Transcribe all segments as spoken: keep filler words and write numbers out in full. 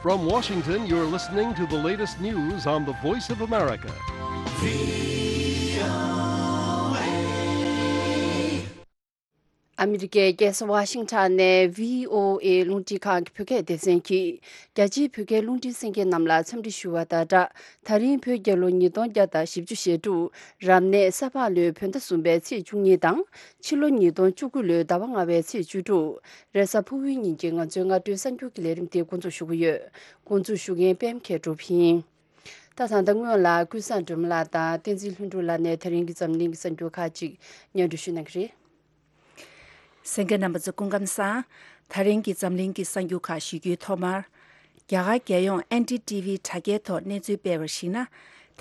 From Washington, you're listening to the latest news on the Voice of America. ཨ་མི་རི་ཀའི་རྒྱལ་ས་ཝ་ཤིང་ཊོན་ནས་བྷི་ཨོ་ཨེ་རླུང་འཕྲིན་ཁང་གི་བོད་སྐད་སྡེ་ཚན་གྱིས་རྒྱ་ཆེའི་བོད་སྐད་རླུང་འཕྲིན་གསན་མཁན་རྣམས་ལ་འཚམས་འདྲི་ཞུ་བ་དང་སྦྲགས། ད་རིང་བོད་རྒྱལ་ལོ་ཉིས་སྟོང་བརྒྱ་དང་བཞི་བཅུ་ཞེ་དྲུག་རབ་གནས་ས་ཕག་ལོའི་བོད་ཟླ་གསུམ་པའི་ཚེས་བཅུ་གཉིས་དང་། ཕྱི་ལོ་ཉིས་སྟོང་བཅུ་དགུ་ལོའི་ཟླ་བ་ལྔ་པའི་ཚེས་བཅུ་དྲུག་རེས་གཟའ་ཕུར་བུའི་ཉིན་གྱི་ང་ཚོའི་སྔ་དྲོའི་གསར་འགྱུར་གྱི་ལས་རིམ་དེ་འགོ་འཛུགས་ཞུ་གི་ཡོད། འགོ་འཛུགས་ཞུ་མཁན་པད་མ་མཁས་གྲུབ་ཡིན། ད་ད་ལྟ་སྔོན་ལ་ཀུན་བཟང་སྒྲོལ་མ་ལགས་དང་བསྟན་འཛིན་ལྷུན་གྲུབ་ལགས་ནས་ད་རིང་གི་འཛམ་གླིང་གི་གསར་འགྱུར་ཁག་ཅིག་སྙན་སྒྲོན་ཞུ་གནང་གི་རེད། གསན་མཁན་རྣམ་པ་ཚོ་སྐུ་ཁམས་བཟང་། ད་རིང་གི་འཛམ་གླིང་གི་གསར་འགྱུར་ཁག་ཞུ་རྒྱུའི་ཐོག་མར། རྒྱ་གར་རྒྱལ་ཡོངས་ཨེན་ཌི་ཊི་ཝི་དྲ་རྒྱའི་ཐོག་གནས་ཚུལ་སྤེལ་བར་གཞིགས་ན།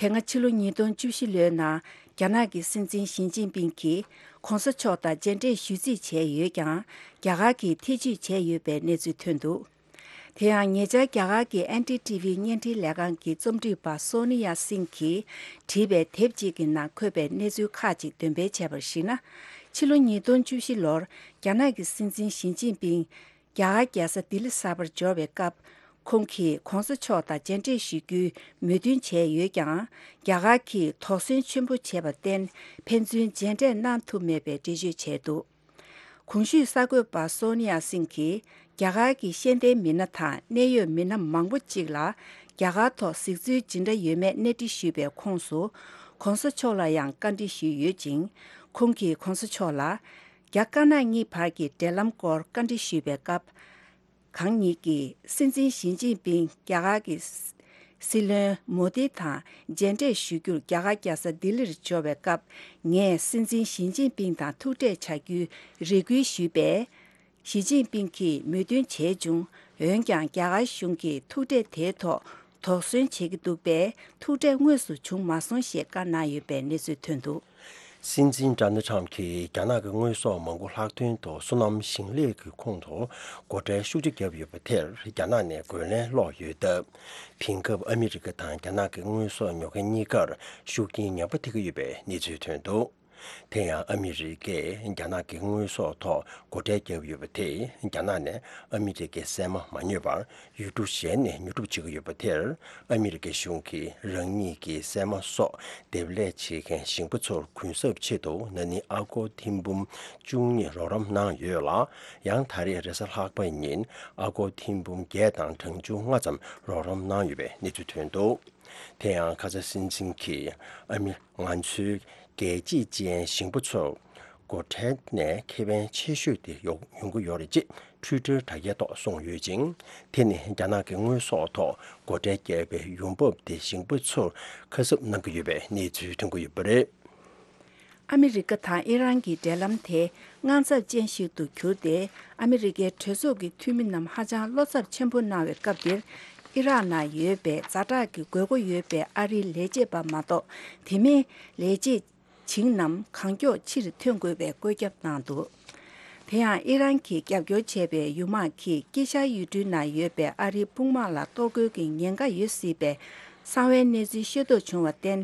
དེ་སྔ་ཕྱི་ལོ་ཉིས་སྟོང་བཅུ་བཞི་ལོའི་ནང་རྒྱ་ནག་གི་སྲིད་འཛིན་ཞི་ཅིན་ཕིང་གིས་གོང་ས་མཆོག་དང་མཇལ་འཕྲད་ཞུ་རྩིས་བྱས་ཡོད་ཀྱང་། རྒྱ་གར་གྱིས་ཐེ་བྱུས་བྱས་ཡོད་པའི་གནས་ཚུལ་ཐོན་འདུག་དེ་ཡང་ཉེ་ཆར་རྒྱ་གར་གྱི་ཨེན་ཌི་ཊི་ཝི་བརྙན་འཕྲིན་ལས་ཁང་གི་རྩོམ་སྒྲིག་པ་སོ་ནི་ཡ་སིང་གིས་བྲིས་པའི་དེབ་ཅིག་གི་ནང་འཁོད་པའི་གནས་ཚུལ་ཁག་ཅིག་འདོན་སྤེལ་བྱས་པར་གཞིགས་ན། ཕྱི་ལོ་ཉིས་སྟོང་བཅུ་བཞི་ལོར་རྒྱ་ནག་གི་སྲིད་འཛིན་ཞི་ཅིན་ཕིང་རྒྱ་གར་རྒྱལ་ས་ལྡི་ལི་གསར་པར་འབྱོར་བའི་སྐབས། ཁོང་གིས་གོང་ས་མཆོག་དང་མཇལ་འཕྲད་ཞུ་རྒྱུའི་མོས་མཐུན་བྱས་ཡོད་ཀྱང་། རྒྱ་གར་གྱིས་དོགས་ཟོན་ཆེན་པོ་བྱས་པར་བརྟེན། ཕན་ཚུན་མཇལ་འཕྲད་གནང་ཐུབ་མེད་པའི་འགྲེལ་བརྗོད་བྱས་འདུག་གོང་ཞུས་གསར་འགོད་པ་སོ་ནི་ཡ་སིང་གིས། རྒྱ་གར་གྱི་ཤེས་ལྡན་མི་སྣ་དང་གནད་ཡོད་མི་སྣ་མང་པོ་གཅིག་ལ། རྒྱ་གར་ཐོག་གཟིགས་ཚུལ་ཇི་འདྲ་ཡོད་མེད་གནས་འདྲི་ཞུས་པའི་ཁོངས་སུ། གོང་ས་མཆོག་ལ་ཡང་བཀའ་འདྲི་ཞུས་ཡོད་ཅིང་། ཁོང་གིས་གོང་ས་མཆོག་ལ། རྒྱ་དཀར་ནག་གཉིས་བར་གྱི་འབྲེལ་ལམ་སྐོར་བཀའ་འདྲི་ཞུས་པའི་སྐབས། གང་ཉིད་ཀྱིས་སྲིད་འཛིན་ཞི་ཅིན་ཕིང་རྒྱ་གར་གྱི་སྲིད་བློན་མོ་དི་དང་མཇལ་འཕྲད་ཞུ་རྒྱུར་རྒྱ་གར་རྒྱལ་ས་ལྡི་ལིར་འབྱོར་བའི་སྐབས། ངས་སྲིད་འཛིན་ཞི་ཅིན་ཕིང་དང་ཐུག་འཕྲད་བྱ་རྒྱུའི་རེ་སྐུལ་ཞུས་པས། ཞི་ཅིན་ཕིང་གིས་མོས་མཐུན་བྱས་བྱུང་། འོན་ཀྱང་རྒྱ་གར་གཞུང་གིས་ཐུག་འཕྲད་དེའི་ཐོག་དོགས་ཟོན་བྱེད་ཀྱི་འདུག་པས། ཐུག་འཕྲད་དངོས་སུ་བྱུང་མ་སོང་ཞེས་བཀའ་གནང་ཡོད་པའི་གནས་ཚུལ་ཐོན་འདུག་སྲིད་འཛིན་ཌོ་ནལ་ཊམ་གྱིས་རྒྱ་ནག་གི་དངོས་ཟོག་མང་པོ་ལྷག་དོན་དུ་སོ་ནམ་ཞིང་ལས་ཀྱི་ཁོངས་སུ་སྒོ་ཁྲལ་ཤུགས་ཆེ་བརྒྱབ་ཡོད་པ་དེར་རྒྱ་ནག་ནས་རྒོལ་ལན་སློག་ཡོད་སྟབས། དེང་སྐབས་ཨ་མི་རི་ཀ་དང་རྒྱ་ནག་གི་དངོས་ཟོག་ཉོ་མཁན་གཉིས་ཀར་ཤུགས་རྐྱེན་ངན་པ་ཐེབས་ཀྱི་ཡོད་པའི་གནས་ཚུལ་ཐོན་འདུག་དེ་ཡང་ཨ་མི་རི་ཀས་རྒྱ་ནག་གི་དངོས་ཟོག་ཐོག་སྒོ་ཁྲལ་བརྒྱབ་ཡོད་པ་དེས་རྒྱ་ནག་ནས་ཨ་མི་རི་ཀའི་སྲན་མ་མ་ཉོས་པར། ཡུལ་གྲུ་གཞན་ནས་ཉོ་སྒྲུབ་བྱེད་ཀྱི་ཡོད་པ་དེར། ཨ་མི་རི་ཀའི་གཞུང་གིས་རང་ཉིད་ཀྱི་སྲན་མ་སོགས་འདེབས་ལས་བྱེད་མཁན་ཞིང་པ་ཚོར་གུན་གསབ་ཆེད་དུ་ན་ནིང་ཨ་སྒོར་ཐེར་འབུམ་བཅུ་གཉིས་རོགས་རམ་གནང་ཡོད་ལ། ཡང་ད་རེས་རེས་གཟའ་ལྷག་པ་ཉིན་ཨ་སྒོར་ཐེར་འབུམ་བརྒྱད་དང་གྲངས་ཆུང་ལྔ་ཙམ་རོགས་རམ་གནང་ཡོད་པའི་གནས་ཚུལ་ཐོན་འདུག་དེ་ཡང་ཁ་ས་སྲིད་འཛིན་གྱིས་ཨ་མི་ང་ཚོའི་རྒྱལ་གཅེས་ཅན་ཞིང་པ་ཚོར་སྒོ་ཁྲལ་ནས་ཁེ་ཕན་ཆེ་ཤོས་དེ་ཡོང་ཡོང་གི་ཡོད་རེད་ཅེས་ཊུའི་ཊར་དྲ་རྒྱའི་ཐོག་གསུངས་ཡོད་ཅིང་། དེ་ནི་རྒྱ་ནག་གི་དངོས་ཟོག་ཐོག་སྒོ་ཁྲལ་བརྒྱབ་པའི་ཡོང་འབབ་དེ་ཞིང་པ་ཚོར་ཁ་གསབ་གནང་གི་ཡོད་པའི་གནས་ཚུལ་ཐོན་གྱི་ཡོད་པ་རེད། ཨ་མི་རི་ཀ་དང་ཨི་རན་གྱི་འབྲེལ་ལམ་དེ་དངངས་འཚབ་ཅན་ཞིག་ཏུ་གྱུར་ཏེ། ཨ་མི་རི་ཀའི་གྲོས་ཚོགས་ཀྱི་འཐུས་མི་རྣམས་ཧ་ཅང་བློ་འཚབ་ཆེན་པོ་གནང་བའི་སྐབས་འདིར། ཨི་རག་ནང་ཡོད་པའི་ཛ་དྲག་གི་དགོས་མཁོ་ཡོད་པའི་ཨ་རིའི་ལས་བྱེད་པ་མ་གཏོགས། དེ་མིན་ལས་བྱེད་བྱིངས་རྣམས་གང་མགྱོགས་ཕྱིར་ཐོན་དགོས་པའི་བཀོད་ཁྱབ་གནང་འདུག་དེ་ཡང་ཨི་རན་གྱིས་རྒྱབ་སྐྱོར་བྱས་པའི་ཡུལ་དམག་གིས་དཀྱིལ་ཤར་ཡུལ་གྲུའི་ནང་ཡོད་པའི་ཨ་རིའི་དཔུང་དམག་ལ་གཏོར་རྒོལ་གྱི་ཉེན་ཁ་ཡོད་སྲིད་པའི་གསང་བའི་གནས་ཚུལ་ཤེས་རྟོགས་བྱུང་བར་བརྟེན།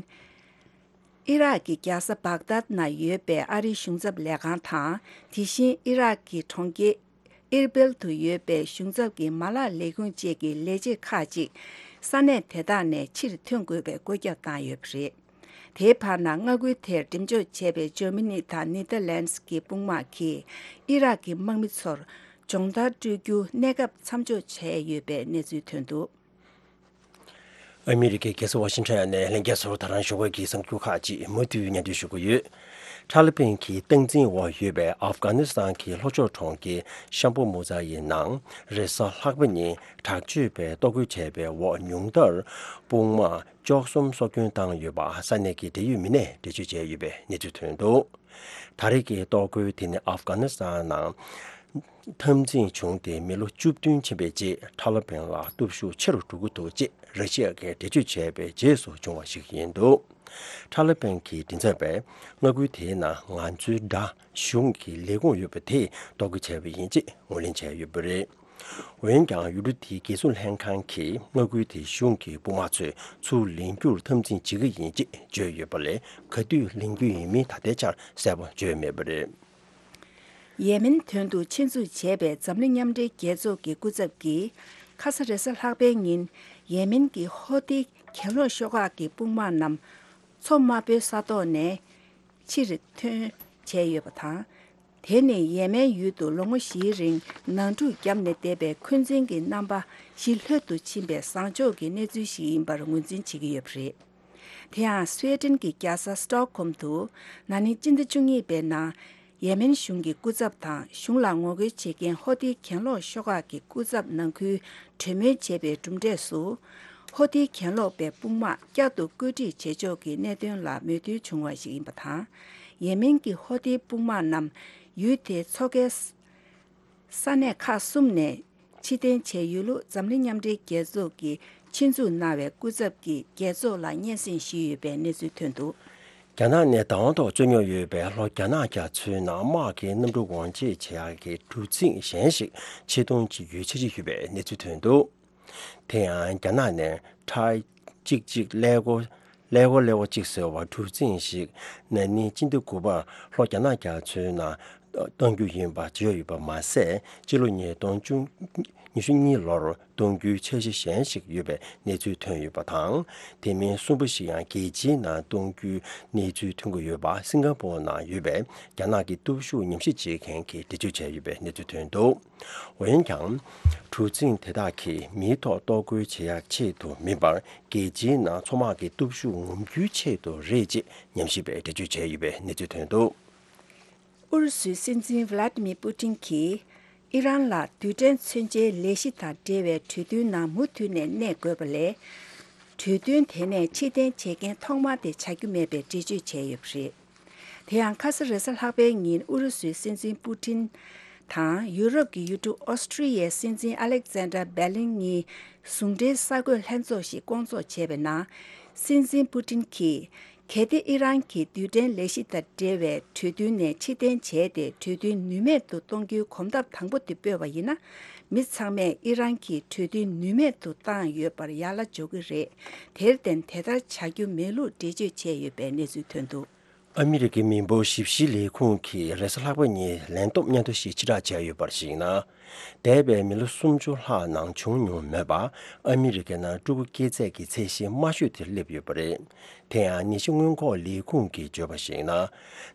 ཨི་རག་གི་རྒྱལ་ས་བྷག་དཱད་ནང་ཡོད་པའི་ཨ་རིའི་གཞུང་ཚབ་ལས་ཁང་དང་། དེ་བཞིན་ཨི་རག་གི་གྲོང་ཁྱེར་ཨིར་བིལ་དུ་ཡོད་པའི་གཞུང་ཚབ་ཀྱི་མ་ལག་ལས་ཁུངས་བཅས་ཀྱི་ལས་བྱེད་ཁག་ཅིག་ས་གནས་དེ་དག་ནས་ཕྱིར་ཐོན་དགོས་པའི་བཀོད་ཁྱབ་བཏང་ཡོད་པ་རེད། དེའི་བར་ན་མངའ་ཁུལ་དེར་འགྲེམས་འཇོག་བྱས་པའི་འཇར་མ་ནི་དང་ནེ་ཐར་ལན་སི་གི་དཔུང་དམག་གིས་ཨི་རག་གི་དམག་མི་ཚོར་སྦྱོང་བརྡར་སྤྲོད་རྒྱུ་གནས་སྐབས་མཚམས་འཇོག་བྱས་ཡོད་པའི་གནས་ཚུལ་ཐོན་འདུག་ཨ་མི་རི་ཀའི་རྒྱལ་ས་ཝ་ཤིང་ཊོན་ནས་ལྷན་རྒྱས་ཚོར་ད་རང་ཞོགས་པའི་གི་གསར་འགྱུར་ཁག་ཅིག་མུ་མཐུད་སྙན་སྒྲོན་ཞུ་གི་ཡོད། ཐ་ལི་བན་གྱི་སྟངས་འཛིན་འོག་ཡོད་པའི་ཨབ་གྷ་ནི་སི་ཐན་གྱི་ལྷོ་ཕྱོགས་གྲོང་ཁྱེར་ཤམ་བྷོ་མུ་ཛ་ཡི་ནང་རེས་གཟའ་ལྷག་པ་ཉིན་དྲག་སྤྱོད་པས་གཏོར་རྒོལ་བྱས་པའི་འོག་ཉུང་མཐར་དཔུང་དམག་བཅུ་གསུམ་སྲོག་སྐྱོན་བཏང་ཡོད་པ་ས་གནས་ཀྱི་འབྲེལ་ཡོད་མི་སྣས་འགྲེལ་བརྗོད་བྱས་ཡོད་པའི་གནས་ཚུལ་ཐོན་འདུག་ད་རེས་ཀྱི་གཏོར་རྒོལ་དེ་ནི་ཨབ་གྷ་ནི་སི་ཐན་ནང་འཐབ་འཛིང་བྱུང་སྟེ་མི་ལོ་བཅུ་བདུན་ཕྱིན་པའི་རྗེས་ཐ་ལི་བན་ལ་སྟོབས་ཤུགས་ཆེ་རུ་འགྲོ་གི་འདུག་ཅེས་ར་ཤི་ཡ་གིས་འགྲེལ་བརྗོད་བྱས་པའི་རྗེས་སུ་བྱུང་བ་ཞིག་ཡིན་འདུག་ཐ་ལི་བན་གྱི་མགྲིན་ཚབ་པས་མངའ་ཁུལ་དེའི་ནང་ང་ཚོའི་དགྲ་གཞུང་གི་ལས་ཁུངས་ཡོད་པ་དེ་གཏོར་རྒོལ་བྱས་པ་ཡིན་ཅེས་ངོས་ལེན་བྱས་ཡོད་པ་རེད། འོན་ཀྱང་ཡུལ་གྲུ་དེའི་རྒྱལ་སྲུང་ལྷན་ཁང་གིས་མངའ་ཁུལ་དེའི་གཞུང་གི་དཔུང་དམག་ཚོས་ཚུར་ལེན་རྒྱུར་འཐབ་འཛིང་བྱེད་ཀྱི་ཡིན་ཅེས་བརྗོད་ཡོད་པ་ལས། ག་དུས་ལེན་རྒྱུ་ཡིན་མིན་ད་ལྟའི་ཆར་གསལ་པོ་བརྗོད་མེད་པ་རེད། ཡེ་མེན་དོན་དུ་ཆེད་འཛུགས་བྱས་པའི་འཛམ་གླིང་མཉམ་འབྲེལ་རྒྱལ་ཚོགས་ཀྱི་སྐུ་ཚབ་ཀྱིས། ཁ་ས་རེས་གཟའ་ལྷག་པའི་ཉིན་ཡེ་མེན་གྱི་ཧོ་ཐི་གྱེན་ལོག་ཤོག་ཁག་གི་དཔུང་དམག་རྣམས་མཚོ་དམར་པོའི་ས་ཐོག་ནས་ཕྱིར་ཐོན་བྱས་ཡོད་པ་དང་། དེ་ནི་ཡེ་མེན་ཡུལ་དུ་ལོ་ངོ་བཞིའི་རིང་ནང་འཁྲུག་བརྒྱབ་ནས་བསྡད་པའི་འཁོན་འཛིན་གྱི་རྣམ་པ་ཞི་ལྷོད་དུ་ཕྱིན་པའི་བཟང་ཕྱོགས་ཀྱི་གནས་ཚུལ་ཞིག་ཡིན་པར་ངོས་འཛིན་བྱེད་ཀྱི་ཡོད་པ་རེད། དེ་ཡང་སུའེ་ཏེན་གྱི་རྒྱལ་ས་སི་ཏོག་ཧོམ་དུ་ན་ནིང་སྤྱི་ཟླ་བཅུ་གཉིས་པའི་ནང་ཡེ་མེན་གཞུང་གི་སྐུ་ཚབ་དང་གཞུང་ལ་ངོ་རྒོལ་བྱེད་མཁན་ཧོ་ཐི་གྱེན་ལོག་ཤོག་ཁག་གི་སྐུ་ཚབ་ནང་ཁུལ་གྲོས་མོལ་བྱས་པའི་གྲུབ་འབྲས་སུ། ཧོ་ཐི་གྱེན་ལོག་པའི་དཔུང་དམག་བསྐྱར་དུ་བཀོད་སྒྲིག་བྱེད་ཕྱོགས་ཀྱི་གནད་དོན་ལ་མོས་མཐུན་བྱུང་བ་ཞིག་ཡིན་པ་དང་། ཡེ་མེན་གྱི་ཧོ་ཐི་དཔུང་དམག་རྣམས་ཡུལ་དེའི་མཚོ་ཁའི་ས་གནས་ཁག་གསུམ་ནས་ཕྱིར་འཐེན་བྱས་ཡོད་ལུགས་འཛམ་གླིང་མཉམ་འབྲེལ་རྒྱལ་ཚོགས་ཀྱིས་ཆེད་འཛུགས་གནང་བའི་སྐུ་ཚབ་ཀྱིས་རྒྱལ་ཚོགས་ལ་སྙན་སེང་ཞུས་ཡོད་པའི་གནས་ཚུལ་ཐོན་འདུག། རྒྱ་ནག་ནས་བདག་དབང་ཐོག་རྩོད་རྙོག་ཡོད་པའི་ལྷོ་རྒྱ་ནག་རྒྱ་མཚོའི་ནང་དམག་གི་གནམ་གྲུ་འོར་འཇིགས་བྱེད་ཡག་གི་གྲུ་གཟིངས་གཞན་ཞིག་ཕྱིར་གཏོང་བྱེད་རྒྱུའི་འཆར་གཞི་ཡོད་པའི་གནས་ཚུལ་ཐོན་འདུག། དེ་ཡང་རྒྱ་ནག་ནས་ཁྲའི་གཅིག་གཅིག་ཀླད་ཀོར་ཀླད་ཀོར་ཀླད་ཀོར་གཅིག་ཟེར་བ་གྲུ་གཟིངས་ཤིག་ན་ནིང་སྤྱི་ཟླ་དགུ་པར་ལྷོ་རྒྱ་ནག་རྒྱ་མཚོའི་ནང་གཏོང་རྒྱུ་ཡིན་པ་བརྗོད་ཡོད་པ་མ་ཟད། སྤྱི་ལོ་ཉིས་སྟོང་ཉི་ཤུ་གཉིས་ལོར་གཏོང་རྒྱུའི་འཆར་གཞི་གཞན་ཞིག་ཡོད་པའི་གནས་ཚུལ་ཐོན་ཡོད་པ་དང་། དེ་མིན་གསུམ་པ་ཞིག་ཡང་རྒྱལ་སྤྱིའི་ནང་གཏོང་རྒྱུའི་གནས་ཚུལ་ཐོན་གྱི་ཡོད་པ་སིང་ག་པོར་ནང་ཡོད་པའི་རྒྱ་ནག་གི་སྟོབས་ཤུགས་ཉམས་ཞིབ་བྱེད་མཁན་གྱིས་འགྲེལ་བརྗོད་བྱས་ཡོད་པའི་གནས་ཚུལ་ཐོན་འདུག། འོན་ཀྱང་། གྲུ་གཟིངས་དེ་དག་གིས་མིའི་ཐོག་གཏོར་རྒོལ་བྱེད་ཡག་ཆེད་དུ་མིན་པར། རྒྱལ་སྤྱིའི་ནང་མཚོ་དམག་གི་སྟོབས་ཤུགས་ངོམ་རྒྱུའི་ཆེད་དུ་རེད་ཅེས་ཉམས་ཞིབ་པས་འགྲེལ་བརྗོད་བྱས་ཡོད་པའི་གནས་ཚུལ་ཐོན་འདུག། ཨུ་རུ་སུའི་སྲིད་འཛིན་ཝི་ལ་ཏི་མིར་པུ་ཏིན་གྱིས་ཨི་རན་ལ་རྡུལ་ཕྲན་མཚོན་ཆའི་ལས་གཞི་དང་འབྲེལ་བའི་གྲོས་མཐུན་ནང་མུ་མཐུད་ནས་གནས་དགོས་པ་ལས། གྲོས་མཐུན་དེ་ནས་ཕྱིར་འཐེན་བྱེད་མཁན་ཐོག་མ་དེ་ཆགས་རྒྱུ་མེད་པའི་འགྲེལ་བརྗོད་བྱས་ཡོད་པ་རེད། དེ་ཡང་ཁ་ས་རེས་གཟའ་ལྷག་པའི་ཉིན་ཨུ་རུ་སུའི་སྲིད་འཛིན་པུ་ཏིན་དང་ཡུ་རོབ་ཀྱི་ཡུལ་གྲུ་ཨོ་སི་ཀྲི་ཡའི་སྲིད་འཛིན་ཨ་ལེག་ཛན་ཏྲ་བྷེ་ལིན་གཉིས་ཟུང་འབྲེལ་གསར་འགོད་ལྷན་ཚོགས་ཤིག་སྐོང་ཚོགས་བྱས་པའི་ནང་། སྲིད་འཛིན་པུ་ཏིན་གྱིས། གལ་ཏེ་ཨི་རན་གྱིས་རྡུལ་ཕྲན་ལས་གཞི་དང་འབྲེལ་བའི་གྲོས་མཐུན་ནས་ཕྱིར་འཐེན་བྱས་ཏེ་གྲོས་མཐུན་ནུས་མེད་དུ་གཏོང་རྒྱུའི་གོམ་སྟབས་དང་པོ་དེ་སྤོས་པ་ཡིན་ན། མི་ཚང་མས་ཨི་རན་གྱིས་གྲོས་མཐུན་ནུས་མེད་དུ་བཏང་ཡོད་པར་ཡར་ལ་འཇོག་གི་རེད། དེར་བརྟེན་དེ་ལྟར་བྱ་རྒྱུ་མེད་ལུགས་འགྲེལ་བརྗོད་བྱས་ཡོད་པའི་གནས་ཚུལ་ཐོན་འདུག། ཨ་མི་རི་ཀའི་མི་འབོར་ཞིབ་བཤེར་ལས་ཁུངས་ཀྱིས་རེས་གཟའ་ལྷག་པ་ཉིན་ལན་སྟོབས་སྙན་ཐོ་ཞིག་ཕྱིར་བསྒྲགས་བྱས་ཡོད་པར་གཞིགས་ན། འདས་པའི་མི་ལོ་སུམ་ཅུ་ལྷག་ནང་བྱུང་མྱོང་མེད་པ། ཨ་མི་རི་ཀའི་ནང་ཕྲུ་གུ་སྐྱེ་ཚད་ཀྱི་ཚད་གཞི་དམའ་ཤོས་དེར་སླེབས་ཡོད་པ་རེད། དེ་ཡང་ནད་གཞི་སྔོན་འགོག་ལས་ཁུངས་ཀྱིས་བརྗོད་པར་གཞིགས་ན།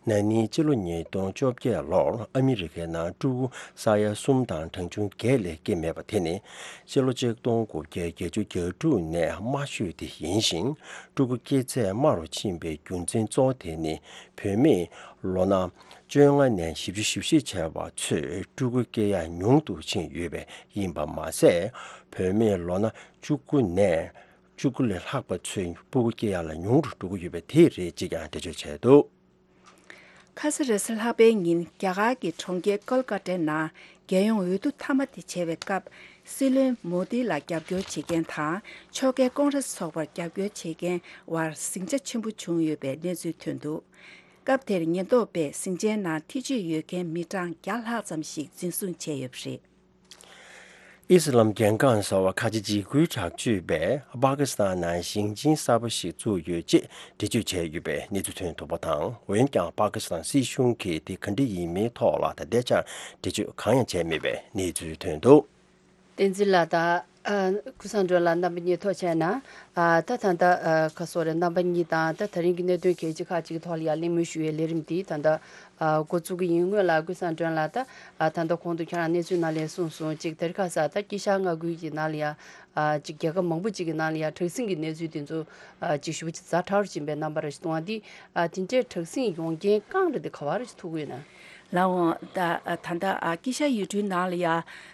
ན་ནིང་སྤྱི་ལོ་ཉིས་སྟོང་བཅོ་བརྒྱད་ལོར་ཨ་མི་རི་ཀའི་ནང་ཕྲུ་གུ་ས་ཡ་གསུམ་དང་གྲངས་ཆུང་བརྒྱད་ལས་སྐྱེས་མེད་པ་དེ་ནི། ཕྱི་ལོ་ཆིག་སྟོང་དགུ་བརྒྱ་བརྒྱད་ཅུ་གྱ་དྲུག་ནས་དམའ་ཤོས་དེ་ཡིན་ཞིང་། ཕྲུ་གུ་སྐྱེ་ཚད་དམའ་རུ་ཕྱིན་པའི་རྒྱུ་མཚན་གཙོ་བོ་དེ་ནི། བུད་མེད་ལོ་ན་བཅོ་ལྔ་ནས་བཞི་བཅུ་ཞེ་བཞི་བྱས་པ་ཚོས་ཕྲུ་གུ་སྐྱེ་ཡག་ཉུང་དུ་ཕྱིན་ཡོད་པས་ཡིན་པ་མ་ཟད། བུད་མེད་ལོ་ན་བཅུ་དགུ་ནས་བཅུ་དགུ་ལས་ལྷག་པ་ཚོས་ཕྲུ་གུ་སྐྱེ་ཡག་ལ་ཉུང་རུ་འགྲོ་གི་ཡོད་པ་དེ་རེད་ཅེས་ཀྱང་འགྲེལ་བརྗོད་བྱས་འདུག། ཁ་ས་རེས་གཟའ་ལྷག་པའི་ཉིན་རྒྱ་གར་གྱི་གྲོང་ཁྱེར་ཀོལ་ཀ་ཏའི་ནང་རྒྱལ་ཡོངས་འོས་བསྡུ་མཐའ་མ་དེ་བྱེད་པའི་སྐབས། སྲིད་བློན་མོ་དི་ལ་རྒྱབ་སྐྱོར་བྱེད་མཁན་དང་ཕྱོགས་འགལ་ཀོང་རེས་ཚོགས་པར་རྒྱབ་སྐྱོར་བྱེད་མཁན་བར་ཟིང་ཆ་ཆེན་པོ་བྱུང་ཡོད་པའི་གནས་ཚུལ་ཐོན་འདུག། སྐབས་དེར་ཉེན་རྟོག་པས་ཟིང་ཆའི་ནང་ཐེ་བྱུས་ཡོད་མཁན་མི་གྲངས་བརྒྱ་ལྷག་ཙམ་ཞིག་འཛིན་བཟུང་བྱས་ཡོད་པ་རེད། ཨི་སི་ལམ་རྒྱལ་ཁམས་ཟེར་བ་ཁ་ཆེ་འཇིགས་སྐུལ་དྲག་སྤྱོད་པས་པ་ཀི་སི་ཐན་ནང་ཞིང་ཆེན་གསར་པ་ཞིག་བཙུགས་ཡོད་ཅེས་འགྲེལ་བརྗོད་བྱས་ཡོད་པའི་གནས་ཚུལ་ཐོན་འདུག་པ་དང་། འོན་ཀྱང་པ་ཀི་སི་ཐན་སྲིད་གཞུང་གིས་དེ་ག་འདྲ་ཡིན་མིན་ཐོག་ལ་ད་ལྟའི་ཆར་འགྲེལ་བརྗོད་གང་ཡང་བྱས་མེད་པའི་གནས་ཚུལ་ཐོན་འདུག། བསྟན་འཛིན་ལགས་དང་། ཨ། ཀུན་བཟང་སྒྲོན་ལགས། རྣམ་པ་གཉིས་ཐུགས་རྗེ་གནང་། ཨ། ད་ད་ལྟ་ཨ་ཁ་སོ་རེ་རྣམ་པ་གཉིས་དང་ད་ད་རིང་གི་གནད་དོན་གལ་ཆེ་ཁག་ཅིག་གི་ཐོག་ལ་ཡང་གླེང་མོལ་ཞུ་བའི་ལས་རིམ་འདི་ད་ལྟ་ཨ་འགོ་བཙུགས་ཀྱི་ཡིན། སྔོན་ལ་ཀུན་བཟང་སྒྲོན་ལགས་ད་ཨ་ད་ལྟ་གོང་དུ་ཁྱེད་རང་གནས་ཚུལ་ནང་ལ་གསུངས་སོང་། གཅིག་དེ་རིང་ཁ་སང་ད་དཀྱིལ་ཤར་མངའ་ཁུལ་གྱི་ནང་ལ་ཡང་ཨ་ཅིག་རྒྱལ་ཁབ་མང་པོ་ཅིག་གི་ནང་ལ་ཡང་དྲག་ཟིང་གི་གནས་ཚུལ་དེ་ཚོ་ཨ་ཅིག་ཞེ་པོ་ཅིག་ཛ་དྲག་རུ་ཕྱིན་པའི་རྣམ་པ་རེ་ཞིག་མཐོང་བ་འདི། ཨ་དེ་འདྲའི་དྲག་ཟིང་ཡོང་རྐྱེན་རྐང་རེད་དེ་ག་བ་རེ་ཞིག་ཐུག་གི་ཡོད་ན། ལགས་འོང་། ད་ད་ལྟ་ཨ་དཀྱིལ་ཤར་ཡུལ་གྲུའི་ནང་ལ་ཡ་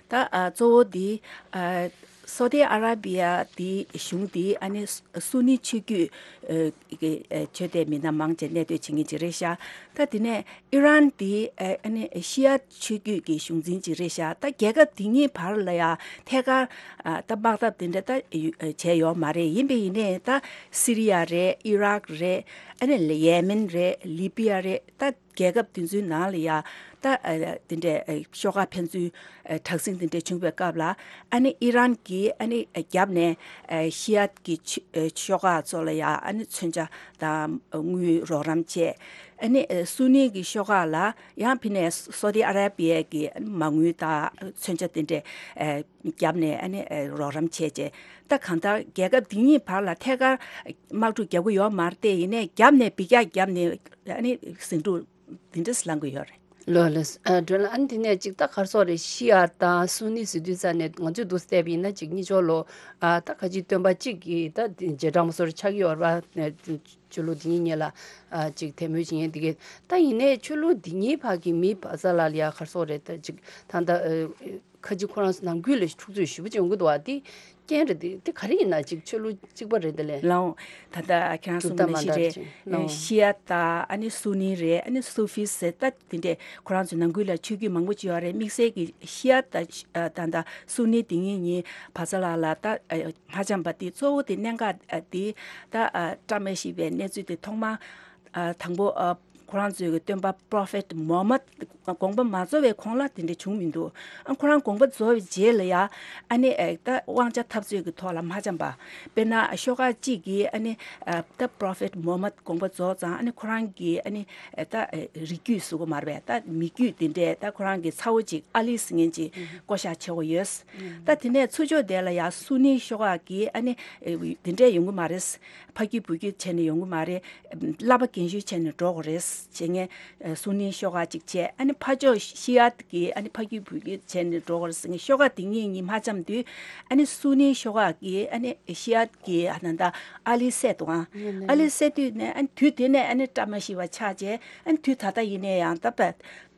ད་ཨ་གཙོ་བོ་འདི་ཨ་སོ་ཏི་ཨ་ར་བི་ཡ་འདི་གཞུང་འདི་ཨ་ནི་སུ་ནི་ཆོས་བརྒྱུད་ཨ་གི་ཨ་ཆོས་དད་མི་སྣ་མང་ཆེ་གནས་སྡོད་བྱེད་མཁན་ཅིག་རེད་ཤག། ད་དེ་ནས་ཨི་རན་འདི་ཨ་ནི་ཤི་ཡ་ཆོས་བརྒྱུད་ཀྱི་གཞུང་འཛིན་ཅིག་རེད་ཤག། ད་རྒྱལ་ཁབ་འདི་གཉིས་བར་ལ་ཡ་ཐད་ཀར་ཨ་ད་དམག་འཐབ་དེ་འདྲ་ད་ཡུ་བྱས་ཡོད་མ་རེད། ཡིན་པས་ཡིན་ནའི་ད་སི་རི་ཡ་རེད། ཨི་རག་རེད། ཨ་ནི་ཡེ་མེན་རེད། ལི་བི་ཡ་རེད། ད་རྒྱལ་ཁབ་དེ་ཚོའི་ནང་ལ་ཡ་ད་ཨ་དེ་འདྲའི་ཨ་ཤོག་ཁག་ཕན་ཚུན་ཨ་དྲག་ཟིང་དེ་འདྲ་བྱུང་བའི་སྐབས་ལ་ཨ་ནི་ཨི་རན་གྱིས་ཨ་ནི་རྒྱབ་ནས་ཨ་ཤི་ཡ་གི་ཆ་ཨ་ཤོག་ཁག་ཚོ་ལ་ཡ་ཨ་ནི་མཚོན་ཆ་དང་དངུལ་རོགས་རམ་བྱས། ཨ་ནི་ཨ་སུ་ནི་གི་ཤོག་ཁག་ལ་ཡང་ཕི་ནས་སོ་ཏི་ཨ་ར་བི་ཡ་གི་མ་དངུལ་དང་མཚོན་ཆ་དེ་འདྲས་ཨ་བརྒྱབ་ནས་ཨ་ནི་ཨ་རོགས་རམ་བྱས་རྗེས། ད་གང་ལྟར་རྒྱལ་ཁབ་འདི་གཉིས་བར་ལ་ཐད་ཀར་དམག་འཁྲུག་རྒྱག་གི་ཡོད་མ་རེད་དེ། ཡིན་ནའི་རྒྱབ་ནས་འབུད་རྒྱག་བརྒྱབ་ནས་ཨ་ནི་ཟིང་འཁྲུག་འདི་འདྲས་ལངས་ཀྱི་ཡོད་རེད། ལོ་ལོ། ཨ་སྒྲོན་ལགས། ཨ་ནི་དེ་ནས་ཅིག་ད་ག་རེ་ཟེར་དགོས་རེད། ཤི་ཡ་དང་སུ་ནི་ཟེར་དུས་ཙ་ནས་ང་ཚོས་འདུག་བལྟས་པ་ཡིན་ན་ཅིག་གཉིས་ཆོ་ལོ། ཨ་ད་ཁ་ཅིག་སྟོན་པ་གཅིག་གིས་ད་རྗེས་འབྲང་མ་སོར་ཆགས་ཀྱི་ཡོད་རེད་པ། ཆོས་ལུགས་འདི་གཉིས་གཉིས་ལ་ཨ་ཅིག་དད་མོས་བྱེད་མཁན་འདི་གས། ད་ཡིན་ནའི་ཆོས་ལུགས་འདི་གཉིས་བར་གྱི་མི་བར་མཚམས་ལ་ཡ་ག་རེ་ཟེར་དགོས་རེད། ད་ཅིག་ད་ད་ཨ་ཁ་ཅིག་ཁོ་རང་ཚོ་ནང་ཁུལ་ལ་འཁྲུག་རྩོད་ཞེ་པོ་ཅིག་ཡོང་གི་འདུག་བ། དེ་རྐྱེན་རེད། དེ་དེ་ག་རེ་ཡིན་ན། ཅིག་ཆོས་ལུགས་གཅིག་པ་རེད་དེ་ལས། ལའོ། ད་ལྟ་ཁྱེད་རང་གྲུབ་གསུངས་པ་མཐའ་ནང་མ་བཞིན་འདྲ་རེད། ཅིག་ལའོ། ཤི་ཡ་དང་ཨ་ནི་སུ་ནི་རེད། ཨ་ནི་སུ་ཧྥི་ཟེར། ད་དེ་འདྲས་ཁོ་རང་ཚོའི་ནང་ཁུལ་ལ་ཆོས་བརྒྱུད་མང་པོ་ཅིག་ཡོད་རེད། དམིགས་བསལ་གྱི་ཤི་ཡ་དང་ཨ་ད་ལྟ་སུ་ནི་དེ་གཉིས་གཉིས་བར་མཚམས་ལ་ལ་ད་ཨ་མ་འཆམ་པ་དེ་གཙོ་བོ་དེ་གནད་འགག་ཨ་དེ་ད་ཨ་བཀྲ་མ་ཤིས་པའི་གནས་ཚུལ་དེ་ཐོག་མ་ཨ་དང་པོ་ཨ་ཁོ་རང་ཚོའི་གི་སྟོན་པ་Prophet Muhammad དགོངས་པ་མ་རྫོགས་པའི་གོང་ལ་དེ་འདྲ་བྱུང་མི་འདུག་ཨ་ཁོ་རང་དགོངས་པ་རྫོགས་པའི་རྗེས་ལ་ཡ་ཨ་ནི་ཨེ་ད་དབང་ཆ་འཐབ་རྩོད་ཀྱི་ཐོག་ལ་མ་འཆམ་པ། དཔེར་ན་ཤོག་ཁག་གཅིག་གིས་ཨ་ནི་ཨ་ད་Prophet Muhammad དགོངས་པ་རྫོགས་ཙང་ཨ་ནི་ཁོ་རང་གི་ཨ་ནི་ཨེ་ད་ཨེ་རིགས་རྒྱུད་ཟེར་དགོས་མ་རེད་པས། ད་མི་རྒྱུད་དེ་འདྲས་ད་ཁོ་རང་གི་ཚ་བོ་གཅིག་ཨ་ལི་ཟེར་མཁན་གཅིག་བསྐོ་བཞག་བྱེད་དགོས་ཡོད། ད་དེ་ནས་ཚུར་ཕྱོགས་དེ་ལ་ཡ་སུ་ནི་ཤོག་ཁག་གིས་ཨ་ནི་ཨེ་དེ་འདྲས་ཡོང་གི་མ་རེད། ཕ་རྒྱུད་བུ་རྒྱུད་བྱས་ནས་ཡོང་གི་མ་རེད། བསླབ་པ་རྒན་ཤོས་བྱས་ནས་འགྲོ་དགོས་རེད་ཟེར་མཁན་སུ་ནི་ཤོག་ཁག་ཅིག་བྱས། ཨ་ནི་ཕར་ཕྱོགས་ཤི་ཡ་གི་ཨ་ནི་ཕ་རྒྱུད་བུ་རྒྱུད་བྱས་ནས་འགྲོ་དགོས་རེད་ཟེར་མཁན་ཤོག་ཁག་དེ་གཉིས་གཉིས་མ་འཆམ་དུས། ཨ་ནི་སུ་ནི་ཤོག་ཁག་གིས་ཨ་ནི་ཤི་ཡ་གི་ཨ་ནི་ད་ཨ་ལི་བསད་འདུག་ཨ། ཨ་ལི་བསད་དུས་ནས་ཨ་ནི་དུས་དེ་ནས་ཨ་ནི་བཀྲ་མ་ཤིས་པ་ཆགས་རྗེས། ཨ་ནི་དུས་ད་ལྟ་ཡིན་ནའི་ཡང་ད་པ་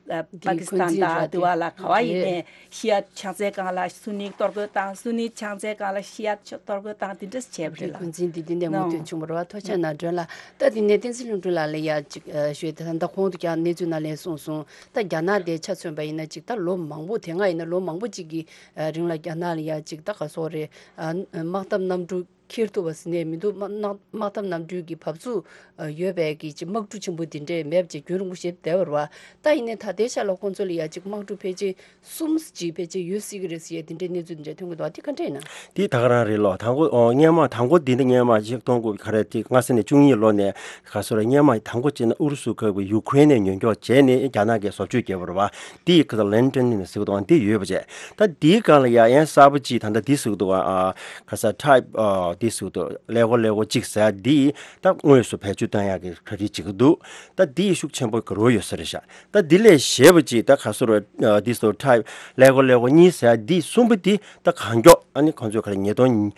ཨ་པ་ཀི་སི་ཐན་དང་དེ་བ་ལ་ག་བ་ཡིན་ནའི་ཤི་ཡ་ཕྱག་འཚལ་སྒང་ལ་སུ་ནི་གཏོར་རྒོལ་བཏང་། སུ་ནི་ཕྱག་འཚལ་སྒང་ལ་ཤི་ཡ་གཏོར་རྒོལ་བཏང་། དེ་འདྲ་བྱས་པ་རེད་ལ། འགོ་འཛིན་འདི་འདི་ནས་མུ་མཐུད་བྱུང་བ་རེད་བ། ཐུགས་རྗེ་གནང་། སྒྲོན་ལགས། ད་དེ་ནས་བསྟན་འཛིན་ལྷུན་གྲུབ་ལགས་ལ་ཡ་ཅིག་ཨ་ཞུས། ད་ད་ཁོང་དུ་ཀྱང་གནས་ཚུལ་ནང་ལ་གསུངས་སོང་། ད་རྒྱ་ནག་དེ་ཆ་མཚོན་པ་ཡིན་ན་ཅིག་ད་ལོ་མང་པོ་དེ་སྔ་ཡིན་ན་ལོ་མང་པོ་ཅིག་གི་ཨ་རིང་ལ་རྒྱ་ནག་ལ་ཡ་ཅིག་ད་ག་སོག་རེད། ཨ་དམག་འཐབ་གནམ་གྲུ་འཁྱེར་ཐུབ་པ་ཟེར་ནས་མི་འདུག་དམག་དམག་དམག་འཐབ་གནམ་གྲུའི་གི་བབས་ཚུགས་ཡོད་པའི་གི་ཅིག་དམག་གྲུ་ཆེན་པོ་འདི་འདྲས་མེད་པ་ཅིག་རྒྱུན་རིང་པོ་ཞིག་བསྡད་པ་རེད་བ། ད་ཡིན་ནའི་ད་ལྟའི་ཆ་ལ་ཁོང་ཚོ་ལ་ཡ་ཅིག་དམག་གྲུ་ཕལ་ཆེར་གསུམ་ཅིག་ཕལ་ཆེར་ཡོད་སྲིད་ཀྱི་རེད་ཟེར་ཡ་འདི་འདྲའི་གནས་ཚུལ་འདི་འདྲས་ཐོན་གྱི་འདུག་དེ་ག་འདྲས་ཡིན་ན། དེ་ད་ག་རང་རེད་ལོ། དང་པོ་ཨོ་སྔོན་མ་དང་པོ་འདི་འདི་སྔོན་མ་ཆིག་སྟོང་དགུ་བརྒྱ་ཁ་རེ་དེ་ལྔ་ས་ནས་བཅུ་གཉིས་ལོ་ནས་ག་སོ་ར་སྔོན་མ་དང་པོ་བྱས་ན་ཨུ་རུ་སུ་ཁ་བའི་ཡུ་ཁུ་རེན་ནས་ཉོ་འཇོག་བྱས་ནས་རྒྱ་ནག་གིས་བཟོ་བཅོས་བརྒྱབ་པ་རེད་བ། དེ་ཡི་ཁ་ས་ལན་ཏན་ནས་ཟེར་གི་འདུག་འདི་ཡོད་པ་བྱས། ད་དེའི་སྒང་ལ་ཡ་ཡན་གསར་པ་ཅིག་ད་ལྟ་འདི་ཟེར་གི་འདུག་ཨ་ག་ས་ཊའིབ་ཨ་འདི་ཟེར་གི་འདུག་ཀླད་ཀོར་ཀླད་ཀོར་གཅིག་ཟེར་ཡ་འདི་ད་དངོས་སུ་བེད་སྤྱོད་བཏང་ཡག་གི་གྲ་སྒྲིག་བྱེད་ཀྱི་འདུག་ད་འདི་ཡི་ཤུགས་ཆེན་པོ་གི་རོ་ཡོད་ས་རེད་ཤག་ད་འདི་ལས་གཞན་པ་ཅིག་ད་ག་སོ་ར་ཨ་འདི་ཟེར་ཊའིབ་ཀླད་ཀོར་ཀླད་ཀོར་གཉིས་ཟེར་ཡ་འདི་གསུམ་པོ་འདི་ད་གང་མགྱོགས་ཨ་ནི་ཁོང་ཚོས་ག་རེ་ཉིས་སྟོང་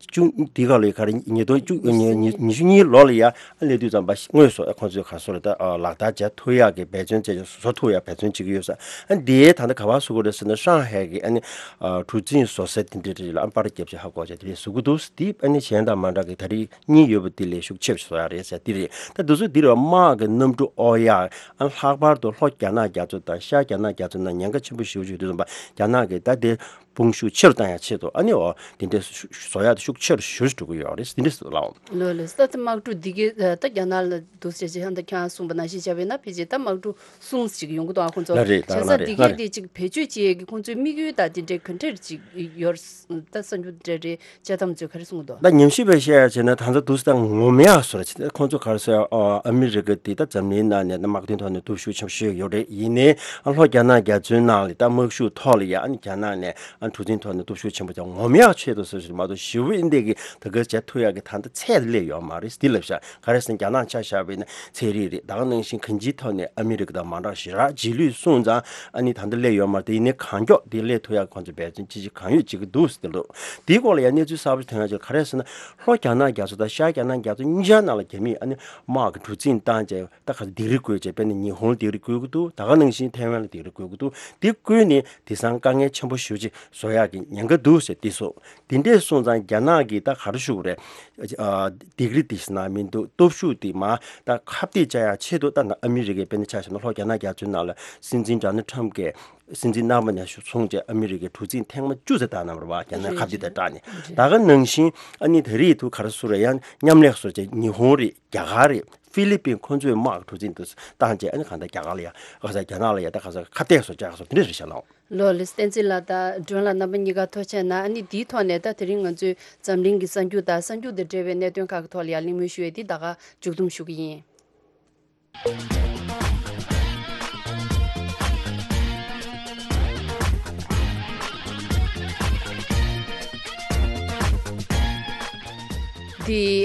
བཅུ་འདི་ག་ལོའི་ག་རེ་ཉིས་སྟོང་བཅུ་ཉི་ཉི་ཉི་ཤུ་གཉིས་ལོ་ལ་ཡ་ཨ་སླེབས་དུས་ཙམ་པ་དངོས་སུ་ཨ་ཁོང་ཚོས་ག་སོ་ར་ད་ཨ་ལག་བསྟར་བྱ་ཐུབ་ཡག་གི་འབད་བརྩོན་བྱས་བཟོ་ཐུབ་ཡག་འབད་བརྩོན་བྱེད་ཀྱི་ཡོད་ས། ཨ་འདི་ད་ལྟ་ག་པར་བཟོ་གི་རེད་ཟེར་ན་ཧྲང་ཧའེ་གི་ཨ་ནི་ཨ་གྲུ་གཟིངས་བཟོ་ས་དེ་འདྲ་རེད་ལ། ཨ་པར་རྒྱབ་བྱས་ཧ་གོ་བྱས་དེ་འདྲས་བཟོ་གི་འདུག་དེ་ཨ་ནི་གཞན་དང་མ་འདྲ་གི་ད་རེས་གཉིས་ཡོད་པ་དེ་ལས་ཤུགས་ཆེ་བ་ཞིག་བཟོ་ཡག་རེད་ཟེར་དེ་རེད། ད་དུས་ཚོད་འདི་རུ་དམག་གི་གནམ་གྲུ་ཨོ་ཡ་ཨ་ལྷག་པར་དུ་ལྷོ་རྒྱ་ནག་རྒྱ་མཚོ་དང་ཤར་རྒྱ་ནག་རྒྱ་མཚོ་ནང་ཉེན་ཁ་ཆེན་པོ་ཞེ་པོ་ཞིག་ཡོད་དུས་ཙམ་པ་རྒྱ་ནག་གིས་ད་དེ་དཔུང་ཤུགས་ཆེ་རུ་བཏང་ཡག་ཆེད་དུ་ཨ་ནི་འོ་དེ་འདྲའི་ཤུ་ཤུ་བཟོ་ཡག་དེ་ཤུགས་ཆེ་རུ་ཞེ་པོ་ཞིག་འགྲོ་གི་ཡོད་རེད། དེ་འདྲ་ཟེར་ལགས། ལོས་ལོས། ད་ལྟ་དམག་གྲུ་འདི་གའི་ད་རྒྱ་ནག་ལ་འདུག་ཟེར་བྱས་ཧང་ད་ཁྱེད་རང་གསུངས་པ་ནང་བཞིན་བྱས་པ་ཡིན་ན་ཕལ་ཆེར་ད་དམག་གྲུ་གསུམ་ཞིག་ཡོང་གི་འདུག་ཨ་ཁོང་ཚོ་ལ་རེད། ད་བྱས་ཙང་ལ་འདི་རེད་ལ་གའི་རེད། དེ་ཅིག་བེད་སྤྱོད་བྱེད་ཡས་ཀྱི་ཁོང་ཚོའི་དམིགས་ཡུལ་ད་དེ་འདྲའི་ག་འདྲས་ཅིག་ཡོད་ད་གསར་འགྱུར་འདྲ་རེད། དཔྱད་གཏམ་ཚོས་ག་རེ་གསུང་གི་འདུག་ད་ཉམས་ཞིབ་པས་བཤད་ཡ་བྱས་ན་ད་ལྟ་དུས་ད་ངོམ་ཡག་བཟོ་འདྲ་བྱས་ཏེ་ཁོང་ཚོ་ག་རེ་ཟེར་ཨ་ཨ་མི་རི་ཀ་དེ་ད་འཛམ་གླིང་ནང་ནས་ད་དམག་དོན་ཐོག་ནས་སྟོབས་ཤུགས་ཆེན་པོ་ཞིག་ཡོད་རེད། ཡིན་ནའི་ཨ་ལྷོ་རྒྱ་ནག་རྒྱ་མཚོའི་ནང་ལ་ད་དམག་ཤུགས་ཐོག་ལ་ཡ་ཨ་ནི་རྒྱ་ནག་ནས་ཨ་གྲུ་གཟིངས་ཐོག་ནས་སྟོབས་ཤུགས་ཆེན་པོ་ཅིག་ངོམ་ཡག་ཆེད་དུ་ཟེར་ཞིག་མ་གཏོགས་ཞེ་པོ་ཨིན་དེ་གི་ད་ག་བྱེད་ཐུབ་ཡག་གི་ད་ལྟ་ཚད་སླེབས་ཡོད་མ་རེད། འདི་ལབ་ཤག་ག་རེ་ཟེར་ན་རྒྱ་ནག་ཆ་བཞག་པ་ཡིན་ན་ཚན་རིག་རེད། ད་ག་ནང་བཞིན་གང་ཅིའི་ཐོག་ནས་ཨ་མི་རི་ཀ་དང་མ་འདྲ་ཞེ་དྲག་རྗེས་ལུས་སོང་ཙང་ཨ་ནི་ད་ལྟ་སླེབས་ཡོད་མ་རེད། དེ་ཡིན་ནའི་གང་མགྱོགས་དེ་སླེབས་ཐུབ་ཡག་ཁོང་ཚོས་འབད་བརྩོན་ཅི་ཅི་གང་ཡོད་བྱེད་ཀྱི་འདུག་ཟེར་འདུག་དེའི་སྐོར་ལ་ཡང་གནས་ཚུལ་གསར་པ་ཞིག་ཐོན་ཡག་ཅིག་ག་རེ་ཟེར་ན། ལྷོ་རྒྱ་ནག་རྒྱ་མཚོ་དང་ཤར་རྒྱ་ནག་རྒྱ་མཚོ་གཉིས་ཆར་ནང་ལ་རྒྱ་མིས་ཨ་ནི་དམག་གི་གྲུ་གཟིངས་བཏང་བྱས་ད་ག་ཚོད་སྡིགས་ར་བསྐུལ་བྱས། དཔེར་ན་ཉི་ཧོང་ལ་སྡིགས་ར་བསྐུལ་གྱི་འདུག་ད་ག་ནང་བཞིན་ཐའེ་ཝན་ལ་སྡིགས་ར་བསྐུལ་གྱི་འདུག་དེ་བསྐུལ་ནས་དེང་སང་དཀའ་ངལ་ཆེན་པོ་ཞེ་པོ་ཅིག་བཟོ་ཡག་གི་ཉེན་ཁ་འདུག་ཟེར་དེ་སོགས། དེ་འདྲས་སོང་ཙང་རྒྱ་ནག་གིས་ད་ག་རེ་ཞུ་དགོས་རེད། ཨ་སྡིགས་ར་དེ་ཟེར་ན་མི་འདུག་སྟོབས་ཤུགས་དེ་མར་ད་ཁ་གཏད་བཅག་ཡག་ཆེད་དུ་ད་ནང་ཨ་མི་རི་ཀས་དཔེར་ན་ཆ་བཞག་ན་ལྷོ་རྒྱ་ནག་རྒྱ་མཚོའི་ནང་ལ་སྲིད་འཛིན་ཌོ་ནལ་ཊམ་གྱིས་སྲིད་འཛིན་རྣམ་པ་ནས་བཟུང་བྱས་ཨ་མི་རི་ཀའི་གྲུ་གཟིངས་ཐེངས་མ་བཅུ་ཙམ་བཏང་གནང་བ་རེད་བ། རྒྱ་ནག་ཁ་གཏད་དེ་སྐྲག་ནས། ད་ག་ནང་བཞིན་ཨ་ནི་ད་རེས་དུ་ག་རེ་ཟེར་རེད། ཡང་མཉམ་ལས་བཟོ་བྱས་ཉི་ཧོང་རེད། རྒྱ་གར་རེད། ཧྥི་ལི་པིན། ཁོང་ཚོས་དམག་གི་གྲུ་གཟིངས་དེ་བཏང་བྱས་ཨ་ནི་གང་ལྟར་རྒྱ་གར་ལ་ཡ་ག་ས་རྒྱ་ནག་ལ་ཡ་ད་ག་ས་ཁ་གཏད་བཟོ་བྱས་ག་ས་དེ་འདྲ་རེད་ཤག་ལགས། ལོ་ལེ། བསྟན་འཛིན་ལགས་དང་སྒྲོན་ལགས་རྣམ་པ་གཉིས་ཀ་ཐུགས་རྗེ་གནང་། ཨ་ནི་འདིའི་ཐོག་ནས་ད་དེ་རིང་ང་ཚོས་འཛམ་གླིང་གི་གསར་འགྱུར་དང་གསར་འགྱུར་དང་འབྲེལ་བའི་གནད་དོན་ཁག་གི་ཐོག་ལ་ཡང་གླེང་མོལ་ཞུ་ཡས་འདི་ད་ག་མཇུག་བསྡོམས་ཞུ་གི་ཡིན། འདི་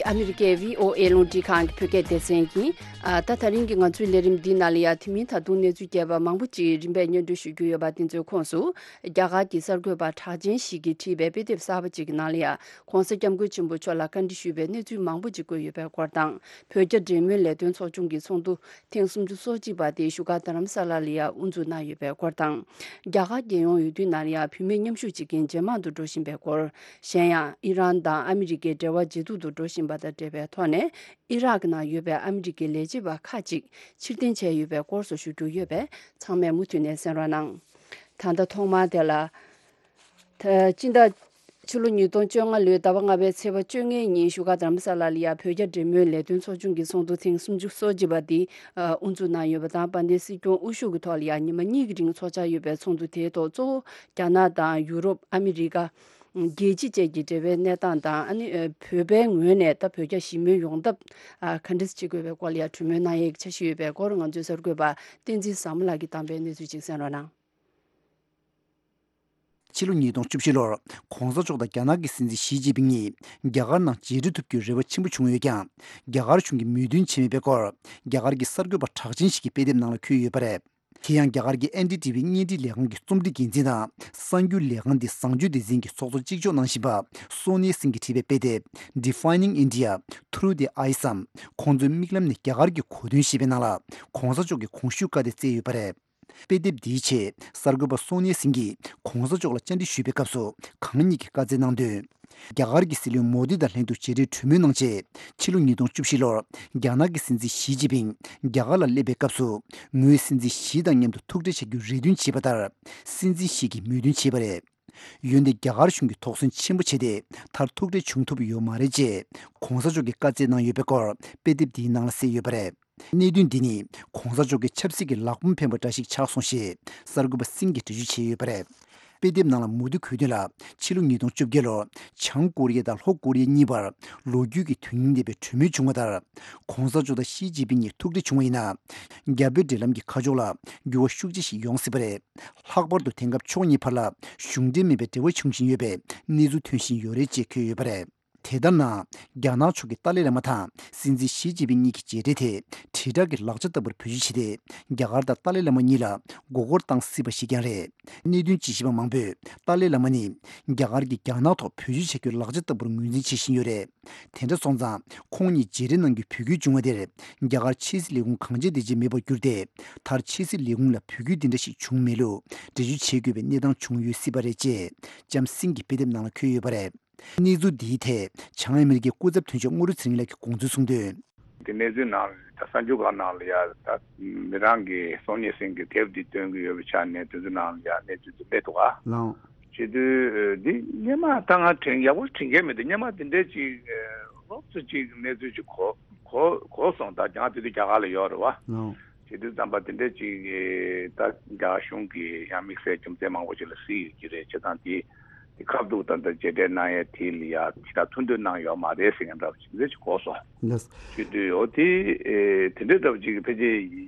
ཨ་མི་རི་ཀའི་བྷི་ཨོ་ཨེ་རླུང་འཕྲིན་ཁང་གི་བོད་སྐད་སྡེ་ཚན་ཡིན། ཨ། ད་དེ་རིང་གི་ང་ཚོའི་ལས་རིམ་འདིའི་ནང་ལ་ཡང་དེ་མིན་ད་དུང་གནས་ཚུལ་རྒྱས་པ་མང་པོ་ཅིག་རིམ་པས་སྙན་སྒྲོན་ཞུ་རྒྱུ་ཡོད་པ་དེ་ཚོའི་ཁོངས་སུ། རྒྱ་གར་གྱི་གསར་འགོད་པ་གྲགས་ཅན་ཞིག་གིས་བྲིས་པའི་དཔེ་དེབ་གསར་པ་ཅིག་གི་ནང་ལ་ཡང་གོང་ས་སྐྱབས་མགོན་ཆེན་པོ་མཆོག་ལ་བཀའ་འདྲི་ཞུས་པའི་གནས་ཚུལ་མང་པོ་ཅིག་བཀོད་ཡོད་པའི་སྐོར་དང་། བོད་རྒྱ་འབྲེལ་མོལ་ལས་དོན་ཚོགས་ཆུང་གི་ཚོགས་འདུ་ཐེངས་སུམ་ཅུ་སོ་གཅིག་པ་དེ་བཞུགས་སྒར་རྡ་རམ་ས་ལ་ལ་ཡང་དབུ་འཛུགས་གནང་ཡོད་པའི་སྐོར་དང་། རྒྱ་གར་རྒྱལ་ཡོངས་འོས་བསྡུའི་ནང་ལ་ཡང་བུད་མེད་མཉམ་ཞུགས་བྱེད་མཁན་ཇེ་མང་དུ་འགྲོ་བཞིན་པའི་སྐོར། གཞན་ཡང་ཨི་རན་དང་ཨ་མི་རི་ཀའི་འབྲེལ་བ་ཇེ་སྡུག་ཏུ་འགྲོ་བཞིན་པ་དང་འབྲེལ་བའི་ཐོག་ནས། ཨི་རག་ནང་ཡོད་པའི་ཨ་མི་རི་ཀའི་ལས་བྱེད་པ་ཁག་ཅིག་ཕྱིར་འཐེན་བྱས་ཡོད་པའི་སྐོར་སོགས་ཞུ་རྒྱུ་ཡོད་པས། ཚང་མས་མུ་མཐུད་ནས་གསན་རོགས་གནང་། ད་ལྟ་ཐོག་མར་དེ་ལ། ད་སྤྱི་ཟླ། ཕྱི་ལོ་ཉིས་སྟོང་བཅོ་ལྔ་ལོའི་ཟླ་བ་ལྔ་པའི་ཚེས་པ་བཅོ་ལྔའི་ཉིན་བཞུགས་སྒར་རྡ་རམ་ས་ལ་ལ་ཡང་བོད་རྒྱ་འབྲེལ་མོལ་ལས་དོན་ཚོགས་ཆུང་གི་ཚོགས་འདུ་ཐེངས་སུམ་ཅུ་སོ་གཅིག་པ་འདི་དབུ་འཛུགས་གནང་ཡོད་པ་དང་། དཔལ་ལྡན་སྲིད་སྐྱོང་དབུ་བཞུགས་ཀྱི་ཐོག་ལ་ཡང་ཉི་མ་གཉིས་ཀྱི་རིང་འཚོགས་འཆར་ཡོད་པའི་ཚོགས་འདུ་དེའི་ཐོག་གཙོ་བོ་རྒྱ་ནག་དང་ཡུ་རོབ། ཨ་མི་རི་ཀ། རྒྱལ་སྤྱི་བཅས་ཀྱི་འབྲེལ་བའི་གནས་སྟངས་དང་། ཨ་ནི་བོད་པའི་ངོས་ནས་ད་བོད་རྒྱ་ཞི་མོལ་ཡོང་ཐབས་ག་འདྲ་བྱེད་དགོས་པའི་སྐོར་ལ་ཡང་གྲོས་མོལ་གནང་ཡས་ཀྱི་འཆར་གཞི་ཡོད་པའི་སྐོར། ང་ཚོའི་གསར་འགོད་པ་བསྟན་འཛིན་བཟང་མོ་ལགས་ཀྱིས་བཏང་པའི་གནས་ཚུལ་ཅིག་གསན་རོགས་གནང་། ཕྱི་ལོ་ཉིས་སྟོང་བཅུ་བཞི་ལོར་༸གོང་ས་མཆོག་དང་རྒྱ་ནག་གི་སྲིད་འཛིན་ཞི་ཅིན་ཕིང་གཉིས་རྒྱ་གར་ནང་མཇལ་འཕྲད་ཐུབ་རྒྱུའི་རེ་བ་ཆེན་པོ་བྱུང་ཡོད་ཀྱང་། རྒྱ་གར་གཞུང་གིས་མོས་མཐུན་བྱས་མེད་པའི་སྐོར། རྒྱ་གར་གྱི་གསར་འགོད་པ་གྲགས་ཅན་ཞིག་གིས་དཔེ་དེབ་ནང་ལ་འཁོད་ཡོད་པ་རེད། དེ་ཡང་རྒྱ་གར་གྱི་ཨེན་ཌི་ཊི་བི་བརྙན་འཕྲིན་ལས་ཁང་གི་རྩོམ་སྒྲིག་འགན་འཛིན་དང་། གསར་འགྱུར་ལས་ཁང་འདི་བཟང་སྤྱོད་སྡེ་ཚན་གྱི་ཚོགས་གཙོ་གཅིག་ལྕོགས་གནང་བཞིན་པ་སོ་ནི་སིང་གིས་བྲིས་པའི་དཔེ་དེབ་Defining India Through the Eyes འམ། ཁོང་ཚོའི་མིག་ལམ་ནས་རྒྱ་གར་གྱི་གོ་དོན་ཞེས་པའི་ནང་ལ། ༸གོང་ས་མཆོག་གི་གོང་ཞུས་བཀའ་དེ་བསྩལ་ཡོད་པ་རེད། དཔེ་དེབ་འདིའི་ཆེད་གསར་འགོད་པ་སོ་ནི་སིང་གིས་༸གོང་ས་མཆོག་ལ་བཅར་འདྲི་ཞུས་པའི་སྐབས་སུ་གང་ཉིད་ཀྱིས་བཀའ་སྩལ་གནང་དོན། རྒྱ་གར་གྱི་སྲིད་བློན་མོ་དི་དང་ལྷན་དུ་མཇལ་འཕྲད་གྲོས་མོལ་གནང་རྗེས། ཕྱི་ལོ་ཉིས་སྟོང་བཅུ་བཞི་ལོར་རྒྱ་ནག་གི་སྲིད་འཛིན་ཞི་ཅིན་ཕིང་རྒྱ་གར་ལ་སླེབས་པའི་སྐབས་སུ། ངོས་སྲིད་འཛིན་ཞི་དང་མཉམ་དུ་ཐུག་འཕྲད་བྱ་རྒྱུའི་རེ་འདུན་བྱས་པ་ལྟར། སྲིད་འཛིན་ཞི་གིས་མོས་མཐུན་བྱས་པ་རེད། འོན་ཏེ་རྒྱ་གར་གཞུང་གིས་དོགས་ཟོན་ཆེན་པོ་བྱས་ཏེ། མཐར་ཐུག་འཕྲད་བྱུང་ཐུབ་ཡོད་མ་རེད་ཅེས་༸གོང་ས་མཆོག་གིས་བཀའ་སྩལ་གནང་ཡོད་པའི་སྐོར་དཔེ་དེབ་འདིའི་ནང་ལ་གསལ་ཡོད་པ་རེད། གནད་དོན་འདི་ནི་༸གོང་ས་མཆོག་གི་ཆབ་སྲིད་ཀྱི་ལག་འབོམ་འཕེན་པ་འདྲ་ཞིག་ཆགས་སོང་ཞེས་གསར་འགོད་པ་སིང་གིས་འགྲེལ་བརྗོད་བྱས་ཡོད་པ་རེད། དཔེ་དེབ་ནང་ལ་མུ་མཐུད་འཁོད་དོན་ལ། ཕྱི་ལོ་ཉིས་སྟོང་བཅོ་བརྒྱད་ལོར་བྱང་ཀོ་རི་ཡ་དང་ལྷོ་ཀོ་རི་ཡ་གཉིས་བར་ལོ་རྒྱུས་ཀྱི་དོན་སྙིང་ལྡན་པའི་གྲོས་མོལ་བྱུང་བ་ལྟར། ༸གོང་ས་མཆོག་དང་ཞི་ཅིན་ཕིང་གཉིས་ཐུག་འཕྲད་བྱུང་བ་ཡིན་ན། རྒྱ་བོད་འབྲེལ་ལམ་གྱི་ཁ་ཕྱོགས་ལ་འགྱུར་བ་ཤུགས་ཆེ་ཞིག་ཡོང་སྲིད་པ་རེད། ལྷག་པར་དུ་དེང་སྐབས་ཕྱོགས་གཉིས་བར་ལ་གཞུང་འབྲེལ་མིན་པའི་འབྲེལ་བ་བྱུང་བཞིན་ཡོད་པའི་གནས་ཚུལ་ཐོན་བཞིན་ཡོད་རེད་ཅེས་འཁོད་ཡོད་པ་རེད། དེ་ལྟར་ན། རྒྱ་ནག་ཕྱོགས་ཀྱིས་ཏཱ་ལའི་བླ་མ་དང་སྲིད་འཛིན་ཞི་ཅིན་ཕིང་གཉིས་ཀྱི་མཇལ་འཕྲད་དེ། དྲིལ་བསྒྲགས་ཀྱི་ལག་ཆ་ལྟ་བུར་བེད་སྤྱོད་བྱས་ཏེ། རྒྱ་གར་དང་ཏཱ་ལའི་བླ་མ་གཉིས་ལ་མགོ་སྐོར་བཏང་སྲིད་པ་ཞིག་ཀྱང་རེད། གནད་དོན་དཔྱད་ཞིབ་པ་མང་པོས་ཏཱ་ལའི་བླ་མ་ནི། རྒྱ་གར་གྱིས་རྒྱ་ནག་ཐོག་བེད་སྤྱོད་བྱ་རྒྱུའི་ལག་ཆ་ལྟ་བུར་ངོས་འཛིན་བྱེད་བཞིན་ཡོད་རེད། དེ་འདྲ་སོང་ཙང་། ཁོང་གཉིས་མཇལ་འཕྲད་གནང་རྒྱུའི་འབོད་སྐུལ་བྱུང་བ་དེར། རྒྱ་གར་ཕྱི་སྲིད་ལས་ཁུངས་གང་བྱས་དེ་བྱས་མེད་པར་གྱུར་ཏེ། མཐར་ཕྱི་སྲིད་ལས་ཁུངས་ལ་འབོད་སྐུལ་འདི་འདྲ་ཞིག་བྱུང་མེད་ལུགས་འགྲེལ་བརྗོད་བྱེད་དགོས་པའི་གནས་སྟངས་བྱུང་ཡོད་སྲིད་པ་རེད་ཅེས། ལྕམ་སིང་གི་དཔེ་དེབ་ནང་ལ་འཁོད་ཡོད་པ་རེད། གནས་ཚུལ་འདིའི་ཐད་བྱང་ཨ་མི་རི་ཀའི་སྐུ་ཚབ་དོན་གཅོད་དངོས་གྲུབ་ཚེ་རིང་ལགས་ཀྱིས་དགོངས་ཚུལ་གསུངས་དོན། དེ་གནས་ཚུལ་ནང་ལ་ད་གསར་འགྱུར་ཁག་ནང་ལ་ཡ་ད་མི་རང་གིས་སོ་ཉི་སིང་གི་དེབ་འདི་སྟོན་གྱི་ཡོད་པའི་ཆ་ནས་དེ་ཚོའི་ནང་ལ་ཡ་གནས་ཚུལ་འདི་སླེབས་འདུག་ག་ལགས། བྱེད་དུས་འདི་སྔོན་མ་ད་ང་དྲན་ཡག་པོ་དྲན་གྱི་མེད་དེ། སྔོན་མ་དེ་འདྲའི་ཅིག་ལོགས་སུ་ཅིག་གནས་ཚུལ་ཅིག་གོ་གོ་གོ་སོང་། ད་ང་དེ་དུས་རྒྱ་གར་ལ་ཡོད་རེད་བ། ལགས། བྱེད་དུས་ཙམ་པ་དེ་འདྲའི་ཅིག་ད་རྒྱ་གར་གཞུང་གིས་ཡང་དམིགས་བསལ་རྒྱུ་མཚན་མང་པོ་ཞིག་ལ་གཟིགས་ཡོད་ཀྱི་རེད། བྱས་ཙང་དེ་དེ་ཁ་བསྡུར་དང་ད་མཇལ་འཕྲད་གནང་ཡས་དེ་ལ་ཡ་ཅིག་ད་ཐུགས་འདོད་གནང་ཡོད་མ་རེད་ཟེར་མཁན་འདྲ་བ་ཅིག་འདི་ཅིག་གོ་སོང་། ལགས། བྱེད་དུས་འོ་དེ་ཨེ་དེ་འདྲའི་འདྲ་བ་ཅིག་ཕལ་ཆེར་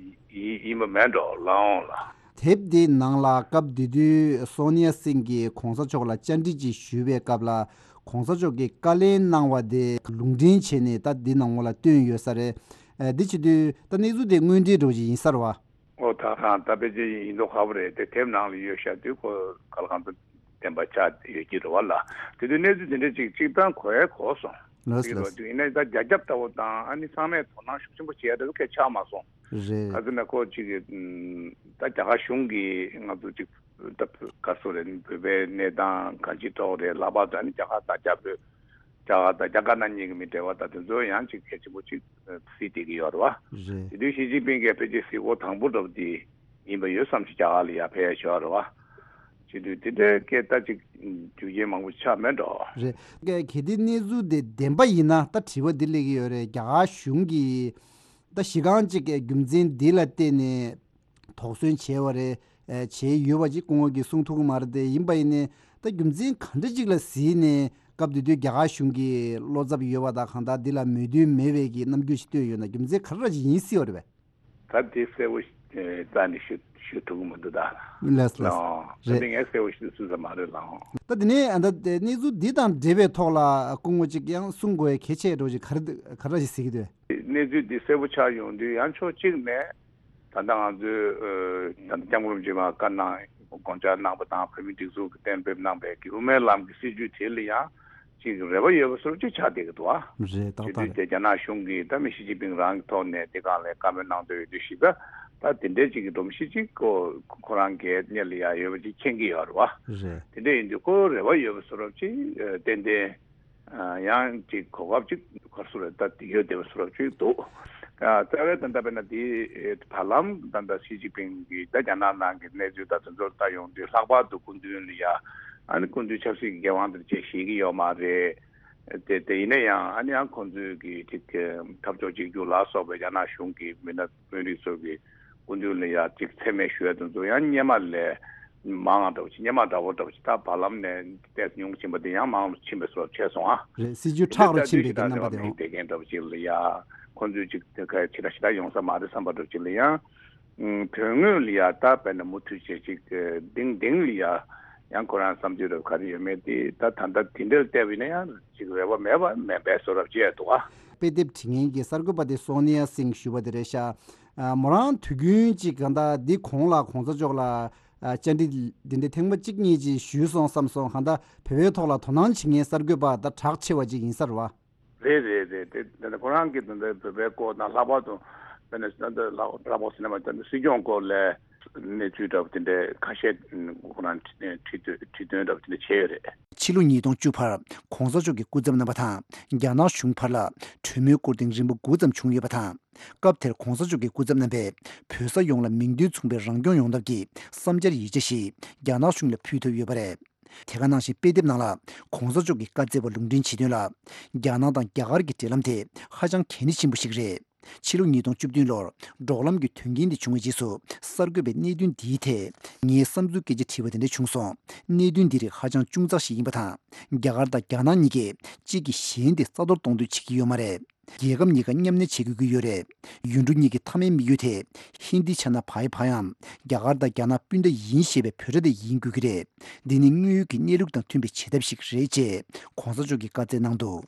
ཡིན་ཡིན་པ་མེད་འགྲོ་ལགས་འོང་ལགས། དེབ་འདིའི་ནང་ལ་སྐབས་དེ་དུས་སོ་ནི་ཡ་སིང་གིས་གོང་ས་མཆོག་ལ་བཅར་འདྲི་ཅིག་ཞུས་པའི་སྐབས་ལ། གོང་ས་མཆོག་གིས་བཀའ་ལན་གནང་བ་དེ་ལུང་འདྲེན་བྱས་ནས་ད་འདི་ནང་ལོགས་ལ་བཏོན་ཡོད་ས་རེད། ཨ། འདི་བྱེད་དུས་ད་གནས་ཚུལ་དེ་དངོས་འབྲེལ་འདྲ་བོ་ཅིག་ཡིན་ས་རེད་བ། ཨོ་ད་གང་ད་ཕལ་ཆེར་ཡིན་མདོག་ཁ་པོ་རེད་དེ། དེབ་ནང་ལ་ཡོད་ཤག་དུས་ཁོ་ག་ལ་གང་ཚོད་བདེན་པ་ཆགས་ཡོད་ཀྱི་རེད་བ་ལ། དེ་དུས་གནས་ཚུལ་དེ་འདྲ་ཅིག་གཅིག་ཐང་གོ་ཡ་གོ་སོང་། ལགས་ལགས། ཡིན་ན་ད་རྒྱ་ཁྱབ་ལྟ་བུ་དང་ཨ་ནི་ཚང་མས་དོ་སྣང་ཤུགས་ཆེན་པོ་བྱེད་ཡ་འདྲ་བོ་གལ་ཆགས་མ་སོང་། རེད། ག་ཚོད་ན་ཁོ་ཅིག་གི་ད་རྒྱ་གར་གཞུང་གིས་ང་ཚོ་ཅིག་ད་ག་སོ་རེད། བོད་པའི་གནས་སྟངས་གང་ཅིའི་ཐོག་རེད། ལྷག་པར་དུ་ཨ་ནི་རྒྱ་གར་དང་རྒྱ་བོད། རྒྱ་གར་དང་རྒྱ་དཀར་ནག་གཉིས་ཀྱི་མི་འབྲེལ་བ་དང་དེ་ཚོ་ཡང་ཅིག་གལ་ཆེན་པོ་ཅིག་གཟིགས་བསྡད་ཀྱི་ཡོད་རེད་བ། རེད། དེ་དུས་ཞི་ཅིན་ཕིང་གིས་ཕལ་ཆེར་གཟིགས་སྐོར་དང་པོ་འདྲ་བོ་དེ་ཡིན་པ་ཡོད་བསམ་ཞིག་རྒྱ་གར་ལ་ཡར་ཕེབས་ཡ་ཞོར་རེད་བ། བྱེད་དུས་དེ་འདྲའི་སྐད་ད་ཅིག་རྒྱུ་རྐྱེན་མང་པོ་ཆགས་མེད་འགྲོ། རེད། གལ་ཏེ་གནས་ཚུལ་དེ་བདེན་པ་ཡིན་ན་ད་དྲི་བ་འདི་སླེབས་ཀྱི་ཡོད་རེད། རྒྱ་གར་གཞུང་གིས་ད་གཞི་རྐང་ཅིག་གི་རྒྱུ་མཚན་འདི་ལ་བརྟེན་ནས་དོགས་ཟོན་བྱས་པ་རེད། ཨེ། བྱས་ཡོད་པ་ཅིག་སྐུ་ངོ་གིས་གསུང་ཐུབ་ཀྱི་མ་རེད་དེ། ཡིན་པ་ཡིན་ནའི་ད་རྒྱུ་མཚན་ག་འདྲ་ཅིག་ལ་གཟིགས་ནས་སྐབས་དེ་དུས་རྒྱ་གར་གཞུང་གིས་བློ་འཚབ་ཡོད་པ་དང་གང་ལྟར་འདི་ལ་མོས་མཐུན་མེད་པའི་གི་རྣམ་འགྱུར་ཞིག་བཏོན་ཡོད་ན། རྒྱུ་མཚན་ག་རེ་ཅིག་ཡིན་སྲིད་པ་རེད་པས། ད་དེ་གསལ་པོ་རྩ་ནས་ཞུ་ཞུ་ཐུབ་ཀྱི་མི་འདུག་ད། ལགས་ལགས། ལགས། ད་རེད། དེ་ངས་གསལ་པོ་ཞུ་ཐུབ་ས་མ་རེད་ལགས། ད་དེ་ནས་ཨ་ད་དེ་གནས་ཚུལ་འདི་དང་འབྲེལ་བའི་ཐོག་ལ་སྐུ་ངོ་ཅིག་ཡང་གསུང་དགོས་གལ་ཆེ་འགྲོ་ཅིག་ག་རེ་ག་རེ་ཞིག་ཟེར་གྱི་འདུག་གནས་ཚུལ་འདི་གསལ་པོ་ཆགས་ཡོང་དུས་ཡང་ཕྱོགས་གཅིག་ནས། ད་ལྟ་ང་ཚོས་ཨ་ད་ལྟ་སྐྱབས་མགོན་རིན་པོ་ཆེ་མར་བཀའ་གནང་དགོངས་འཆར་གནང་པ་དང་། བོད་མིའི་སྒྲིག་འཛུགས་ཀྱིས་གཏན་འབེབས་གནང་པའི་གི་དབུ་མའི་ལམ་གྱི་སྲིད་བྱུས་དེ་ལ་ཡང་ཅིག་རེ་བ་ཡོད་པ་བཟོ་འདྲ་ཅིག་ཆགས་བསྡད་ཀྱི་འདུག་ཨ། རེད། ཏག་ཏག་རེད། དེ་དུས་དེ་རྒྱ་ནག་གཞུང་གིས་ད་མི་ཞི་ཅིན་ཕིང་རང་གི་ཐོག་ནས་དེ་སྒང་ལ་བཀའ་མོལ་གནང་འདོད་ཡོད་དུས་ཞིག་ད་ད་དེ་འདྲའི་ཅིག་གི་སྒྲོམ་གཞི་ཅིག་ཁོ་ཁོ་རང་གི་སྣེ་ལ་ཡང་ཡོད་པ་ཅིག་མཁྱེན་གྱི་ཡོད་རེད་བ། རེད། དེ་འདྲ་ཡིན་དུས་ཁོ་རེ་བ་ཡོད་པ་བཟོ་འདྲ་ཅིག་ཨ་ཏན་ཏན། ཨ་ཡང་ཅིག་གོ་སྐབས་ཅིག་ག་རེ་ཟེར་རེད། ད་དེ་ཡོད་བསྡད་པ་བཟོ་འདྲ་ཅིག་འདུག་ཨ་རྩ་བའི་ད་ལྟ་དཔེར་ན་དེ་བར་ལམ་ད་ལྟ་ཞི་ཅིན་ཕིང་གིས་ད་རྒྱ་ནག་ནང་གི་གནས་ཚུལ་ད་དེ་ཚོ་ལྟ་ཡོང་དུས་ལྷག་པར་དུ་སྐུ་མདུན་ལ་ཡ་ཨ་ནི་སྐུ་མདུན་ཆབ་སྲིད་ཀྱི་འགན་དབང་དེ་ཅིག་བཞེས་ཀྱི་ཡོད་མ་རེད། དེ་དེ་ཡིན་ན་ཡང་ཨ་ནི་ཡང་ཁོང་ཚོས་ཀྱི་ཅིག་འཐབ་ཕྱོགས་གཅིག་གྱུར་ལ་སོགས་པའི་རྒྱ་ནག་གཞུང་གི་མི་སྣ་དཔོན་རིགས་ཚོ་གི་སྐུ་མདུན་ལ་ཡ་ཅིག་མཚན་སྨད་ཞུ་ཡ་དེ་ཚོ་ཡང་སྔོན་མ་ལས་མང་བ་འདྲ་བོ་ཅིག་སྔོན་མ་འདྲ་བོ་འདྲ་བོ་ཅིག་ད་བར་ལམ་ནས་ཏོག་ཙམ་ཉུང་ཕྱིན་པ་དེ་ཡང་མང་རུ་ཕྱིན་པའི་བཟོ་འདྲ་བྱས་སོང་ཨ། རེད། སྲིད་བྱུས་ཁྲག་རུ་ཕྱིན་པའི་གི་རྣམ་པ་དེ་འོང་། དེ་གན་འདྲ་བོ་ཅིག་ལ་ཡ་ཁོང་ཚོས་ཅིག་དེ་ག་ཕྱི་དྲག་ཕྱི་དྲག་ཡོང་ས་མ་རེད་བསམ་པ་འདྲ་བོ་ཅིག་ལ་ཡང་། ཨུམ། དོན་དངོས་ལ་ཡ་ད་དཔེར་ན་མུ་མཐུད་བྱས་ཅིག་ཏིང་ཏིང་ལ་ཡ་ཡང་ཁོ་རང་བསམ་ཚུལ་རབ་ག་རེ་ཡོད་མེད་དེ་ད་ད་ལྟ་དེ་འདྲར་བལྟས་པ་ཡིན་ན་ཡང་ཅིག་རེ་བ་མེད་པ་མེད་པའི་བཟོ་འདྲ་བྱས་འདུག་ཨ། དཔེ་དེབ་བྲིས་མཁན་གྱི་གསར་འགོད་པ་དེ་སོ་ནི་ཡ་སིང་ཞུ་བ་དེ་རེད་ཤག་ཨ། མོ་རང་དུས་རྒྱུན་ཅིག་གང་ལྟར་འདི་གོང་ལ་གོང་ས་མཆོག་ལ་ཨ་བཅར་འདྲི་འདི་འདྲ་ཐེངས་མ་གཅིག་གཉིས་ཅིག་ཞུས་སོང་བསམ་སོང་། གང་ལྟར་བོད་པའི་ཐོག་ལ་དོ་སྣང་བྱེད་མཁན་གསར་འགོད་པ་ད་གྲགས་ཆེ་བ་ཅིག་ཡིན་ས་རེད་བ། རེད་རེད་རེད། དེ་དེ་ནས་ཁོ་རང་གིས་དེ་འདྲ་བོད་པའི་སྐོར་དང་ལྷག་པར་དུ་དཔེར་ན་ད་ལྟ་ལྷག་ལྷག་པར་ཟེར་ན་མ་ད་ལྟ་སྲིད་སྐྱོང་སྐོར་ལ་གནས་ཚུལ་འདྲ་པོ་དེ་འདྲའི་ཁ་ཤས་ཁོ་རང་བྲིས་བྲིས་བྲིས་སྟོན་འདྲ་པོ་དེ་འདྲ་བྱས་ཡོད་རེད། ཕྱི་ལོ་ཉིས་སྟོང་བཅུ་བར་༸གོང་ས་མཆོག་གི་སྐུ་ཚབ་རྣམ་པ་དང་རྒྱ་ནག་གཞུང་བར་ལ་གྲོས་མོལ་སྐོར་ཐེངས་རིམ་པ་དགུ་ཙམ་བྱུང་ཡོད་པ་དང་། སྐབས་དེར་༸གོང་ས་མཆོག་གི་སྐུ་ཚབ་རྣམ་པས་བོད་ས་ཡོངས་ལ་མིང་དོན་མཚུངས་པའི་རང་སྐྱོང་ཡོང་ཐབས་ཀྱི་བསམ་འཆར་ཡིག་ཆ་ཞིག་རྒྱ་ནག་གཞུང་ལ་ཕུལ་ཐུབ་ཡོད་པ་རེད། དེ་ག་ནང་བཞིན་དཔེ་དེབ་ནང་ལ་༸གོང་ས་མཆོག་གིས་བཀའ་སྩལ་བ་ལུང་འདྲེན་བྱེད་དོན་ལ་རྒྱ་ནག་དང་རྒྱ་གར་གྱི་འབྲེལ་ལམ་དེ་ཧ་ཅང་གལ་གནད་ཆེན་པོ་ཞིག་རེད། ཕྱི་ལོ་ཉིས་སྟོང་བཅུ་བདུན་ལོར་འབྲོག་ལམ་གྱི་དོན་རྐྱེན་དེ་བྱུང་བའི་རྗེས་སུ་གསར་འགོད་པས་གནད་དོན་འདིའི་ཐད་ངའི་བསམ་ཚུལ་སྐད་ཆ་དྲིས་པ་དེ་འདྲ་བྱུང་སོང་། གནད་དོན་འདི་རིགས་ཧ་ཅང་ཅུང་ཚགས་ཤིག་ཡིན་པ་དང་། རྒྱ་གར་དང་རྒྱ་ནག་གཉིས་ཀས་གཅིག་གིས་གཞན་དེ་རྩ་གཏོར་གཏོང་འདོད་བྱེད་ཀྱི་ཡོད་མ་རེད། རྒྱལ་ཁབ་གཉིས་ཀ་མཉམ་གནས་བྱེད་དགོས་ཀྱི་ཡོད་རེད། ཡུལ་གྲུ་གཉིས་ཀྱི་མཐའ་མའི་དམིགས་ཡུལ་དེ་ཧིན་དི་ཆ་ན་བྷའི་བྷ་ཡམ། རྒྱ་གར་དང་རྒྱ་ནག་སྤུན་ཟླ་ཡིན་ཞེས་པའི་བོད་སྒྲ་དེ་ཡིན་དགོས་ཀྱི་རེད། འདི་ནི་དངོས་ཡོད་ཀྱི་གནས་ལུགས་དང་མཐུན་པའི་བྱེད་ཐབས་ཤིག་རེད་ཅེས་༸གོང་ས་མཆོག་གིས་བཀའ་སྩལ་གནང་འདུག་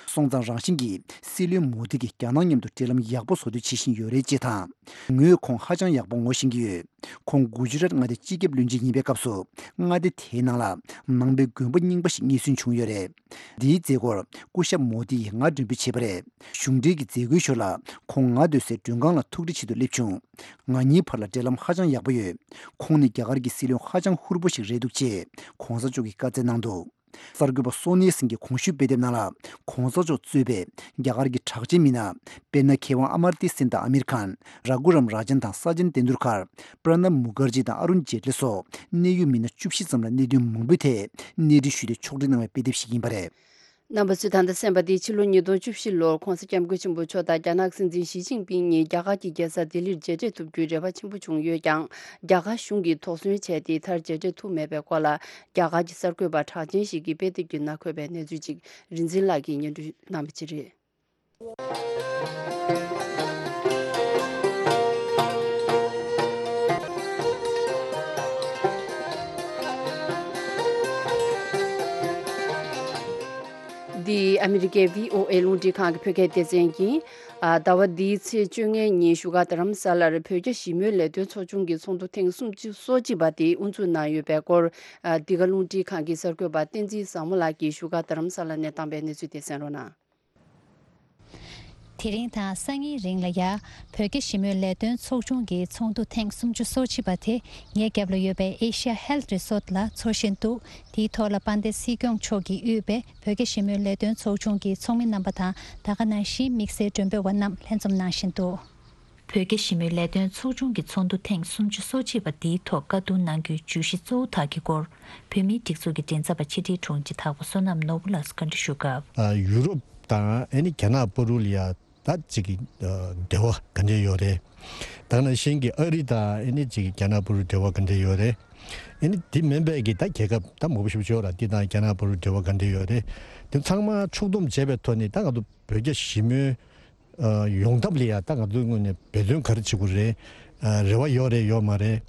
སོང་ཙང་རང་བཞིན་གྱིས་སྲིད་བློན་མོ་དི་གིས་རྒྱ་ནག་མཉམ་དུ་འབྲེལ་ལམ་ཡག་པོ་བཟོ་འདོད་བྱེད་བཞིན་ཡོད་རེད་ཅེས་དང་། ངོས་ཁོང་ཧ་ཅང་ཡག་པོ་ངོ་ཤེས་ཀྱི་ཡོད། ཁོང་གུ་ཇི་རཱཏ་མངའ་སྡེའི་སྤྱི་ཁྱབ་བློན་ཆེན་ཡིན་པའི་སྐབས་སུ་མངའ་སྡེ་དེའི་ནང་ལ་ནང་པའི་དགོན་པ་རྙིང་པ་ཞིག་རྙེད་སོན་བྱུང་ཡོད་རེད། འདིའི་མཛད་སྒོར་སྐུ་ཞབས་མོ་དི་ཡིས་ང་མགྲོན་འབོད་བྱས་པ་རེད། གཞུང་འབྲེལ་གྱི་མཛད་སྒོའི་ཞོར་ལ་ཁོང་ང་སྡོད་སའི་མགྲོན་ཁང་ལ་ཐུགས་འཕྲད་ཆེད་དུ་སླེབས་བྱུང་། ང་གཉིས་བར་ལ་འབྲེལ་ལམ་ཧ་ཅང་ཡག་པོ་ཡོད། ཁོང་ནི་རྒྱ་གར་གྱི་སྲིད་བློན་ཧ་ཅང་ཧུར་པོ་ཞིག་རེད་འདུག་ཅེས་༸གོང་ས་མཆོག་གིས་བཀའ་སྩལ་གནང་འདུག་གསར་འགོད་པ་སོ་ནི་སིང་གིས་གོང་ཞུས་དཔེ་དེབ་ནང་ལ་༸གོང་ས་མཆོག་གཙོས་པའི་རྒྱ་གར་གྱི་གྲགས་ཅན་མི་སྣ། དཔེར་ན་མཁས་དབང་ཨ་མར་ཏི་སེན་དང་ཨ་མིར་ཁཱན། ར་གུ་རམ་ར་ཇན་དང་ས་ཅན་ཏེན་དུལ་ཁར། པྲ་ནབ་མུ་ཁར་ཇི་དང་ཨ་རུན་ཇེ་ཏླི་སོགས་གནད་ཡོད་མི་སྣ་བཅུ་བཞི་ཙམ་ལ་གནད་དོན་མང་པོའི་ཐད་གནས་འདྲི་ཞུས་ཏེ་ཕྱོགས་སྒྲིག་གནང་བའི་དཔེ་དེབ་ཞིག་ཡིན་པ་རེད། རྣམ་པ་ཚོས་ད་ལྟ་གསན་པ་འདི་ཕྱི་ལོ་ཉིས་སྟོང་བཅུ་བཞི་ལོར་༸གོང་ས་༸སྐྱབས་མགོན་ཆེན་པོ་མཆོག་དང་རྒྱ་ནག་སྲིད་འཛིན་ཞི་ཅིན་ཕིང་གཉིས་རྒྱ་གར་གྱི་རྒྱལ་ས་ལྡི་ལིར་མཇལ་འཕྲད་ཐུབ་རྒྱུའི་རེ་བ་ཆེན་པོ་བྱུང་ཡོད་ཀྱང་། རྒྱ་གར་གཞུང་གིས་དོགས་ཟོན་བྱས་ཏེ་མཐར་མཇལ་འཕྲད་ཐུབ་མེད་པའི་སྐོར་ལ་རྒྱ་གར་གྱི་གསར་འགོད་པ་གྲགས་ཅན་ཞིག་གིས་དཔེ་དེབ་ཀྱི་ནང་འཁོད་པའི་གནས་ཚུལ་ཅིག་རིག་འཛིན་ལགས་ཀྱིས་སྙན་སྒྲོན་གནང་བ་ཅིག་རེད། འདི་ཨ་མི་རི་ཀའི་བྷི་ཨོ་ཨེ་རླུང་འཕྲིན་ཁང་གི་བོད་སྐད་སྡེ་ཚན་ཡིན། ཨ། ཟླ་བ་འདིའི་ཚེས་བཅོ་ལྔའི་ཉིན་བཞུགས་སྒར་རྡ་རམ་ས་ལར་བོད་རྒྱ་ཞི་མོལ་ལས་དོན་ཚོགས་ཆུང་གི་ཚོགས་འདུ་ཐེངས་སུམ་ཅུ་སོ་གཅིག་པ་དེ་དབུ་འཛུགས་གནང་ཡོད་པའི་སྐོར། ཨ། འདི་ག་རླུང་འཕྲིན་ཁང་གི་གསར་འགོད་པ་བསྟན་འཛིན་བཟང་མོ་ལགས་ཀྱིས་བཞུགས་སྒར་རྡ་རམ་ས་ལ་ནས་བཏང་པའི་གནས་ཚུལ་དེ་གསན་རོགས་གནང་། དེ་རིང་དང་སང་ཉིན་རིང་ལ་ཡ། བོད་རྒྱ་ཞི་མོལ་ལས་དོན་ཚོགས་ཆུང་གི་ཚོགས་འདུ་ཐེངས་སུམ་ཅུ་སོ་གཅིག་པ་དེ་ངའི་རྒྱབ་ལ་ཡོད་པའི་ཨེ་ཤ་ཡ་ཧེལ་ཐི་རི་སོར་ཊི་ལ་འཚོགས་བཞིན་འདུག་དེའི་ཐོག་ལ་དཔལ་ལྡན་སྲིད་སྐྱོང་མཆོག་གིས་དབུས་པའི་བོད་རྒྱ་ཞི་མོལ་ལས་དོན་ཚོགས་ཆུང་གི་ཚོགས་མི་རྣམ་པ་དང་ད་ག་ནང་བཞིན་དམིགས་བསལ་མགྲོན་འབོད་པ་རྣམས་ལྷན་འཛོམས་གནང་བཞིན་འདུག་བོད་རྒྱ་ཞི་མོལ་ལས་དོན་ཚོགས་ཆུང་གི་ཚོགས་འདུ་ཐེངས་སུམ་ཅུ་སོ་གཅིག་པ་འདིའི་ཐོག་བཀའ་བསྡུར་གནང་རྒྱུའི་བརྗོད་གཞི་གཙོ་བོ་དག་གི་སྐོར། བོད་མིའི་སྒྲིག་འཛུགས་ཀྱི་མགྲིན་ཚབ་པ་ཕྱི་དྲིལ་དྲུང་ཆེ་དྭགས་པོ་བསོད་ནམས་ནོར་བུ་ལགས་སུ་བཀའ་འདྲི་ཞུ་སྐབས། ཨ། ཡུ་རོབ་དང་ཨ་ནི་རྒྱ་ནག་བར་ལ་ཡ་ད་ཅིག་གི་ཨ་འབྲེལ་བ་ག་འདྲ་ཡོད་རེད། ད་ག་ནང་བཞིན་གྱི་ཨ་རི་དང་ཨ་ནི་ཅིག་གི་རྒྱ་ནག་བར་འབྲེལ་བ་ག་འདྲ་ཡོད་རེད། ཨ་ནི་དེ་མིན་པའི་གི་ད་རྒྱལ་ཁབ་ད་མང་པོ་ཞིག་ཡོད་ར། དེ་དང་རྒྱ་ནག་བར་འབྲེལ་བ་ག་འདྲ་ཡོད་རེད། དེ་ཚང་མ་ཕྱོགས་བསྡོམས་བྱས་པའི་ཐོག་ནས་ད་ང་ཚོ་བོད་རྒྱ་ཞི་མོལ་ ཡོང་ཐབས་ལ་ཡ་ད་ང་ཚོའི་ངོས་ནས་འབད་བརྩོན་ག་རེ་བྱེད་དགོས་རེད། རེ་བ་ཡོད་རེད་ཡོད་མ་རེད།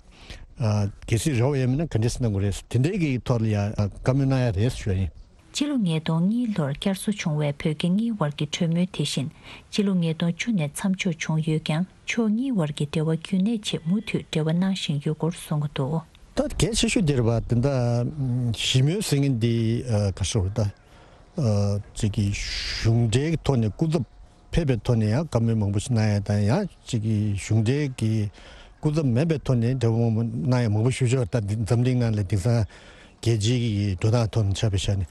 གལ་སྲིད་རེ་བ་ཡོད་མེད་ན་ག་འདྲས་གནང་དགོས་རེད། དེ་འདྲའི་གི་ཐོག་ལ་ཡ་བཀའ་མོལ་གནང་ཡ་རེད་ཞུ་ཡ་ཡིན། སྤྱི་ལོ་ཉིས་སྟོང་གཉིས་ལོར་བསྐྱར་གསོ་བྱུང་བའི་བོད་རྒྱ་གཉིས་བར་གྱི་གྲོས་མོལ་དེ་བཞིན་སྤྱི་ལོ་ཉིས་སྟོང་བཅུ་ནས་མཚམས་འཇོག་བྱུང་ཡོད་ཀྱང་ཕྱོགས་གཉིས་བར་གྱི་འབྲེལ་བ་རྒྱུན་གནས་ཆེད་མུ་མཐུད་འབྲེལ་བ་གནང་བཞིན་ཡོད་སྐོར་གསུང་གི་འདུག་ད་གལ་ཆེ་ཤོས་དེ་རེད་པ། དེ་འདྲ་ཞི་མོལ་ཟེར་མཁན་འདི་ག་ཟེར་བ་ད་ཅིག་གི་གཞུང་འབྲེལ་གྱི་ཐོག་ནས་སྐུ་ཚབ་ཕེབས་པའི་ཐོག་ནས་ཡང་བཀའ་མོལ་མང་པོ་ཞིག་གནང་ཡ་དང་ཡང་ཅིག་གི་གཞུང་འབྲེལ་གྱི་སྐུ་ཚབ་མིན་པའི་ཐོག་ནས་འབྲེལ་བ་མང་པོ་གནང་ཡ་མང་པོ་ཞིག་ཡོད་ད། འཛམ་གླིང་ནང་ལ་དེང་སང་རྒྱལ་སྤྱིའི་གི་འགྲོ་སྟངས་ཐོག་ནས་ཆ་བཞག་ནས་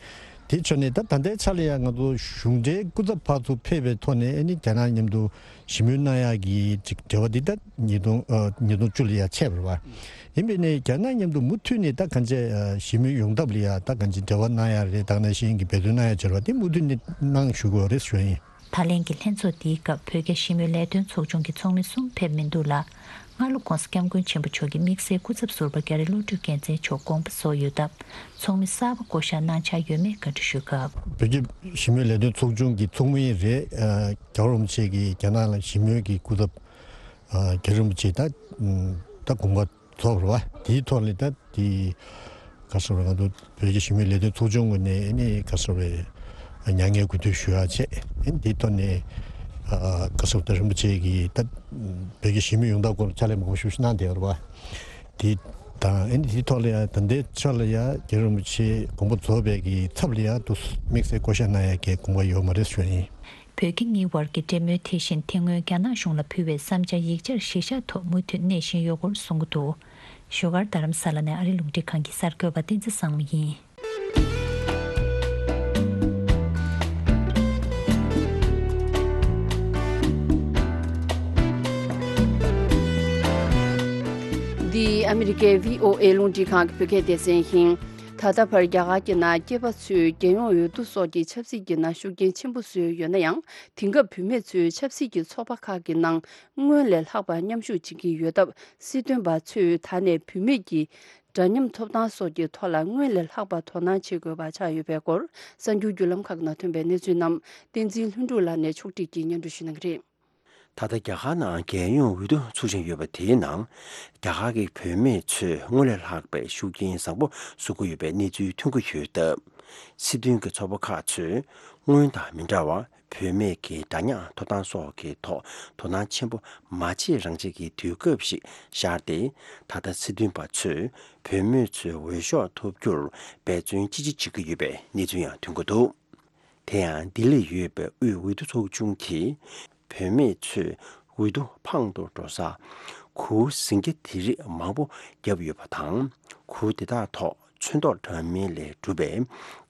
དེ་ཆོ་ནས་ད་ད་ལྟའི་ཆ་ལ་ཡང་ང་ཚོ་གཞུང་འབྲེལ་སྐུ་ཚབ་ཕར་ཚུར་ཕེབས་པའི་ཐོག་ནས་ཨ་ནི་རྒྱ་ནག་མཉམ་དུ་ཞི་མོལ་གནང་ཡག་གི་ཅིག་འབྲེལ་བ་འདི་ད་ཉིས་སྟོང་ཨ་ཉིས་སྟོང་བཅུ་ལ་ཡང་ཆད་པ་རེད་བ། ཡིན་པས་ནས་རྒྱ་ནག་མཉམ་དུ་མུ་མཐུད་ནས་ད་གང་ཅི་ཨ་ཞི་མོལ་ཡོང་ཐབས་ལ་ཡང་ད་གང་ཅི་འབྲེལ་བ་གནང་ཡག་རེད། ད་ག་ནང་བཞིན་གྱི་འབད་བརྩོན་གནང་ཡག་བྱ་བ་འདི་མུ་མཐུད་ནས་གནང་ཞུ་དགོས་རེད་ཞུ་ཡ་ཡིན། ད་ལན་གྱི་ལྷན་ཚོགས་འདིའི་སྐབས་བོད་རྒྱ་ཞི་མོལ་ལས་དོན་ཚོགས་ཆུང་གི་ཚོགས་མི་གསུམ་ཕེབས་མི་འདུག་ལ། སྔ་ལོ་༧གོང་ས་༧སྐྱབས་མགོན་ཆེན་པོ་མཆོག་གིས་དམིགས་བསལ་སྐུ་ཚབ་ཟུར་པ་རྒྱ་རི་བློ་གྲོས་རྒྱལ་མཚན་མཆོག་དགོངས་པ་རྫོགས་ཡོད་སྟབས་ཚོགས་མི་གསར་པ་བསྐོ་གཞག་གནང་འཆར་ཡོད་མེད་བཀའ་འདྲི་ཞུས་སྐབས། བོད་རྒྱ་ཞི་མོལ་ལས་དོན་ཚོགས་ཆུང་གི་ཚོགས་མི་རེད། རྒྱལ་བ་རིན་པོ་ཆེ་གིས་རྒྱ་ནག་ལ་ཞི་མོལ་གྱི་སྐུ་ཚབ་རྒྱ་རི་རིན་པོ་ཆེ་ད་ད་དགོངས་པ་རྫོགས་པ་རེད་བ། དེའི་ཐོག་ལ་ད་དེ་ག་ཟེར་བ་ང་ཚོ་བོད་ཀྱི་ཞི་མོལ་ལས་དོན་ཚོགས་ཆུང་ངོས་ནས་ཨ་ནི་ག་ཟེར་བའི་མྱ་ངན་གུས་འདུད་ཞུ་ཡག་བྱས། ཨ་ནི་དེའི་ཐོག་ནས་ག་ཟེར་བ་ད་རིན་པོ་ཆེ་གིས་ད་བོད་ཀྱི་ཞི་མོལ་ཡོང་སྟངས་སྐོར་ཕྱག་ལས་མང་པོ་ཞིག་གནང་བསྡད་ཡོད་རེད་བ། དེ་དང་ཨ་ནི་དེའི་ཐོག་ལ་ཡང་ད་ལྟའི་ཆ་ལ་ཡང་རྒྱལ་བ་རིན་པོ་ཆེ་དགོངས་པ་རྫོགས་པའི་གི་ཚབ་ལ་ཡང་དུ་དམིགས་བསལ་བསྐོ་གཞག་གནང་ཡག་གི་དགོངས་པ་ཡོད་མ་རེད་ཞུ་ཡ་ཡིན། བོད་རྒྱ་གཉིས་བར་གྱི་འབྲེལ་མོལ་དེ་བཞིན་དེ་སྔོན་རྒྱ་ནག་གཞུང་ལ་ཕུལ་བའི་བསམ་འཆར་ཡིག་ཆར་གཞི་བཞག་ཐོག་མུ་མཐུད་གནས་བཞིན་ཡོད་སྐོར་གསུང་གི་འདུག་བཞུགས་སྒར་རྡ་རམ་ས་ལ་ནས་ཨ་རི་རླུང་འཕྲིན་ཁང་གི་གསར་འགོད་པ་བསྟན་འཛིན་བཟང་མོ་ཡིན། འདི་ཨ་མི་རི་ཀའི་བྷི་ཨོ་ཨེ་རླུང་འཕྲིན་ཁང་གི་བོད་སྐད་སྡེ་ཚན་ཡིན། ད་ལྟ་བར་རྒྱ་གར་གྱི་ནང་སྐྱེས་པ་ཚོས་རྒྱལ་ཡོངས་འོས་བསྡུ་སོགས་ཀྱི་ཆབ་སྲིད་ཀྱི་ནང་ཤུགས་རྐྱེན་ཆེན་པོ་བཟོས་ཡོད་ན་ཡང་། དེང་སྐབས་བུད་མེད་ཚོས་ཆབ་སྲིད་ཀྱི་ཚོགས་པ་ཁག་གི་ནང་སྔོན་ལས་ལྷག་པར་མཉམ་ཞུགས་བྱེད་ཀྱི་ཡོད་སྟབས། སྲིད་དོན་པ་ཚོས་ད་ནས་བུད་མེད་ཀྱི་འདྲ་མཉམ་ཐོབ་ཐང་སོགས་ཀྱི་ཐོག་ལ་སྔོན་ལས་ལྷག་པར་དོ་སྣང་བྱེད་དགོས་པ་ཆགས་ཡོད་པའི་སྐོར། གསར་འགྱུར་བརྒྱུད་ལམ་ཁག་ནང་ཐོན་པའི་གནས་ཚུལ་རྣམས་བསྟན་འཛིན་ལྷུན་གྲུབ་ལགས་ནས་ཕྱོགས་སྒྲིག་གིས་སྙན་སྒྲོན་ཞུ་གནང་གི་རེད། ད་ལྟ་རྒྱ་གར་ནང་རྒྱལ་ཡོངས་འོས་བསྡུ་ཚུགས་བཞིན་ཡོད་པ་དེའི་ནང་། རྒྱ་གར་གྱི་བུད་མེད་ཚོས་སྔོན་ལས་ལྷག་པའི་ཤུགས་རྐྱེན་བཟང་པོ་བཟོ་གི་ཡོད་པའི་གནས་ཚུལ་ཐོན་གྱི་ཡོད་སྟབས། སྲིད་དོན་གྱི་ཚོགས་པ་ཁག་ཚོས་སྔོན་དང་མི་འདྲ་བར་བུད་མེད་ཀྱི་འདྲ་མཉམ་ཐོབ་ཐང་སོགས་ཀྱི་ཐོག་དོ་སྣང་ཆེན་པོ་མ་བྱེད་རང་བྱེད་ཀྱི་དུས་སྐབས་ཤིག་ཤར་ཏེ། ད་ལྟ་སྲིད་དོན་པ་ཚོས་བུད་མེད་ཚོའི་འོས་ཤོག་ཐོབ་རྒྱུར་འབད་བརྩོན་ཅི་ཆེ་བྱེད་ཀྱི་ཡོད་པའི་གནས་ཚུལ་ཡང་ཐོན་གྱི་འདུག་དེ་ཡང་ལྡི་ལིར་ཡོད་པའི་དབུས་འོས་བསྡུ་ཚོགས་ཆུང་གིས། བུད་མེད་ཚོས་འོས་བསྡུ་འཕང་དུ་འགྲོ་ས་གུར་གཟིངས་རྒྱ་དེ་རིགས་མང་པོ་བརྒྱབ་ཡོད་པ་དང་། གུར་དེ་དག་ཐོག་ཚོན་མདོག་འདྲ་མིན་ལས་གྲུབ་པའི་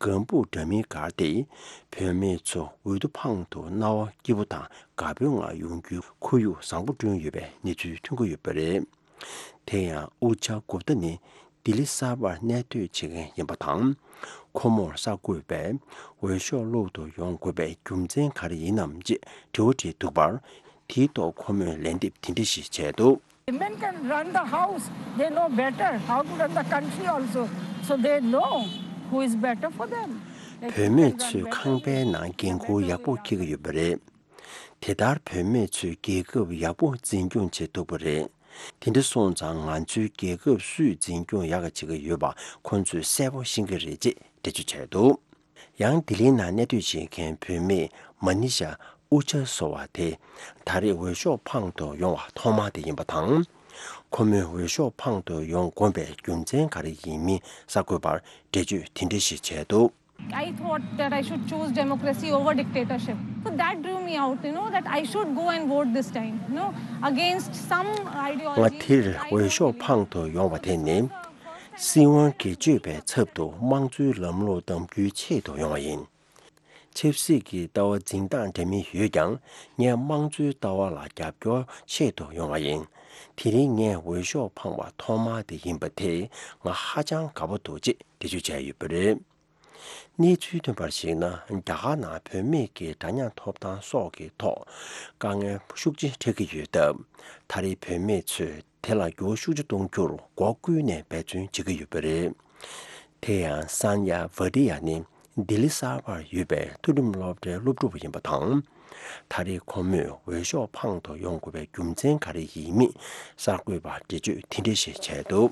ལྒང་ཕུག་འདྲ་མིན་བསྒར་ཏེ། བུད་མེད་ཚོ་འོས་བསྡུ་འཕང་དུ་སྣང་བ་སྐྱིད་པོ་དང་དགའ་པོའི་ངང་ཡོང་རྒྱུའི་ཁོར་ཡུག་བཟང་པོ་བསྐྲུན་ཡོད་པའི་གནས་ཚུལ་ཐོན་གྱི་ཡོད་པ་རེད། དེ་ཡང་ཨུ་ཅཱ་གུཔྟ་ནི་ལྡི་ལི་གསར་པར་གནས་སྡོད་བྱེད་མཁན་ཡིན་པ་དང་། ཁོ་མོར་གསར་འགོད་པས་འོས་ཤོག་སློག་ཏུ་ཡོང་དགོས་པའི་རྒྱུ་མཚན་ག་རེ་ཡིན་ནམ་ཅེས་དྲི་བ་དྲིས་འདུག་པར། དེའི་ཐོག་ཁོ་མོས་ལན་འདེབས་དེ་འདྲ་ཞིག་བྱས་འདུག Women can run the house. They know better how to run the country also. So they know who is better for them. བུད་མེད་ཚོས་ཁང་པའི་ནང་འགན་ཁུར་ཡག་པོ་འཁྱེར་གྱི་ཡོད་པ་རེད། དེ་ལྟར་བུད་མེད་ཚོས་རྒྱལ་ཁབ་ཡག་པོ་འཛིན་སྐྱོང་བྱེད་ཐུབ་པ་རེད། དེ་འདྲ་སོང་ཙང་ང་ཚོའི་རྒྱལ་ཁབ་སུས་འཛིན་སྐྱོང་ཡག་ག་བྱེད་ཀྱི་ཡོད་པ་ཁོང་ཚོས་གསལ་པོ་ཤེས་ཀྱི་རེད་ཅེས་འགྲེལ་བརྗོད་བྱས་འདུག་ཡང་ལྡི་ལིའི་ནང་གནས་སྡོད་བྱེད་མཁན་བུད་མེད་མ་ནི་ཤ་ཨུ་ཅཱ་ཟེར་བ་དེ་ད་རེས་འོས་ཤོག་འཕང་དུ་ཡོང་བ་ཐོག་མ་དེ་ཡིན་པ་དང་། ཁོ་མོས་འོས་ཤོག་འཕང་དུ་ཡོང་དགོངས་པའི་རྒྱུ་མཚན་ག་རེ་ཡིན་མིན་གསར་འགོད་པར་འགྲེལ་བརྗོད་དེ་འདྲ་ཞིག་བྱས་འདུག I thought that I should choose democracy over dictatorship. So that drew me out, you know, that I should go and vote this time, you know, against some ideology. ང་དེར་འོས་ཤོག་འཕང་དུ་ཡོང་བ་དེ་ནི། སྲིད་དབང་སྒེར་གཅོད་པའི་ཚབ་ཏུ་དམངས་གཙོའི་ལམ་ལུགས་གདམ་རྒྱུའི་ཆེད་དུ་ཡོང་བ་ཡིན། ཆབ་སྲིད་ཀྱི་ལྟ་བ་འཛིན་སྟངས་འདྲ་མིན་ཡོད་ཀྱང་། ངས་དམངས་གཙོའི་ལྟ་བ་ལ་རྒྱབ་སྐྱོར་ཆེད་དུ་ཡོང་བ་ཡིན། དེ་རིང་ངས་འོས་ཤོག་འཕངས་པ་ཐོག་མ་དེ་ཡིན་པ་དེས་ང་ཧ་ཅང་དགའ་པོ་འདུག་ཅེས་འགྲེལ་བརྗོད་བྱས་ཡོད་པ་རེད། གནས་ཚུལ་ཐོན་པར་གཞིགས་ན། རྒྱ་གར་ནང་བུད་མེད་ཀྱི་འདྲ་མཉམ་ཐོབ་ཐང་སོགས་ཀྱི་ཐོག་དཀའ་ངལ་ཤུགས་ཆེ་འཕྲད་ཀྱི་ཡོད་སྟབས། ད་རེས་བུད་མེད་ཚོས་དེ་ལ་འགྱུར་བ་ཤུགས་ཆེ་གཏོང་རྒྱུར་སྒོ་ཀུན་ནས་འབད་བརྩོན་བྱེད་ཀྱི་ཡོད་པ་རེད། དེ་ཡང་སན་ཡ་ཝ་ཏི་ཡ་ནི་ལྡི་ལི་གསར་པར་ཡོད་པའི་མཐོ་རིམ་སློབ་གྲྭའི་སློབ་ཕྲུག་པ་ཡིན་པ་དང་། ད་རེས་ཁོ་མོས་འོས་ཤོག་འཕང་དུ་ཡོང་དགོས་པའི་རྒྱུ་མཚན་ག་རེ་ཡིན་མིན་གསར་འགོད་པར་འགྲེལ་བརྗོད་དེ་འདྲ་ཞིག་བྱས་འདུག།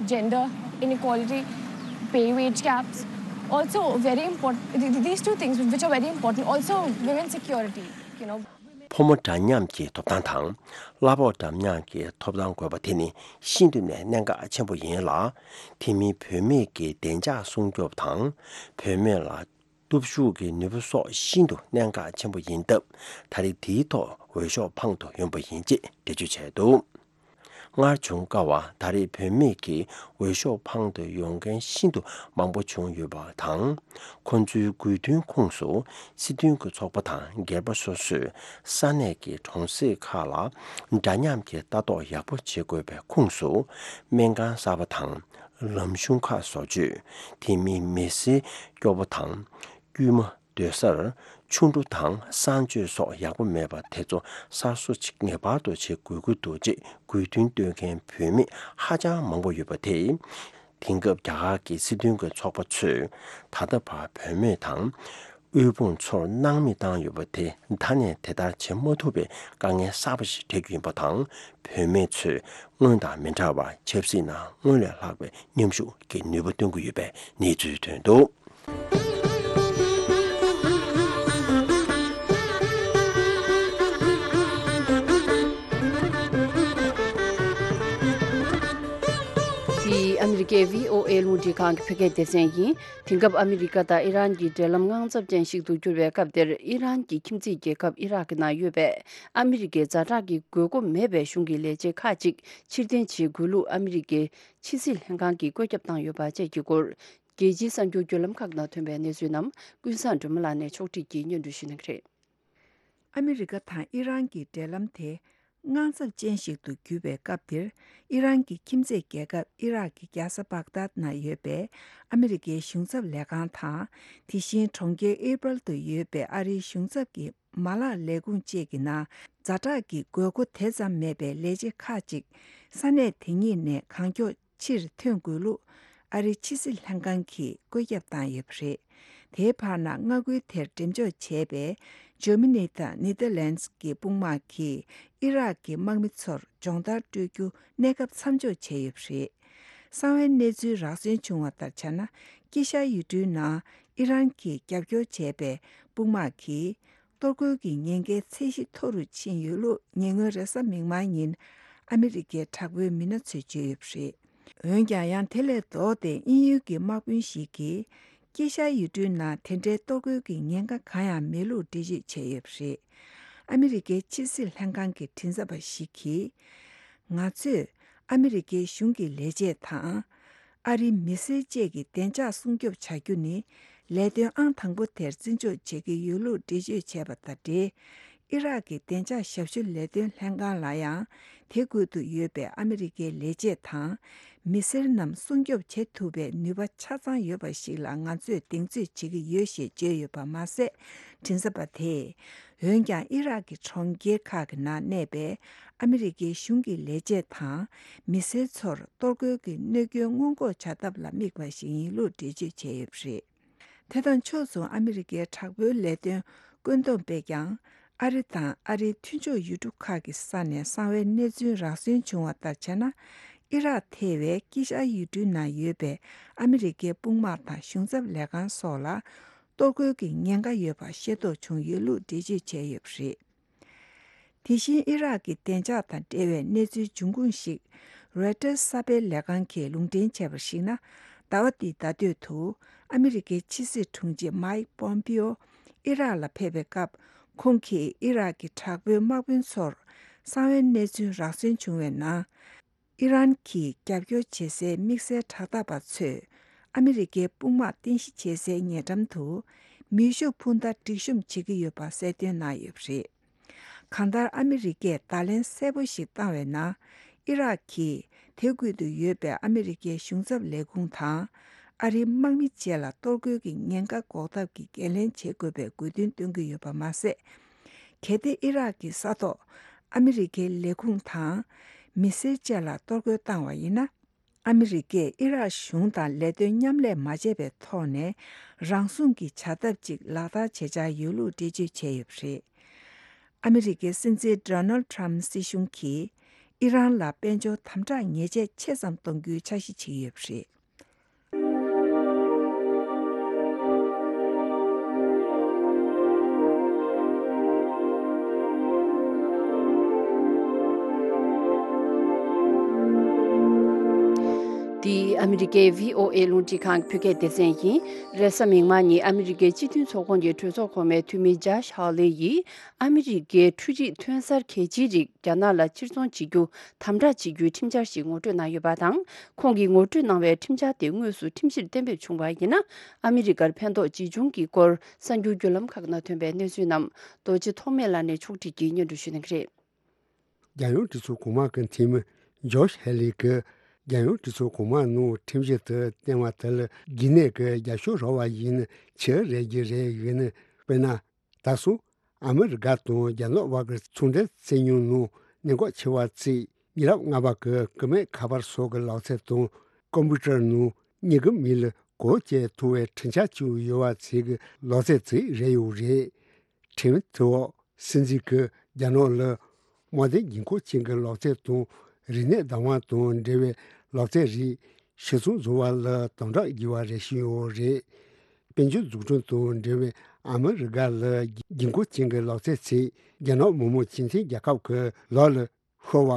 Gender inequality, pay wage gaps, also very important. Th- th- These two things, which are very important, also women's security, you know. ཕོ་མོ་འདྲ་མཉམ་གྱི་ཐོབ་ཐང་དང་། གླ་ཕོགས་འདྲ་མཉམ་གྱི་ཐོབ་ཐང་དགོས་པ་དེ་ནི་ཤིན་ཏུ་ནས་གནད་འགག་ཆེན་པོ་ཡིན་ལ། དེ་མིན་བུད་མེད་ཀྱི་བདེ་འཇགས་སྲུང་སྐྱོབ་དང་། བུད་མེད་ལ་སྟོབས་ཤུགས་ཀྱི་ནུས་པ་སོགས་ཤིན་ཏུ་གནད་འགག་ཆེན་པོ་ཡིན་སྟབས། ད་རེས་དེའི་ཐོག་འོས་ཤོག་འཕང་དུ་ཡོང་པ་ཡིན་ཅེས་འགྲེལ་བརྗོད་བྱས་འདུག། སྔར་བྱུང་དཀའ་བ། ད་རེས་བུད་མེད་ཀྱིས་འོས་ཤོག་འཕང་དུ་ཡོང་མཁན་ཤིན་ཏུ་མང་པོ་བྱུང་ཡོད་པ་དང་། ཁོ་ཚོའི་དགོས་འདུན་ཁོངས་སུ་སྲིད་དོན་གྱི་ཚོགས་པ་དང་སྒེར་པ་སོ་སོས་ས་གནས་ཀྱི་གྲོང་གསེབ་ཁག་ལ་འདྲ་མཉམ་གྱི་ལྟ་རྟོག་ཡག་པོ་བྱེད་དགོས་པའི་ཁོངས་སུ། སྨན་ཁང་གསར་པ་དང་། ལམ་གཞུང་ཁག་བཟོ་བཅོས། དེ་མིན་མི་སེར་སྐྱོ་པོ་དང་། དཀྱུས་མ་སྡོད་སར་ཆུ་འབྲུ་དང་གསང་སྤྱོད་སོགས་ཡག་པོ་མེད་པ་དེ་ཚོ་གསར་བཟོ་ཅིག་ངེས་པར་དུ་བྱེད་དགོས་ཀྱི་འདུག་ཅེས་དགོས་འདུན་བཏོན་མཁན་བུད་མེད་ཧ་ཅང་མང་པོ་ཡོད་པ་དེས། དེང་སྐབས་རྒྱ་གར་གྱི་སྲིད་དོན་གྱི་ཚོགས་པ་ཚོས་ད་ལྟ་བར་བུད་མེད་དང་དབུལ་ཕོངས་ཚོར་སྣང་མེད་བཏང་ཡོད་པ་དེ་ད་ནས་དེ་ལྟར་བྱེད་མ་ཐུབ་པའི་དཀའ་ངལ་གསར་པ་ཞིག་འཕྲད་རྒྱུ་ཡིན་པ་དང་། བུད་མེད་ཚོས་སྔོན་དང་མི་འདྲ་བར་ཆབ་སྲིད་ནང་སྔོན་ལས་ལྷག་པའི་མཉམ་ཞུགས་ཀྱི་ནུས་པ་སྟོན་གྱི་ཡོད་པའི་གནས་ཚུལ་ཐོན་འདུག། འདི་ཨ་མི་རི་ཀའི་བྷི་ཨོ་ཨེ་རླུང་འཕྲིན་ཁང་གི་བོད་སྐད་སྡེ་ཚན་ཡིན། དེང་སྐབས་ཨ་མི་རི་ཀ་དང་ཨི་རན་གྱི་འབྲེལ་ལམ་དངངས་འཚབ་ཅན་ཞིག་ཏུ་གྱུར་བའི་སྐབས་འདིར། ཨི་རན་གྱི་ཁྱིམ་མཚེས་རྒྱལ་ཁབ་ཨི་རག་གི་ནང་ཡོད་པའི་ཨ་མི་རི་ཀའི་ཛ་དྲག་གི་དགོས་མཁོ་མེད་པའི་གཞུང་གི་ལས་བྱེད་ཁག་ཅིག་ཕྱིར་འཐེན་བྱེད་དགོས་ལུགས་ཨ་མི་རི་ཀའི་ཕྱི་སྲིད་ལྷན་ཁང་གིས་བཀོད་ཁྱབ་བཏང་ཡོད་པ་བཅས་ཀྱི་སྐོར། རྒྱལ་སྤྱིའི་གསར་འགྱུར་བརྒྱུད་ལམ་ཁག་ནང་ཐོན་པའི་གནས་ཚུལ་རྣམས་ཀུན་བཟང་སྒྲོལ་མ་ལགས་ནས་ཕྱོགས་བསྒྲིགས་ཀྱིས་སྙན་སྒྲོན་ཞུ་གནང་གི་རེད། ཨ་མི་རི་ཀ་དང་ཨི་རན་གྱི་འབྲེལ་ལམ་དེ་དངངས་འཚབ་ཅན་ཞིག་ཏུ་གྱུར་བའི་སྐབས་འདིར། ཨི་རན་གྱི་ཁྱིམ་མཚེས་རྒྱལ་ཁབ་ཨི་རག་གི་རྒྱལ་ས་བག་དཱད་ན་ཡོད་པའི་ཨ་མི་རི་ཀའི་གཞུང་ཚབ་ལས་ཁང་དང་། དེ་བཞིན་གྲོང་ཁྱེར་ཨེ་པལ་དུ་ཡོད་པའི་ཨ་རིའི་གཞུང་ཚབ་ཀྱི་མ་ལག་ལས་ཁུངས་བཅས་ཀྱི་ནང་ཛ་དྲག་གི་དགོས་མཁོ་དེ་ཙམ་མེད་པའི་ལས་བྱེད་ཁག་ཅིག་ས་གནས་དེ་ཉིད་ནས་གང་མགྱོགས་ཕྱིར་ཐོན་དགོས་ལུགས་ཨ་རིའི་ཕྱི་སྲིད་ལྷན་ཁང་གིས་བཀོད་ཁྱབ་བཏང་ཡོད་པ་རེད། དེའི་བར་ན་མངའ་ཁུལ་དེར་འགྲེམས་འཇོག་བྱས་པའི་ཇར་མ་ནི་དང་ནེ་དར་ལེན་ཌི་གི་དཔུང་དམག་གིས་ཨི་རག་གི་དམག་མི་ཚོར་སྦྱོང་བརྡར་སྤྲོད་རྒྱུ་གནས་སྐབས་མཚམས་འཇོག་བྱས་ཡོད་པ་རེད། གསང་བའི་གནས་ཚུལ་རགས་ཟིན་བྱུང་བ་ལྟར་བྱས་ན། དཀྱིལ་ཤར་ཡུལ་གྲུའི་ནང་ཨི་རན་གྱིས་རྒྱབ་སྐྱོར་བྱས་པའི་དཔུང་དམག་གིས། གཏོར་རྒོལ་གྱི་ཉེན་ཁའི་ཚད་གཞི་མཐོ་རུ་ཕྱིན་ཡོད་ལུགས་ཉེ་སྔོན་རེས་གཟའ་མིག་དམར་ཉིན་ཨ་མི་རི་ཀའི་དྲག་པོའི་མི་སྣ་ཚོས་བརྗོད་ཡོད་པ་རེད། འོན་ཀྱང་། ཡང་དེ་ལས་ལྡོག་སྟེ་དབྱིན་ཡུལ་གྱི་དམག་དཔོན་ཞིག་གིས། དཀྱིལ་ཤར་ཡུལ་གྲུའི་ནང་དེ་འདྲའི་གཏོར་རྒོལ་གྱི་ཉེན་ཁ་གང་ཡང་མེད་ལུགས་འགྲེལ་བརྗོད་བྱས་ཡོད་པ་རེད། ཨ་མི་རི་ཀའི་ཕྱི་སྲིད་ལྷན་ཁང་གི་མགྲིན་ཚབ་པ་ཞིག་གིས། ང་ཚོས་ཨ་མི་རི་ཀའི་གཞུང་གི་ལས་བྱེད་དང་། ཨ་རིའི་མི་སེར་བཅས་ཀྱི་བདེ་འཇགས་སྲུང་སྐྱོབ་བྱ་རྒྱུ་ནི་ལས་དོན་ཨང་དང་པོ་དེར་བརྩི་འཇོག་བྱེད་ཀྱི་ཡོད་ལུགས་འགྲེལ་བརྗོད་བྱས་པ་དང་འབྲེལ། ཨི་རག་གི་བདེ་འཇགས་ཞབས་ཞུ་ལས་དོན་ལྷན་ཁང་ལ་ཡང་དེ་ཁུལ་དུ་ཡོད་པའི་ཨ་མི་རི་ཀའི་ལས་བྱེད་དང་མི་སེར་རྣམས་སྲུང་སྐྱོབ་བྱེད་ཐུབ་པའི་ནུས་པ་ཆ་ཚང་ཡོད་པ་ཞིག་ལ་ང་ཚོས་གདེང་ཚོད་བྱེད་ཀྱི་ཡོད་ཞེས་བརྗོད་ཡོད་པ་མ་ཟད། མགྲིན་ཚབ་པ་དེས། འོན་ཀྱང་ཨི་རག་གི་གྲོང་ཁྱེར་ཁག་གི་ནང་གནས་པའི་ཨ་མི་རི་ཀའི་གཞུང་གི་ལས་བྱེད་དང་མི་སེར་ཚོར་གཏོར་རྒོལ་གྱི་གནོད་སྐྱོན་སྔོན་འགོག་བྱ་ཐབས་ལ་དམིགས་པ་ཞིག་ཡིན་ལུགས་འགྲེལ་བརྗོད་བྱས་ཡོད་པ་རེད། དེ་དང་ཕྱོགས་མཚུངས་ཨ་མི་རི་ཀའི་དྲག་པོའི་ལས་དོན་བཀོད་འདོམས་པས་ཀྱང་ཨ་རི་དང་ཨ་རིའི་མཐུན་ཕྱོགས་ཡུལ་གྲུ་ཁག་གི་ས་ནས་གསང་བའི་གནས་ཚུལ་རགས་ཟིན་བྱུང་བ་ལྟར་བྱས་ན། ཨི་རག་ཐེ་བའི་དཀྱིལ་ཤར་ཡུལ་གྲུའི་ནང་ཡོད་པའི་ཨ་མི་རི་ཀའི་དཔུང་དམག་དང་གཞུང་ཚབ་ལས་ཁང་སོགས་ལ། གཏོར་རྒོལ་གྱི་ཉེན་ཁ་ཡོད་པ་ཤེས་རྟོགས་བྱུང་ཡོད་ལུགས་འགྲེལ་བརྗོད་བྱས་ཡོད་པ་རེད། དེ་བཞིན་ཨི་རག་གི་བདེ་འཇགས་དང་འབྲེལ་བའི་གནས་ཚུལ་འབྱུང་ཁུངས་ཤིག་རོའི་ཊར་གསར་སྤེལ་ལས་ཁང་གིས་ལུང་འདྲེན་བྱས་པར་གཞིགས་ན། ཟླ་བ་འདིའི་ཟླ་སྟོད་དུ་ཨ་མི་རི་ཀའི་ཕྱི་སྲིད་དྲུང་ཆེ་མའིག་པོམ་པིའོ་ཨི་རག་ལ་ཕེབས་པའི་སྐབས། ཁོང་གིས་ཨི་རག་གི་དྲག་པོའི་དམག་དཔོན་ཚོར་གསང་བའི་གནས་ཚུལ་རགས་ཟིན་བྱུང་བའི་ནང་། ཨི་རན་གྱིས་རྒྱབ་སྐྱོར་བྱེད་སའི་དམིགས་བསལ་དྲག་འཐབ་པ་ཚོས་ཨ་མི་རི་ཀའི་དཔུང་དམག་རྟེན་གཞི་བྱེད་སའི་ཉེ་འགྲམ་དུ་མེ་ཤུགས་འཕུར་མདའ་སྒྲིག་གཤོམ་བྱེད་ཀྱི་ཡོད་པ་གསལ་སྟོན་གནང་ཡོད་པ་རེད། གང་ལྟར་ཨ་མི་རི་ཀས་བརྡ་ལན་གསལ་པོ་ཞིག་བཏང་བའི་ནང་། ཨི་རག་གིས་དེ་ཁུལ་དུ་ཡོད་པའི་ཨ་མི་རི་ཀའི་གཞུང་ཚབ་ལས་ཁུངས་དང་། ཨ་རིའི་དམག་མི་བཅས་ལ་གཏོར་རྒོལ་གྱི་ཉེན་ཁ་འགོག་ཐབས་ཀྱི་འགན་ལེན་བྱེད་དགོས་པའི་དགོས་འདུན་བཏོན་གྱི་ཡོད་པ་མ་ཟད། གལ་ཏེ་ཨི་རག་གི་ས་ཐོག་ཨ་མི་རི་ཀའི་ལས་ཁུངས་དང་མི་སེར་བཅས་ལ་གཏོར་རྒོལ་བཏང་བ་ཡིན་ན། ཨ་མི་རི་ཀས་ཨི་རག་གཞུང་དང་ལས་དོན་མཉམ་ལས་མ་བྱས་པའི་ཐོག་ནས་རང་སྲུང་གི་བྱ་ཐབས་ཅིག་ལག་བསྟར་བྱེད་འཆར་ཡོད་ལུགས་འགྲེལ་བརྗོད་བྱས་ཡོད་པ་རེད། ཨ་མི་རི་ཀའི་སྲིད་འཛིན་ཌོ་ནལ་ཊམ་སྲིད་གཞུང་གིས་ཨི་རན་ལ་དཔལ་འབྱོར་དམ་དྲག་ཉེས་ཆད་ཆེ་ཙམ་གཏོང་རྒྱུའི་འཆར་གཞི་བྱེད་ཀྱི་ཡོད་པ་རེད། འདི་ཨ་མི་རི་ཀའི་བྷི་ཨོ་ཨེ་རླུང་འཕྲིན་ཁང་གི་བོད་སྐད་སྡེ་ཚན་ཡིན། རེས་གཟའ་མིག་དམར་ཉིན་ཨ་མི་རི་ཀའི་སྤྱི་མཐུན་ཚོགས་ཁོངས་ཀྱི་གྲོས་ཚོགས་གོང་མའི་འཐུས་མི་ཇཱཤ་ཧ་ལེ་ཡིས་ཨ་མི་རི་ཀའི་འཕྲུལ་རིག་ཐོན་གསར་གལ་ཆེའི་རིགས་རྒྱ་ནག་ལ་ཕྱིར་ཚོང་བྱེད་རྒྱུ་དམ་དྲག་བྱེད་རྒྱུའི་ཁྲིམས་འཆར་ཞིག་ངོ་སྤྲོད་གནང་ཡོད་པ་དང་། ཁོང་གིས་ངོ་སྤྲོད་གནང་བའི་ཁྲིམས་འཆར་དེ་དངོས་སུ་ཁྲིམས་གཞིར་གཏན་འབེབས་བྱུང་བ་ཡིན་ན། ཨ་མི་རི་ཀར་ཕན་ཐོགས་ཇི་བྱུང་གི་སྐོར་གསར་འགྱུར་བརྒྱུད་ལམ་ཁག་ནང་ཐོན་པའི་གནས་ཚུལ་རྣམས་རྡོ་རྗེ་ཐོགས་མེད་ལགས་ནས་ཕྱོགས་སྒྲིག་གིས་སྙན་སྒྲོན་ཞུ་གནང་གི་རེད། རྒྱལ་ཡོངས་གྲོས་ཚོགས་གོང་མ་གི་འཐུས་མི་ཇོཤ་ཧེ་ལི་གིས་རྒྱལ་ཡོངས་གྲོས་ཚོགས་གོང་མ་ནང་ཁྲིམས་གཞི་དེ་བཏོན་པ་དེ་ལ་རྒྱུན་གནས་ཀྱི་རྒྱབ་སྐྱོར་རག་པ་ཡིན་ན་ཆེས་རེད་ཀྱི་རེད་ཡིན་ན། དཔེར་ན། ད་སོང་ཨ་མི་རི་ཀ་དང་རྒྱ་ནག་དབར་གྱི་ཚོང་འབྲེལ་བཙན་ཉུང་ནང་གནད་འགག་ཆེ་བ་བརྩིས། ཉེ་རབས་སྔ་བར་གྱི་སྐུད་མེད་ཁ་པར་སོགས་ཀྱི་ལག་རྩལ་དང་ཀམ་པུ་ཊར་ནང་གཉིས་ཀྱི་མིང་ལ་གོ་བརྗེ་ཐུབ་པའི་འཕྲུལ་ཆས་བཅུག་ཡོད་པ་བཅས་ཀྱི་ལག་རྩལ་ཅིག་རེད་ཡོད་རེད། ཁྲིམས་དེ་འོག་སྲིད་འཛིན་གྱིས་རྒྱ་ནག་ལ་དམག་དོན་འགན་ཁུར་ཅན་གྱི་ལག་རྩལ་དང་རིག་གནས་བདག་དབང་དང་འབྲེལ་བའི་ལག་རྩལ་རིགས་ཕྱིར་ཚོང་བཟོ་བ་ལ་དམ་དྲག་བགྱི་བ་རེ་བཞིན་ཡོད་རེད། དཔལ་འབྱོར་འཛུགས་སྐྲུན་དང་འབྲེལ་བའི་ཨ་མི་རི་ཀ་ལ་འགན་ཁུར་ཅན་གྱི་ལག་རྩལ་ཚིག་རྒྱ་ནག་མི་དམངས་སྤྱི་མཐུན་རྒྱལ་ཁབ་ཀྱི་ལག་ལ་ཤོར་བ།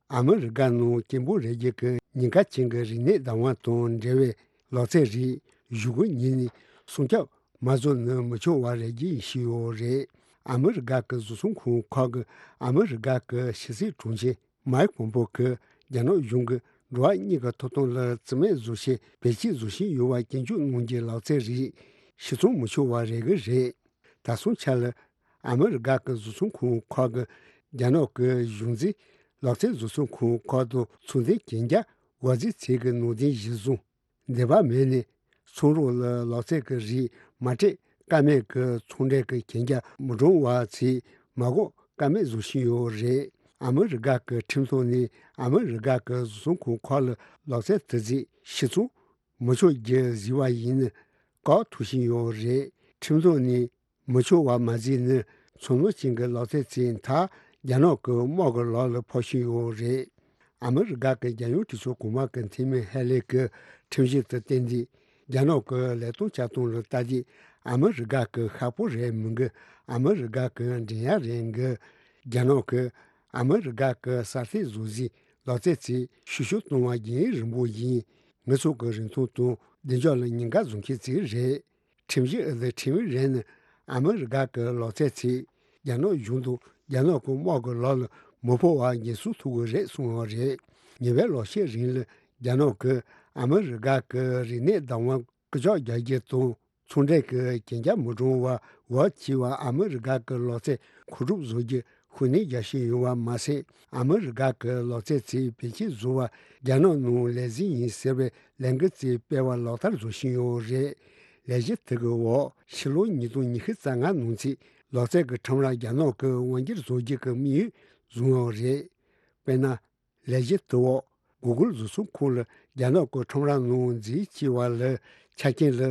ཨ་མི་རི་ཀ་ནང་སྐྱེ་འཕེལ་རེ་རྒྱས་ཀྱི་ཉེན་ཁ་ཅན་གྱི་རིག་གནས་བདག་དབང་དང་འབྲེལ་བའི་ལག་རྩལ་རིགས་གཞུག་གུ་ཉིན་ནས་སྲུང་སྐྱོབ་མ་བཟོ་ན་མི་ཆོག་པ་རེ་རྒྱུ་ཡིན་ཞུས་ཡོད་རེད། ཨ་མི་རི་ཀ་གི་བཟོ་ཚོང་ཁང་ཁག་གིས་ཨ་མི་རི་ཀ་གི་ཕྱི་སྲིད་དྲུང་ཆེ་མའེ་ཁི་པོམ་པེའོ་གིས་རྒྱ་ནག་གཞུང་གིས་འགྲོ་བ་མིའི་ཐོབ་ཐང་ལ་བརྩི་མེད་བཟོ་ཆེད་བེད་སྤྱོད་བཟོ་བཞིན་ཡོད་པ་སྐྱོན་བརྗོད་གནང་རྒྱུའི་ལག་རྩལ་རིགས་ཕྱིར་ཚོང་མི་ཆོག་པ་རེད་གི་རེད། ད་སོང་ཆ་ལ་ཨ་མི་རི་ཀ་གི་བཟོ་ཚོང་ཁང་ཁག་གིས་རྒྱ་ནག་གི་གཞུང་འཛིན་ལག་རྩལ་བཟོ་ཚོང་ཁང་ཁག་དང་ཚོང་དོན་གན་རྒྱ་དགོས་ཚུལ་ཚིག་གི་ནང་དོན་གཞིར་བཟུང་། འདོད་པ་མེད་ནས་ཚོང་རོགས་ལ་ལག་རྩལ་གྱི་རིགས་མ་སྤྲད་ཀ་མེད་ཀྱི་ཚོང་འབྲེལ་གྱི་གན་རྒྱ་མི་སྒྲོན་པ་ཚིག་མ་འགོག་ཀ་མེད་བཟོ་བཞིན་ཡོད་རེད། ཨ་མི་རི་ཀ་གི་ཁྲིམས་ཐོག་ནས་ཨ་མི་རི་ཀ་གི་བཟོ་ཚོང་ཁང་ཁག་ལ་ལག་རྩལ་དེ་ཚིག་ཕྱིར་ཚོང་མི་ཆོག་རྒྱུ་བཟོས་པ་ཡིན་ན་བཀག་ཐུབ་བཞིན་ཡོད་རེད། ཁྲིམས་ཐོག་ནས་མི་ཆོག་པ་མ་བཟོས་ན་ཚོང་ལོག་ཅན་གྱི་ལག་རྩལ་ཚིག་མཐའ་རྒྱ་ནག་གི་དམག་གི་ལག་ལ་ཕོག་བཞིན་ཡོད་རེད། ཨ་མི་རི་ཀ་གི་རྒྱལ་ཡོངས་གྲོས་ཚོགས་གོང་མ་གི་འཐུས་མི་ཧེ་ལི་གི་ཁྲིམས་གཞི་དེ་བཏོན་དུས་རྒྱ་ནག་གི་ལས་དོན་བྱ་སྟངས་ལ་ལྟ་དུས་ཨ་མི་རི་ཀ་གི་ཤ་པོ་རེད་མི་འགི། ཨ་མི་རི་ཀ་གི་འགྲན་ཡ་རེད་འགི། རྒྱ་ནག་གི་ཨ་མི་རི་ཀ་གི་གསར་གཏོད་བཟོ་རྩལ་ལག་རྩལ་ཚིག་ཤུགས་ཆུང་གཏོང་བ་རྒྱུན་རིང་པོ་ཡིན། ངེད་ཚོ་གི་རིན་ཐང་དང་བདེ་འཇགས་ལ་ཉེན་ཁ་བཟོ་མཁན་ཚིག་རེད། ཁྲིམས་གཞི་ཨ་ལི་ཁྲིམས་རན་ནི་ཨ་མི་རི་ཀ་གི་ལག་རྩལ་ཚིག་རྒྱ་ནག་གཞུང་དང་རྒྱ་ནག་གི་དམག་གི་ལག་ལ་མི་ཕོག་པ་འགན་སྲུང་ཐུབ་ཀྱི་རེད་གསུངས་པ་རེད། ཉེ་བའི་ལོ་ཤས་རིང་ལ་རྒྱ་ནག་གིས་ཨ་མི་རི་ཀ་གི་རིག་གནས་བདག་དབང་སྐུལ་ལྕག་རྒྱག་རྒྱུ་དང་ཚོང་འབྲེལ་གྱི་གན་རྒྱ་མི་སྒྲོན་པ་འོག་བྱས་པ་ཨ་མི་རི་ཀ་གི་ལག་རྩལ་མཁོ་སྒྲུབ་བཟོ་རྒྱུ་ཤུགས་སྣོན་རྒྱག་བཞིན་ཡོད་པ་མ་ཟད། ཨ་མི་རི་ཀ་གི་ལག་རྩལ་ཚིག་བེད་སྤྱོད་བཟོ་བ་རྒྱ་ནག་ནང་ལས་འཛིན་ཡིན་ཟེར་བའི་ལས་འགུལ་ཅིག་སྤེལ་བ་ལག་བསྟར་བཟོ་བཞིན་ཡོད་རེད། ལས་གཞི་དེ་གི་འོག་ཕྱི་ལོ་ཉིས་སྟོང་ཉི་ཤུ་རྩ་ལྔ་ནང་ཚུད་ལག་རྩལ་གྱི་ཁྲོམ་ར་རྒྱ་ནག་གི་དབང་སྒྱུར་བཟོ་རྒྱུ་གི་དམིགས་ཡུལ་བཟུང་ཡོད་རེད། དཔེར་ན། ལས་གཞི་དེ་འོག་གུ་གུལ་བཟོ་ཚོང་ཁང་ལ་རྒྱ་ནག་གི་ཁྲོམ་ར་ནང་འཛུལ་བྱས་པ་ལ་ཆ་རྐྱེན་ལ་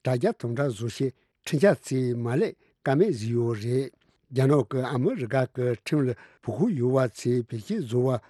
དྲ་རྒྱ་དམ་དྲག་བཟོ་ཆེད་ཁྲིམས་འཆར་ཅིག་མ་ལས་ཀ་མེད་བཟོས་ཡོད་རེད། རྒྱ་ནག་གིས་ཨ་མི་རི་ཀ་གི་ཁྲིམས་ལ་བོད་ཁུལ་ཡོད་པ་ཚོས་བེད་སྤྱོད་བཟོ་བ།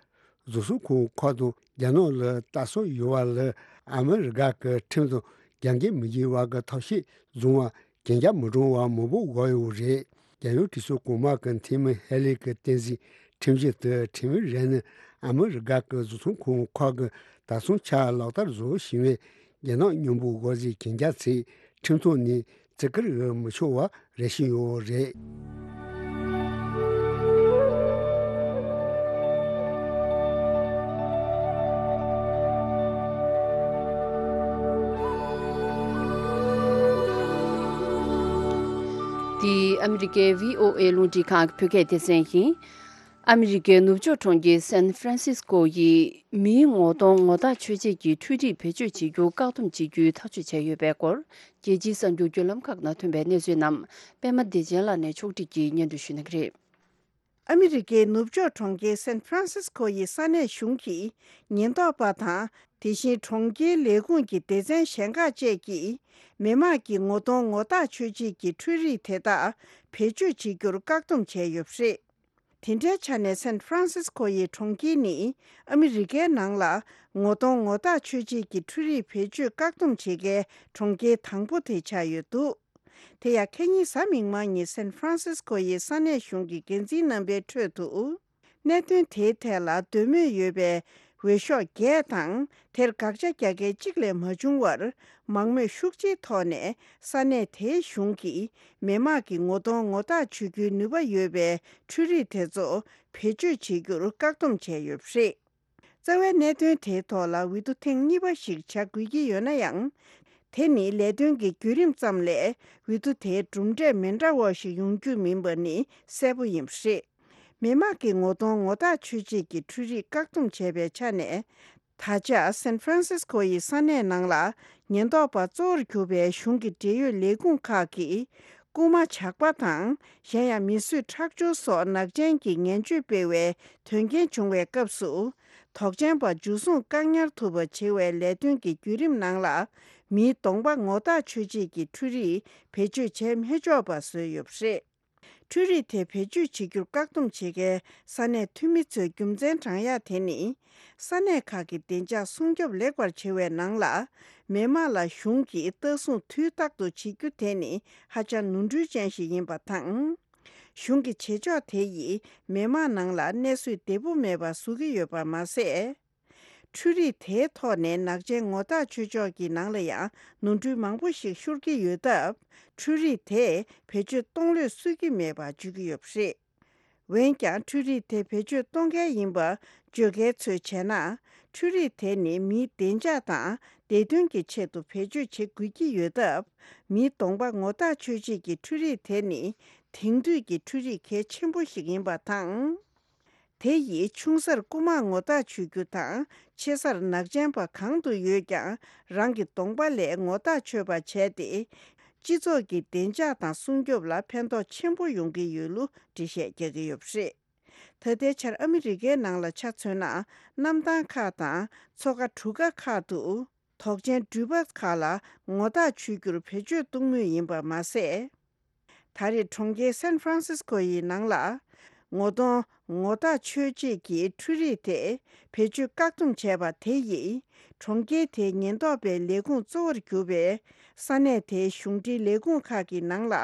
བཟོ་ཚོང་ཁང་ཁག་དང་རྒྱ་ནག་ལ་ལྟ་ཚུལ་ཡོད་པ་ལ་ཨ་མི་རི་ཀ་གི་ཁྲིམས་དང་རྒྱབ་འགལ་མི་བྱེད་པ་གི་ཐབས་ཤེས་བཟུང་བ་གན་རྒྱ་མི་སྒྲོན་པ་མང་པོ་དགོས་ཡོད་རེད། རྒྱལ་ཡོངས་གྲོས་ཚོགས་གོང་མ་གི་འཐུས་མི་ཧེ་ལི་གི་བསྟན་འཛིན་ཁྲིམས་གཞི་དེ་ཁྲིམས་ཡིག་རེད་ནི་ཨ་མི་རི་ཀ་གི་བཟོ་ཚོང་ཁང་ཁག་གི་ད་སོང་ཆ་ལག་བསྟར་བཟོ་བཞིན་པའི་རྒྱ་ནག་མཉམ་པོ་དགོས་ཟེར་གན་རྒྱ་ཚིག་ཁྲིམས་ཐོག་ནས་བརྩི་བཀུར་ཡོད་མི་ཆོག་པ་རེ་བཞིན་ཡོད་རེད། འདི་ཨ་མི་རི་ཀའི་བྷི་ཨོ་ཨེ་རླུང་འཕྲིན་ཁང་གི་བོད་སྐད་སྡེ་ཚན་ཡིན། ཨ་མི་རི་ཀའི་ནུབ་ཕྱོགས་གྲོང་ཁྱེར་སན་ཧྥ་རན་སིས་ཀོ་ཡིས་མིའི་ངོ་གདོང་ངོ་རྟགས་ཆོས་ཅན་གྱི་འཕྲུལ་རིགས་བེད་སྤྱོད་བྱེད་རྒྱུ་བཀག་སྡོམ་བྱེད་རྒྱུའི་ཐག་གཅོད་བྱས་ཡོད་པའི་སྐོར། རྒྱལ་སྤྱིའི་གསར་འགྱུར་བརྒྱུད་ལམ་ཁག་ནང་ཐོན་པའི་གནས་ཚུལ་རྣམས་པད་མ་བདེ་ཆེན་ལགས་ནས་ཕྱོགས་སྒྲིག་གིས་སྙན་སྒྲོན་ཞུ་གནང་གི་རེད། ཨ་མི་རི་ཀའི་ནུབ་ཕྱོགས་གྲོང་ཁྱེར་སན་ཧྥ་རན་སིས་ཀོ་ཡི་ས་གནས་གཞུང་གི་ཉེན་རྟོག་པ་དང་། དེ་བཞིན་གྲོང་ཁྱེར་ལས་ཁུངས་ཀྱི་སྡེ་ཚན་གཞན་ཁག་བཅས་ཀྱིས་མི་དམངས་ཀྱི་ངོ་གདོང་ངོ་རྟགས་ཆོས་ཅན་གྱི་འཕྲུལ་རིག་དེ་དག་བེད་སྤྱོད་བྱེད་རྒྱུར་བཀག་སྡོམ་བྱས་ཡོད་པ་རེད། དེ་འདྲའི་ཆ་ནས་སན་ཧྥ་རན་སིས་ཀོ་ཡི་གྲོང་ཁྱེར་ནི་ཨ་མི་རི་ཀའི་ནང་ལ་ངོ་གདོང་ངོ་རྟགས་ཆོས་ཅན་གྱི་འཕྲུལ་རིག་བེད་སྤྱོད་བཀག་སྡོམ་བྱེད་མཁན་གྲོང་ཁྱེར་དང་པོ་དེ་ཆགས་ཡོད་འདུག་དེ་ཡང་ཁ་ཉིན་གཟའ་མིག་དམར་ཉིན་སན་ཧྥ་རན་སིས་ཀོ་ཡི་ས་གནས་གཞུང་གི་འགན་འཛིན་རྣམ་པའི་ཁྲོད་དུ། གནད་དོན་དེའི་ཐད་ལ་འདོད་མོས་ཡོད་པའི་འོས་ཤོག་བརྒྱད་དང་། དེར་དགག་བྱ་རྒྱག་མཁན་གཅིག་ལས་མ་བྱུང་བར། མང་མོས་ཤུགས་ཆེའི་ཐོག་ནས་ས་གནས་དེའི་གཞུང་གིས་མི་དམངས་ཀྱི་ངོ་གདོང་ངོ་རྟགས་ཆོད་རྒྱུའི་ནུས་པ་ཡོད་པའི་འཕྲུལ་རིག་དེ་ཚོ་བེད་སྤྱོད་བྱེད་རྒྱུར་བཀག་སྡོམ་བྱས་ཡོད་པ་རེད། རྩ་བའི་གནད་དོན་དེའི་ཐོག་ལ་འོས་བསྡུ་ཐེངས་གཉིས་པ་ཞིག་བྱ་དགོས་ཀྱི་ཡོད་ན་ཡང་། དེ་ནི་ལས་དོན་གྱི་བརྒྱུད་རིམ་ཙམ་ལས་འོས་བསྡུ་དེའི་གྲུབ་འབྲས་མི་འདྲ་བ་ཞིག་ཡོང་རྒྱུ་མིན་པ་ནི་གསལ་པོ་ཡིན་པ་རེད། མི་དམངས་ཀྱི་ངོ་གདོང་ངོ་རྟགས་ཆོད་ཅན་གྱི་འཕྲུལ་རིག་བཀག་སྡོམ་བྱས་པའི་ཆ་ནས། ད་ཆ་སན་ཧྥ་རན་སིས་ཀོ་ཡི་ས་གནས་ནང་ལ་ཉེན་རྟོག་པ་གཙོ་བོར་གྱུར་པའི་གཞུང་གི་འབྲེལ་ཡོད་ལས་ཁུངས་ཁག་གིས། རྐུན་མ་ཇག་པ་དང་། གཞན་ཡང་མི་གསོད་ཁྲག་སྦྱོར་སོགས་ནག་ཅན་གྱི་ངན་སྤྱོད་སྤེལ་བའི་དོན་རྐྱེན་བྱུང་བའི་སྐབས་སུ། དོགས་ཅན་པ་འཇུ་བཟུང་བཀག་ཉར་ཐུབ་པ་བྱེད་པའི་ལས་དོན་གྱི་བརྒྱུད་རིམ་ནང་ལ། མིའི་གདོང་པ་ངོ་རྟགས་ཆོད་ཅན་གྱི་འཕྲུལ་རིག་བེད་སྤྱོད་བྱས་མི་ཆོག་པ་བཟོས་ཡོད་པ་རེད། འཕྲུལ་རིག་དེ་བེད་སྤྱོད་བྱེད་རྒྱུར་བཀག་སྡོམ་བྱེད་མཁན་ས་གནས་འཐུས་མི་ཚོའི་རྒྱུ་མཚན་དྲངས་ཡ་དེ་ནི། ས་གནས་ཁག་གི་བདེ་འཇགས་སྲུང་སྐྱོབ་ལེགས་པར་བྱེད་པའི་ནང་ལ། མི་དམངས་ལ་གཞུང་གིས་ལྟ་སྲུང་དུས་རྟག་ཏུ་བྱེད་རྒྱུ་དེ་ནི་ཧ་ཅང་ནོར་འཁྲུལ་ཅན་ཞིག་ཡིན་པ་དང་། གཞུང་གི་བྱེད་ཕྱོགས་དེ་ཡིས་མི་དམངས་ནང་ལ་གནས་ཚུལ་བདེ་པོ་མེད་པ་བཟོ་གི་ཡོད་པ་མ་ཟད། འཕྲུལ་རིག་དེའི་ཐོག་ནས་ནག་ཅན་ངོ་རྟགས་ཆོད་ཕྱོགས་ཀྱི་ནང་ལ་ཡང་ནོར་འཁྲུལ་མང་པོ་ཞིག་ཤོར་གྱི་ཡོད་སྟབས། འཕྲུལ་རིག་དེས་བེད་སྤྱོད་གཏོང་ལོས་སྲོལ་གྱི་མེད་པ་བརྗོད་ཀྱི་ཡོད་པ་རེད། འོན་ཀྱང་། འཕྲུལ་རིག་དེ་བེད་སྤྱོད་གཏོང་མཁན་ཡིན་པ་བརྗོད་མཁན་ཚོས་བྱས་ན། འཕྲུལ་རིག་དེ་ནི་མིའི་བདེ་འཇགས་དང་བདེ་དོན་གྱི་ཆེད་དུ་བེད་སྤྱོད་བྱེད་དགོས་ཀྱི་ཡོད་སྟབས། མིའི་གདོང་པ་ངོ་རྟགས་ཆོད་ཆེད་ཀྱི་འཕྲུལ་རིག་དེ་ནི་དེང་དུས་ཀྱི་འཕྲུལ་རིག་གལ་ཆེན་པོ་ཞིག་ཡིན་པ་དང་། དེ་ཡིས་ཆུང་སར་རྐུན་མ་ངོ་རྟགས་ཆོད་རྒྱུ་དང་། ཆེ་སར་ནག་ཅན་པ་གང་དུ་ཡོད་ཀྱང་རང་གི་གདོང་པ་ལས་ངོ་རྟགས་ཆོད་པ་བྱས་ཏེ། སྤྱི་ཚོགས་ཀྱི་བདེ་འཇགས་དང་སྲུང་སྐྱོབ་ལ་ཕན་ཐོགས་ཆེན་པོ་ཡོང་གི་ཡོད་ལུགས་འགྲེལ་བཤད་རྒྱག་གི་ཡོད་པ་རེད། ད་ལྟའི་ཆར་ཨ་མི་རི་ཀའི་ནང་ལ་ཆ་མཚོན་ན། གནམ་ཐང་ཁག་དང་མཚོ་ཁ་གྲུ་ཁ་ཁག་ཏུ། དོགས་ཅན་འགྲུལ་པ་ཁག་ལ་ངོ་རྟགས་ཆོད་རྒྱུར་བེད་སྤྱོད་གཏོང་མུས་ཡིན་པ་མ་ཟད། ད་རེས་གྲོང་ཁྱེར་སན་ཧྥ་རན་སིས་ཀོ་ཡི་ནང་ལ། ངོ་གདོང་ངོ་རྟགས་ཆོད་ཆེད་ཀྱི་འཕྲུལ་རིག་དེ་བེད་སྤྱོད་བཀག་སྡོམ་བྱས་པ་དེ་ཡིས། གྲོང་ཁྱེར་དེའི་ཉེན་རྟོག་པའི་ལས་ཁུངས་གཙོ་བོར་གྱུར་པའི་ས་གནས་དེའི་གཞུང་འབྲེལ་ལས་ཁུངས་ཁག་གི་ནང་ལ་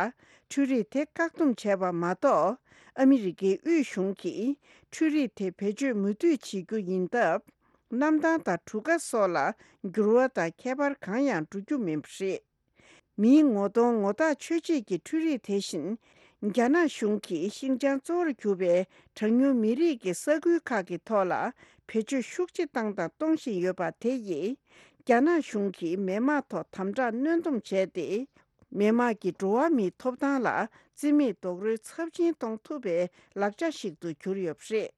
འཕྲུལ་རིག་དེ་བཀག་སྡོམ་བྱས་པ་མ་གཏོགས། ཨ་མི་རི་ཀའི་དབུས་གཞུང་གིས་འཕྲུལ་རིག་དེ་བེད་སྤྱོད་མུ་མཐུད་བྱེད་རྒྱུ་ཡིན་སྟབས། གནམ་ཐང་དང་གྲུ་ཁ་སོགས་ལ་འགྱུར་བ་དང་ཁྱད་པར་གང་ཡང་འགྲོ་རྒྱུ་མིན་པ་རེད། མིའི་ངོ་གདོང་ངོ་རྟགས་ཆོད་ཆེད་ཀྱི་འཕྲུལ་རིག་དེ་བཞིན། རྒྱ་ནག་གཞུང་གིས་ཤིན་ཅང་གཙོ་བོར་གྱུར་པའི་གྲངས་ཉུང་མི་རིགས་ཀྱི་ས་ཁུལ་ཁག་གི་ཐོག་ལ་བེད་སྤྱོད་ཤུགས་ཆེ་བཏང་དང་གཏོང་བཞིན་ཡོད་པ་དེ་ཡིས། རྒྱ་ནག་གཞུང་གིས་མི་དམངས་ཐོག་དམ་དྲག་གནོན་སྡོམ་བྱས་ཏེ། མི་དམངས་ཀྱི་འགྲོ་བ་མིའི་ཐོབ་ཐང་ལ་བརྩི་མེད་རྡོག་རོལ་ཚབས་ཆེན་གཏོང་ཐུབ་པའི་ལག་ཆ་ཞིག་ཏུ་གྱུར་ཡོད་པ་རེད།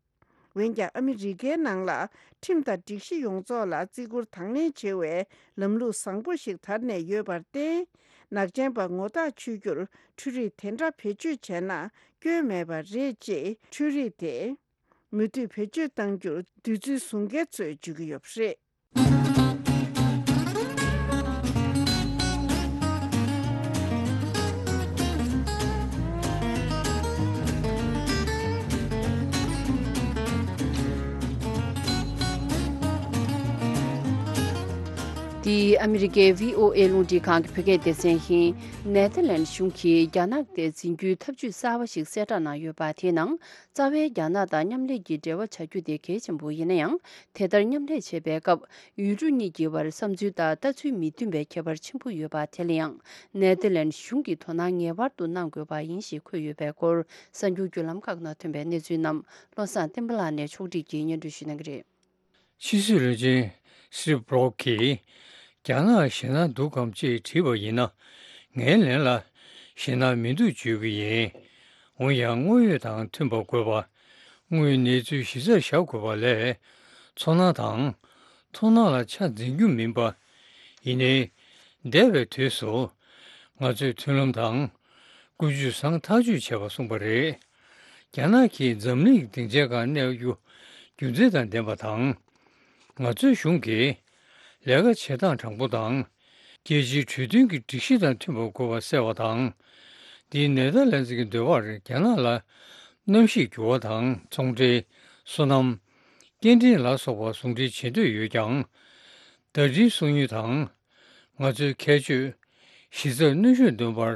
འོན་ཀྱང་ཨ་མི་རི་ཀའི་ནང་ལ་ཁྲིམས་དང་སྒྲིག་གཞི་ཡོངས་རྫོགས་ལ་བརྩི་བཀུར་དང་ལེན་བྱེད་པའི་ལམ་ལུགས་བཟང་པོ་ཞིག་དར་ནས་ཡོད་པར་བརྟེན། ནག་ཅན་པ་ངོ་རྟགས་ཆོད་རྒྱུར་འཕྲུལ་རིག་དེ་འདྲ་བེད་སྤྱོད་བྱས་ན་སྐྱོན་མེད་པ་རེད་ཅེས་འཕྲུལ་རིག་དེ་མུ་མཐུད་བེད་སྤྱོད་གཏང་རྒྱུར་འདོད་ཚུལ་བཟུང་མཁན་ཚོས་བརྗོད་ཀྱི་ཡོད་པ་རེད། འདི་ཨ་མི་རི་ཀའི་བྷི་ཨོ་ཨེ་རླུང་འཕྲིན་ཁང་གི་བོད་སྐད་སྡེ་ཚན་ཡིན། ནེ་ཐར་ལན་གཞུང་གིས་རྒྱ་ནག་དེ་འཛིན་རྒྱུའི་ཐབས་ཇུས་གསར་པ་ཞིག་གསལ་བསྒྲགས་གནང་ཡོད་པ་དེའི་ནང་། རྩ་བའི་རྒྱ་ནག་དང་མཉམ་ལས་ཀྱི་འབྲེལ་བ་བྱ་རྒྱུ་དེ་གལ་ཆེན་པོ་ཡིན་ན་ཡང་། དེ་ལྟར་མཉམ་ལས་བྱེད་པའི་སྐབས། ཡུལ་གྲུ་གཉིས་ཀྱི་བར་བསམ་ཚུལ་དང་ལྟ་ཚུལ་མི་མཐུན་པའི་ཁྱད་པར་ཆེན་པོ་ཡོད་པ་དེ་ལ་ཡང་། ནེ་ཐར་ལན་གཞུང་གིས་དོ་སྣང་ངེས་པར་དུ་གནང་དགོས་པ་ཡིན་ཞེས་འཁོད་ཡོད་པའི་སྐོར། གསར་འགྱུར་བརྒྱུད་ལམ་ཁག་ནང་ཐོན་པའི་གནས་ཚུལ་རྣམས་བློ་བཟང་བསྟན་པ་ལགས་ནས་ཕྱོགས་སྒྲིག་གིས་སྙན་སྒྲོན་ཞུ་གནང་གི་རེད། ཕྱི་སྲིད་བློན་ཆེན་སི་རི་བྷྲོག་གིས། རྒྱ་ནག་ཞེད་སྣང་འདུག་གམ་ཅེས་དྲིས་པ་ཡིན་ན། ངའི་ལན་ལ་ཞེད་སྣང་མི་འདུག་བརྗོད་ཀྱི་ཡིན། འོན་ཡང་དངོས་ཡོད་དང་མཐུན་པ་དགོས་པ། དངོས་ཡོད་གནས་ཚུལ་གཞི་རྩར་བཞག་དགོས་པ་ལས། ཚོར་སྣང་དང་མཐོང་སྣང་ལ་ཆ་འཛིན་རྒྱུ་མིན་པ། ཡིན་ནའི། འདས་པའི་དུས་སུ། ང་ཚོས་མཐུན་ལམ་དང་། ཀུན་སྤྱོད་བཟང་ཐག་གཅོད་བྱས་པ་གསུངས་པ་རེད། རྒྱ་ནག་གིས་འཛམ་གླིང་གི་སྡིངས་ཆའི་སྒང་གནས་རྒྱུ་རྒྱུ་མཚན་དང་ལྡན་པ་དང་། ང་ཚོའི་གཞུང་གིས་ལས་ཀ་བྱེད་སྟངས་དྲང་པོ་དང་། རྒྱལ་སྤྱིའི་གྲོས་མཐུན་གྱི་སྒྲིག་གཞི་དང་མཐུན་པ་དགོས་པ་གསལ་བ་དང་། འདིས་ནེ་དར་ལན་ཙི་གི་འདོད་པར་རྒྱ་ནག་ལ་གནམ་གཤིས་འགྱུར་བ་དང་ཚོང་འབྲེལ། སོ་ནམ། སྐྱེལ་འདྲེན་ལ་སོགས་པ་ཟུང་འབྲེལ་བྱེད་འདོད་ཡོད་ཀྱང་། ཟླ་སྒྲིལ་སོང་ཡུལ་དང་། ང་ཚོའི་ཁྱད་ཆོས། གཞི་རྩར་གནོན་ཤུགས་འདོན་པར་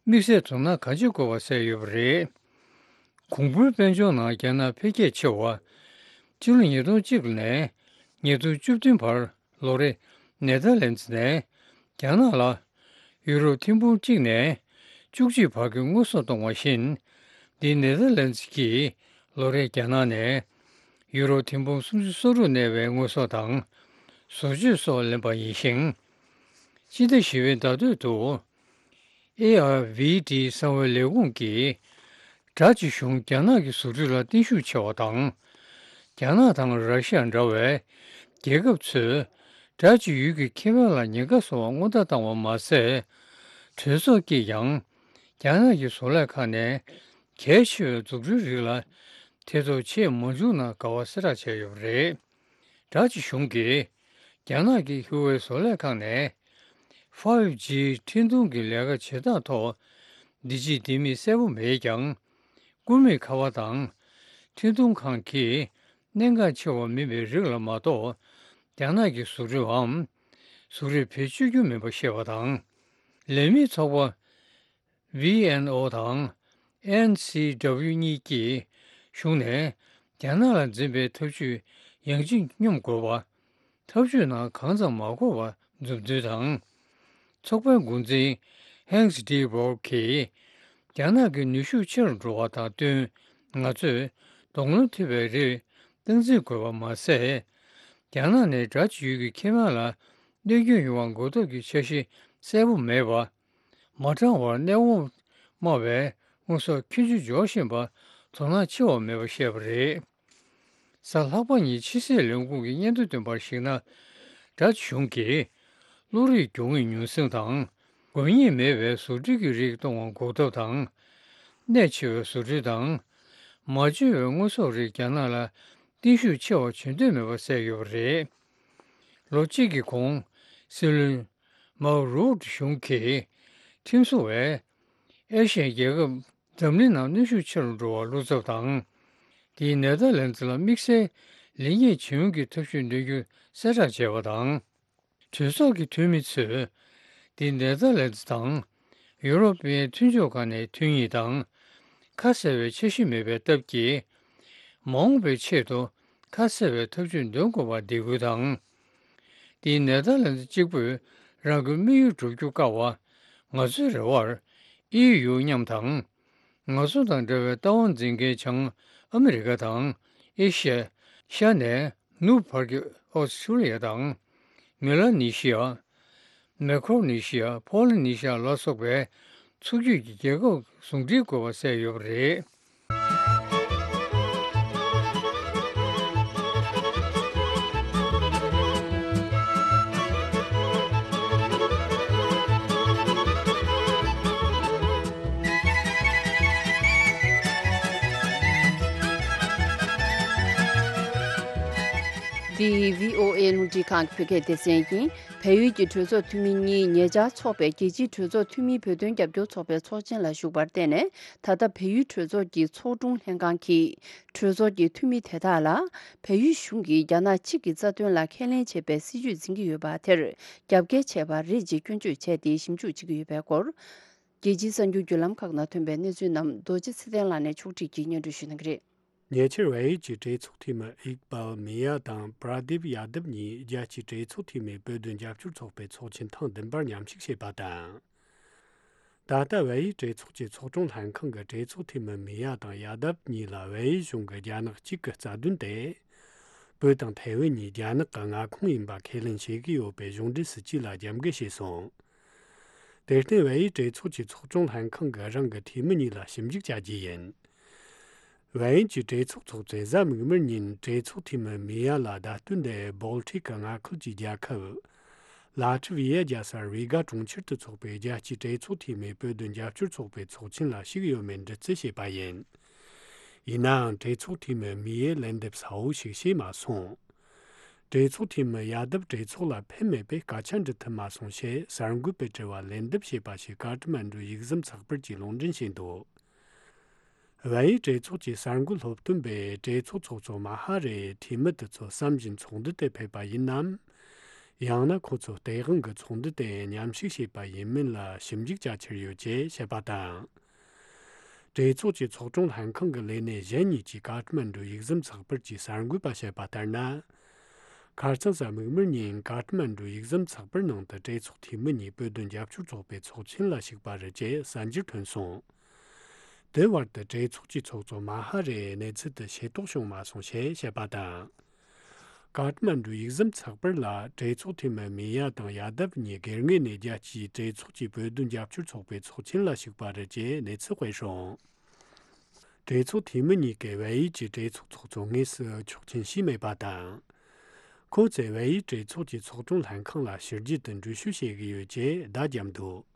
དམིགས་བསལ་དོ་སྣང་གང་ཆེ་དགོས་པ་གསལ་ཡོད་པ་རེད། གོང་བུའི་དཔལ་འབྱོར་ནང་རྒྱ་ནག་འཕེལ་རྒྱས་ཆེ་བ། སྤྱི་ལོ་ཉིས་སྟོང་གཅིག་ནས་ཉིས་སྟོང་བཅུ་བདུན་བར་ལོ་རེ་ནེ་དར་ལན་ཙི་ནས་རྒྱ་ནག་ལ་ཡུ་རོ་ཐེར་འབུམ་གཅིག་ནས་བཅུ་གཅིག་བར་གྱི་དངོས་ཟོག་གཏོང་བ་བཞིན། འདི་ནེ་དར་ལན་ཙི་གིས་ལོ་རེ་རྒྱ་ནག་ནས་ཡུ་རོ་ཐེར་འབུམ་སུམ་ཅུ་སོ་དྲུག་གནས་པའི་དངོས་ཟོག་དང་བཟོ་བཅོས་སོགས་ལེན་པ་ཡིན་ཞིང་། སྤྱི་ཟླ་བཞི་པའི་ཟླ་སྟོད་དུ། ཨེ་ཨར་ཝི་ཌི་གསང་བའི་ལས་ཁུངས་ཀྱིས། སྦྲགས་ཀྱི་གཞུང་རྒྱ་ནག་གི་བཟོ་སྐྲུན་ལ་བརྟན་ཤུགས་ཆེ་བ་དང་། རྒྱ་ནག་དང་ར་ཤི་ཡ་འདྲ་བའི་རྒྱལ་ཁབ་ཚོས་སྦྲགས་ཀྱི་ཡུལ་གྱི་ཁེ་ཕན་ལ་ཉེན་ཁ་བཟོ་བར་སྔོན་བརྡ་བཏང་བ་མ་ཟད། གྲོས་ཚོགས་ཀྱིས་ཀྱང་རྒྱ་ནག་གི་བཟོ་ལས་ཁང་ནས་གལ་ཆེ་བའི་འཛུགས་སྐྲུན་རིགས་ལ་ཐེ་གཏོགས་བྱེད་མ་བཅུག་ན་དགའ་བ་གསལ་བསྒྲགས་བྱས་ཡོད་པ་རེད། སྦྲགས་ཀྱི་གཞུང་གིས་རྒྱ་ནག་གི་ཧུའུ་ཝེ་བཟོ་ལས་ཁང་ནས་ཕའིབ་ཇི་འཕྲིན་གཏོང་གི་ལས་ཀ་བྱེད་སྟངས་ཐོག་འདི་ཕྱིའི་ལྡེ་མིག་གསལ་པོ་མེད་ཀྱང་། སྐུད་མེད་ཁ་པར་དང་འཕྲིན་གཏོང་ཁང་གི་གནད་འགག་ཆེ་བ་མིན་པའི་རིགས་ལ་མ་གཏོགས། རྒྱ་ནག་གི་བཟོ་སྐྲུན་འམ་གཟུགས་རིས་བེད་སྤྱོད་རྒྱུ་མིན་པ་ཤེས་པ་དང་། ལས་མིའི་ཚོགས་པ་ཝི་ཨེན་ཨོ་དང་ཨེན་སི་ཌབ་ལིའུ་གཉིས་ཀྱིས་གཞུང་ནས་རྒྱ་ནག་ལ་འཛིན་པའི་འཐབ་ཇུས་ཡང་ཅིག་སྙོམས་དགོས་པ། འཐབ་ཇུས་ནང་གང་ཙམ་མ་འགོར་བ་མཛུབ་སྟོན་དང་། ཚོགས་པའི་འགོ་འཛིན་ཧེང་སི་ཏི་བོར་གྱིས། རྒྱ་ནག་གི་ནུས་ཤུགས་ཆེ་རུ་འགྲོ་བ་དང་བསྟུན། ང་ཚོས་གདོང་ལེན་ཐུབ་པའི་རིགས་སྟངས་འཛིན་དགོས་པ་མ་ཟད། རྒྱ་ནག་ནས་སྦྲགས་ཀྱི་ཡུལ་གྱི་ཁེ་ཕན་ལ་གནོད་སྐྱོན་ཡོང་བ་འགོག་ཐབས་ཀྱི་འཆར་གཞི་གསལ་པོ་མེད་པ། མ་དྲང་བར་གནས་དབང་དམའ་བའི་དངོས་ཟོག་ཁྱད་ཆོས་འབྱོར་བཞིན་པ་དོ་སྣང་ཆེ་བ་མེད་པ་བཤད་པ་རེད། གཟའ་ལྷག་པ་ཉིན་ཕྱི་སྲིད་ལས་ཁུངས་ཀྱི་སྙན་ཐོ་བཏོན་པར་གཞིགས་ན། སྦྲགས་གཞུང་གིས་བློ་རིག་སྦྱོང་བའི་ཉུང་ཟིང་དང་། དགོས་ངེས་མེད་པའི་བཟོ་སྐྲུན་གྱི་རིགས་གཏོང་བ་འགོག་ཐབས་དང་། གནད་ཆེ་བའི་བཟོ་སྐྲུན་དང་། མ་བཅོས་པའི་དངོས་ཟོག་རིགས་རྒྱ་ནག་ལ་བརྟན་ཤུགས་ཆེ་བ་བྱེད་འདོད་མེད་པ་གསལ་ཡོད་པ་རེད། ལོ་གཅིག་གི་གོང་། སྲིད་བློན་མའོ་རུའུ་གཞུང་གིས་ཁྲིམས་བཟོ་བས་ཨེ་ཤི་ཡའི་རྒྱལ་ཁབ་འཛམ་གླིང་ནང་གནོན་ཤུགས་ཆེ་རུ་འགྲོ་བར་བློ་འཚབ་དང་། དེས་ནེ་དར་ལན་ཙི་ལ་དམིགས་བསལ་ལེགས་ཉེས་འབྱུང་གི་ཐབས་ཤུགས་འདོན་རྒྱུ་གསལ་བསྒྲགས་བྱས་པ་དང་། གྲོས་ཚོགས་ཀྱི་འཐུས་མི་ཚོས་དེ་ནེ་དར་ལན་ཙི་དང་ཡུ་རོབ་པའི་མཐུན་ཕྱོགས་ཁག་ནས་ཐོན་ཡིན་དང་། ཁ་གསལ་བའི་འཆར་གཞི་མེད་པའི་སྟབས་ཀྱིས། མ་འོངས་པའི་ཆེད་དུ་ཁ་གསལ་བའི་ཐབས་ཇུས་འདོན་དགོས་པར་འདེད་སྐུལ་དང་། དེས་ནེ་དར་ལན་ཙི་གཅིག་པུས་རང་གི་དམིགས་ཡུལ་བསྒྲུབ་རྒྱུ་དཀའ་བ། ང་ཚོའི་རེ་བར་ཨེ་ཡུ་མཉམ་དང་། ང་ཚོ་དང་འདྲ་བའི་ལྟ་བ་འཛིན་མཁན་བྱང་ཨ་མི་རི་ཀ་དང་ཨེ་ཤ་ཡ། ཤར་ནས་ནུབ་བར་གྱི་ཨོ་སི་ཁྲུ་ལི་ཡ་དང་། མི་ལ་ནི་ཤི་ཡ། མེ་ཁོ་ནི་ཤི་ཡ། ཕོ་ལི་ནི་ཤི་ཡ་ལ་སོགས་པའི་ཚོགས་རྒྱུད་ཀྱི་རྒྱལ་ཁབ་ཟུང་འབྲེལ་དགོས་པ་གསལ་ཡོད་པ་རེད། འདི་བྷི་ཨོ་ཨེ་རླུང་འཕྲིན་ཁང་གི་བོད་སྐད་སྡེ་ཚན་ཡིན། བལ་ཡུལ་གྱི་གྲོས་ཚོགས་འཐུས་མི་གཉིས་ཉེ་ཆར་འཚོགས་པའི་རྒྱལ་སྤྱིའི་གྲོས་ཚོགས་འཐུས་མིའི་བོད་དོན་རྒྱབ་སྐྱོར་ཚོགས་པའི་ཚོགས་ཆེན་ལ་ཞུགས་པར་བརྟེན་ནས། ད་ལྟ་བལ་ཡུལ་གྲོས་ཚོགས་ཀྱི་ཚོགས་དྲུང་ལྷན་ཁང་གིས། གྲོས་ཚོགས་ཀྱི་འཐུས་མི་དེ་དག་ལ། བལ་ཡུལ་གཞུང་གིས་རྒྱ་ནག་གཅིག་གི་རྩ་དོན་ལ་ཁས་ལེན་བྱེད་པའི་སྲིད་བྱུས་འཛིན་གྱི་ཡོད་པ་དེར། རྒྱབ་འགལ་བྱས་པ་རེད་ཅེས་སྐྱོན་བརྗོད་བྱས་ཏེ་ཞིབ་འཇུག་བྱེད་ཀྱི་ཡོད་པའི་སྐོར། རྒྱལ་སྤྱིའི་གསར་འགྱུར་བརྒྱུད་ལམ་ཁག་ནང་ཐོན་པའི་གནས་ཚུལ་རྣམས་རྡོ་རྗེ་ཚེ་བརྟན་ལགས་ནས་ཕྱོགས་སྒྲིག་གིས་སྙན་སྒྲོན་ཞུ་གནང་གི་རེད། ཉེ་ཆར་བལ་ཡུལ་གྱི་གྲོས་ཚོགས་འཐུས་མི་ཨིག་བལ་མི་ཡ་དང་པྲ་དིབ་ཡ་དབ་གཉིས་རྒྱལ་སྤྱིའི་གྲོས་ཚོགས་འཐུས་མིའི་བོད་དོན་རྒྱབ་སྐྱོར་ཚོགས་པའི་ཚོགས་ཆེན་ཐེངས་བདུན་པར་མཉམ་ཞུགས་བྱས་པ་དང་། ད་ལྟ་བལ་ཡུལ་གྲོས་ཚོགས་ཀྱི་ཚོགས་དྲུང་ལྷན་ཁང་གི་གྲོས་ཚོགས་འཐུས་མི་མི་ཡ་དང་ཡ་དབ་གཉིས་ལ་བལ་ཡུལ་གཞུང་གིས་རྒྱ་ནག་གཅིག་གི་རྩ་དོན་དེ། བོད་དང་ཐའེ་ཝན་གཉིས་རྒྱ་ནག་གི་མངའ་ཁོངས་ཡིན་པ་ཁས་ལེན་བྱེད་ཀྱི་ཡོད་པའི་གཞུང་འབྲེལ་སྲིད་ཇུས་ལ་རྒྱབ་འགལ་བྱས་སོང་། དེར་བརྟེན་བལ་ཡུལ་གྲོས་ཚོགས་ཀྱི་ཚོགས་དྲུང་ལྷན་ཁང་གིས་རང་གི་འཐུས་མི་གཉིས་ལ་ཞིབ་འཇུག་བྱ་རྒྱུ་ཡིན། བལ་ཡུལ་གྱི་གྲོས་ཚོགས་ཚོགས་གཙོས་གཟའ་མིག་དམར་ཉིན་གྲོས་ཚོགས་འཐུས་མི་མི་ཡ་ལ་བརྡ་སྟོན་དེ་སྦོལ་ཊིག་གི་མངའ་ཁུལ་གྱི་རྒྱལ་ཁབ། ལ་ཊི་ཝི་ཡ་རྒྱལ་ས་རི་ག་གྲོང་ཁྱེར་དུ་འཚོགས་པའི་རྒྱལ་སྤྱིའི་གྲོས་ཚོགས་འཐུས་མིའི་བོད་དོན་རྒྱབ་སྐྱོར་ཚོགས་པའི་ཚོགས་ཆེན་ལ་ཞུགས་ཡོད་མེད་འདྲི་རྩད་བྱས་པ་ཡིན། ཡིན་ནའང་གྲོས་ཚོགས་འཐུས་མི་མི་ཡས་ལན་འདེབས་གསལ་བོ་ཞིག་བྱས་མ་སོང་། གྲོས་ཚོགས་འཐུས་མི་ཡ་དབ་གྲོས་ཚོགས་ལ་ཕེབས་མེད་པས་སྐད་ཆ་འདྲི་ཐུབ་མ་སོང་ཞེས་གསར་འགོད་པའི་དྲི་བར་ལན་འདེབས་བྱས་པ་ཞིག་ཀ་ཐ་མན་གྲུ་ཡིག་ཟམ་ཚགས་པར་གྱིས་ལུང་འདྲེན་བྱས་འདུག། བལ་ཡུལ་གྲོས་ཚོགས་ཀྱི་གསར་འགོད་སློབ་སྟོན་པས་གྲོས་ཚོགས་ཚོགས་གཙོ་མ་ཧ་རེ་འཐུས་མི་དེ་ཚོ་བསམ་བཞིན་ཚོགས་འདུ་དེ་ཕེབས་པ་ཡིན་ནམ། ཡང་ན་ཁོ་ཚོ་སྟེས་དབང་གི་ཚོགས་འདུ་དེ་མཉམ་ཞུགས་བྱས་པ་ཡིན་མིན་ལ་ཞིབ་འཇུག་བྱ་འཆར་ཡོད་ཅེས་བཤད་པ་དང་། གྲོས་ཚོགས་ཀྱི་ཚོགས་དྲུང་ལྷན་ཁང་གི་ལས་སྣེ་གཞན་གཉིས་ཀྱིས་ཀ་ཐ་མན་གྲུ་ཡིག་ཟམ་ཚགས་པར་གྱི་གསར་འགོད་པ་བཤད་པ་ལྟར་ན། ཁ་རྩང་གཟའ་མིག་དམར་ཉིན་ཀ་ཐ་མན་གྲུ་ཡིག་ཟམ་ཚགས་པར་ནང་དུ་གྲོས་ཚོགས་འཐུས་མི་གཉིས་བོད་དོན་རྒྱབ་སྐྱོར་ཚོགས་པའི་ཚོགས་ཆེན་ལ་ཞུགས་པ་རེད་ཅེས་གསར་འགྱུར་ཐོན་སོང་། དེ་བར་དུ་གྲོས་ཚོགས་ཀྱི་ཚོགས་གཙོ་མ་ཧ་རེ་གནས་ཚུལ་དེ་ཤེས་རྟོགས་བྱུང་མ་སོང་ཞེས་བཤད་པ་དང་། ཀ་ཐ་མན་གྲུའི་ཡིག་ཟམ་ཚགས་པར་ལ་གྲོས་ཚོགས་འཐུས་མི་མི་ཡ་དང་ཡ་དབ་གཉིས་སྒེར་ངོས་ནས་རྒྱལ་སྤྱིའི་གྲོས་ཚོགས་ཀྱི་བོད་དོན་རྒྱབ་སྐྱོར་ཚོགས་པའི་ཚོགས་ཆེན་ལ་ཞུགས་པ་རེད་ཅེས་གནས་ཚུལ་སྤེལ་སོང་། གྲོས་ཚོགས་འཐུས་མི་གཉིས་ཀས་བལ་ཡུལ་གྱི་གྲོས་ཚོགས་ཚོགས་གཙོ་དངོས་སུ་ཆོག་མཆན་ཞུས་མེད་པ་དང་། ཁོང་ཚོས་བལ་ཡུལ་གྲོས་ཚོགས་ཀྱི་ཚོགས་དྲུང་ལྷན་ཁང་ལ་ཕྱི་རྒྱལ་དུ་འགྲུལ་བཞུད་བྱེད་ཀྱི་ཡོད་ཅེས་བརྡ་བརྒྱབ་འདུག།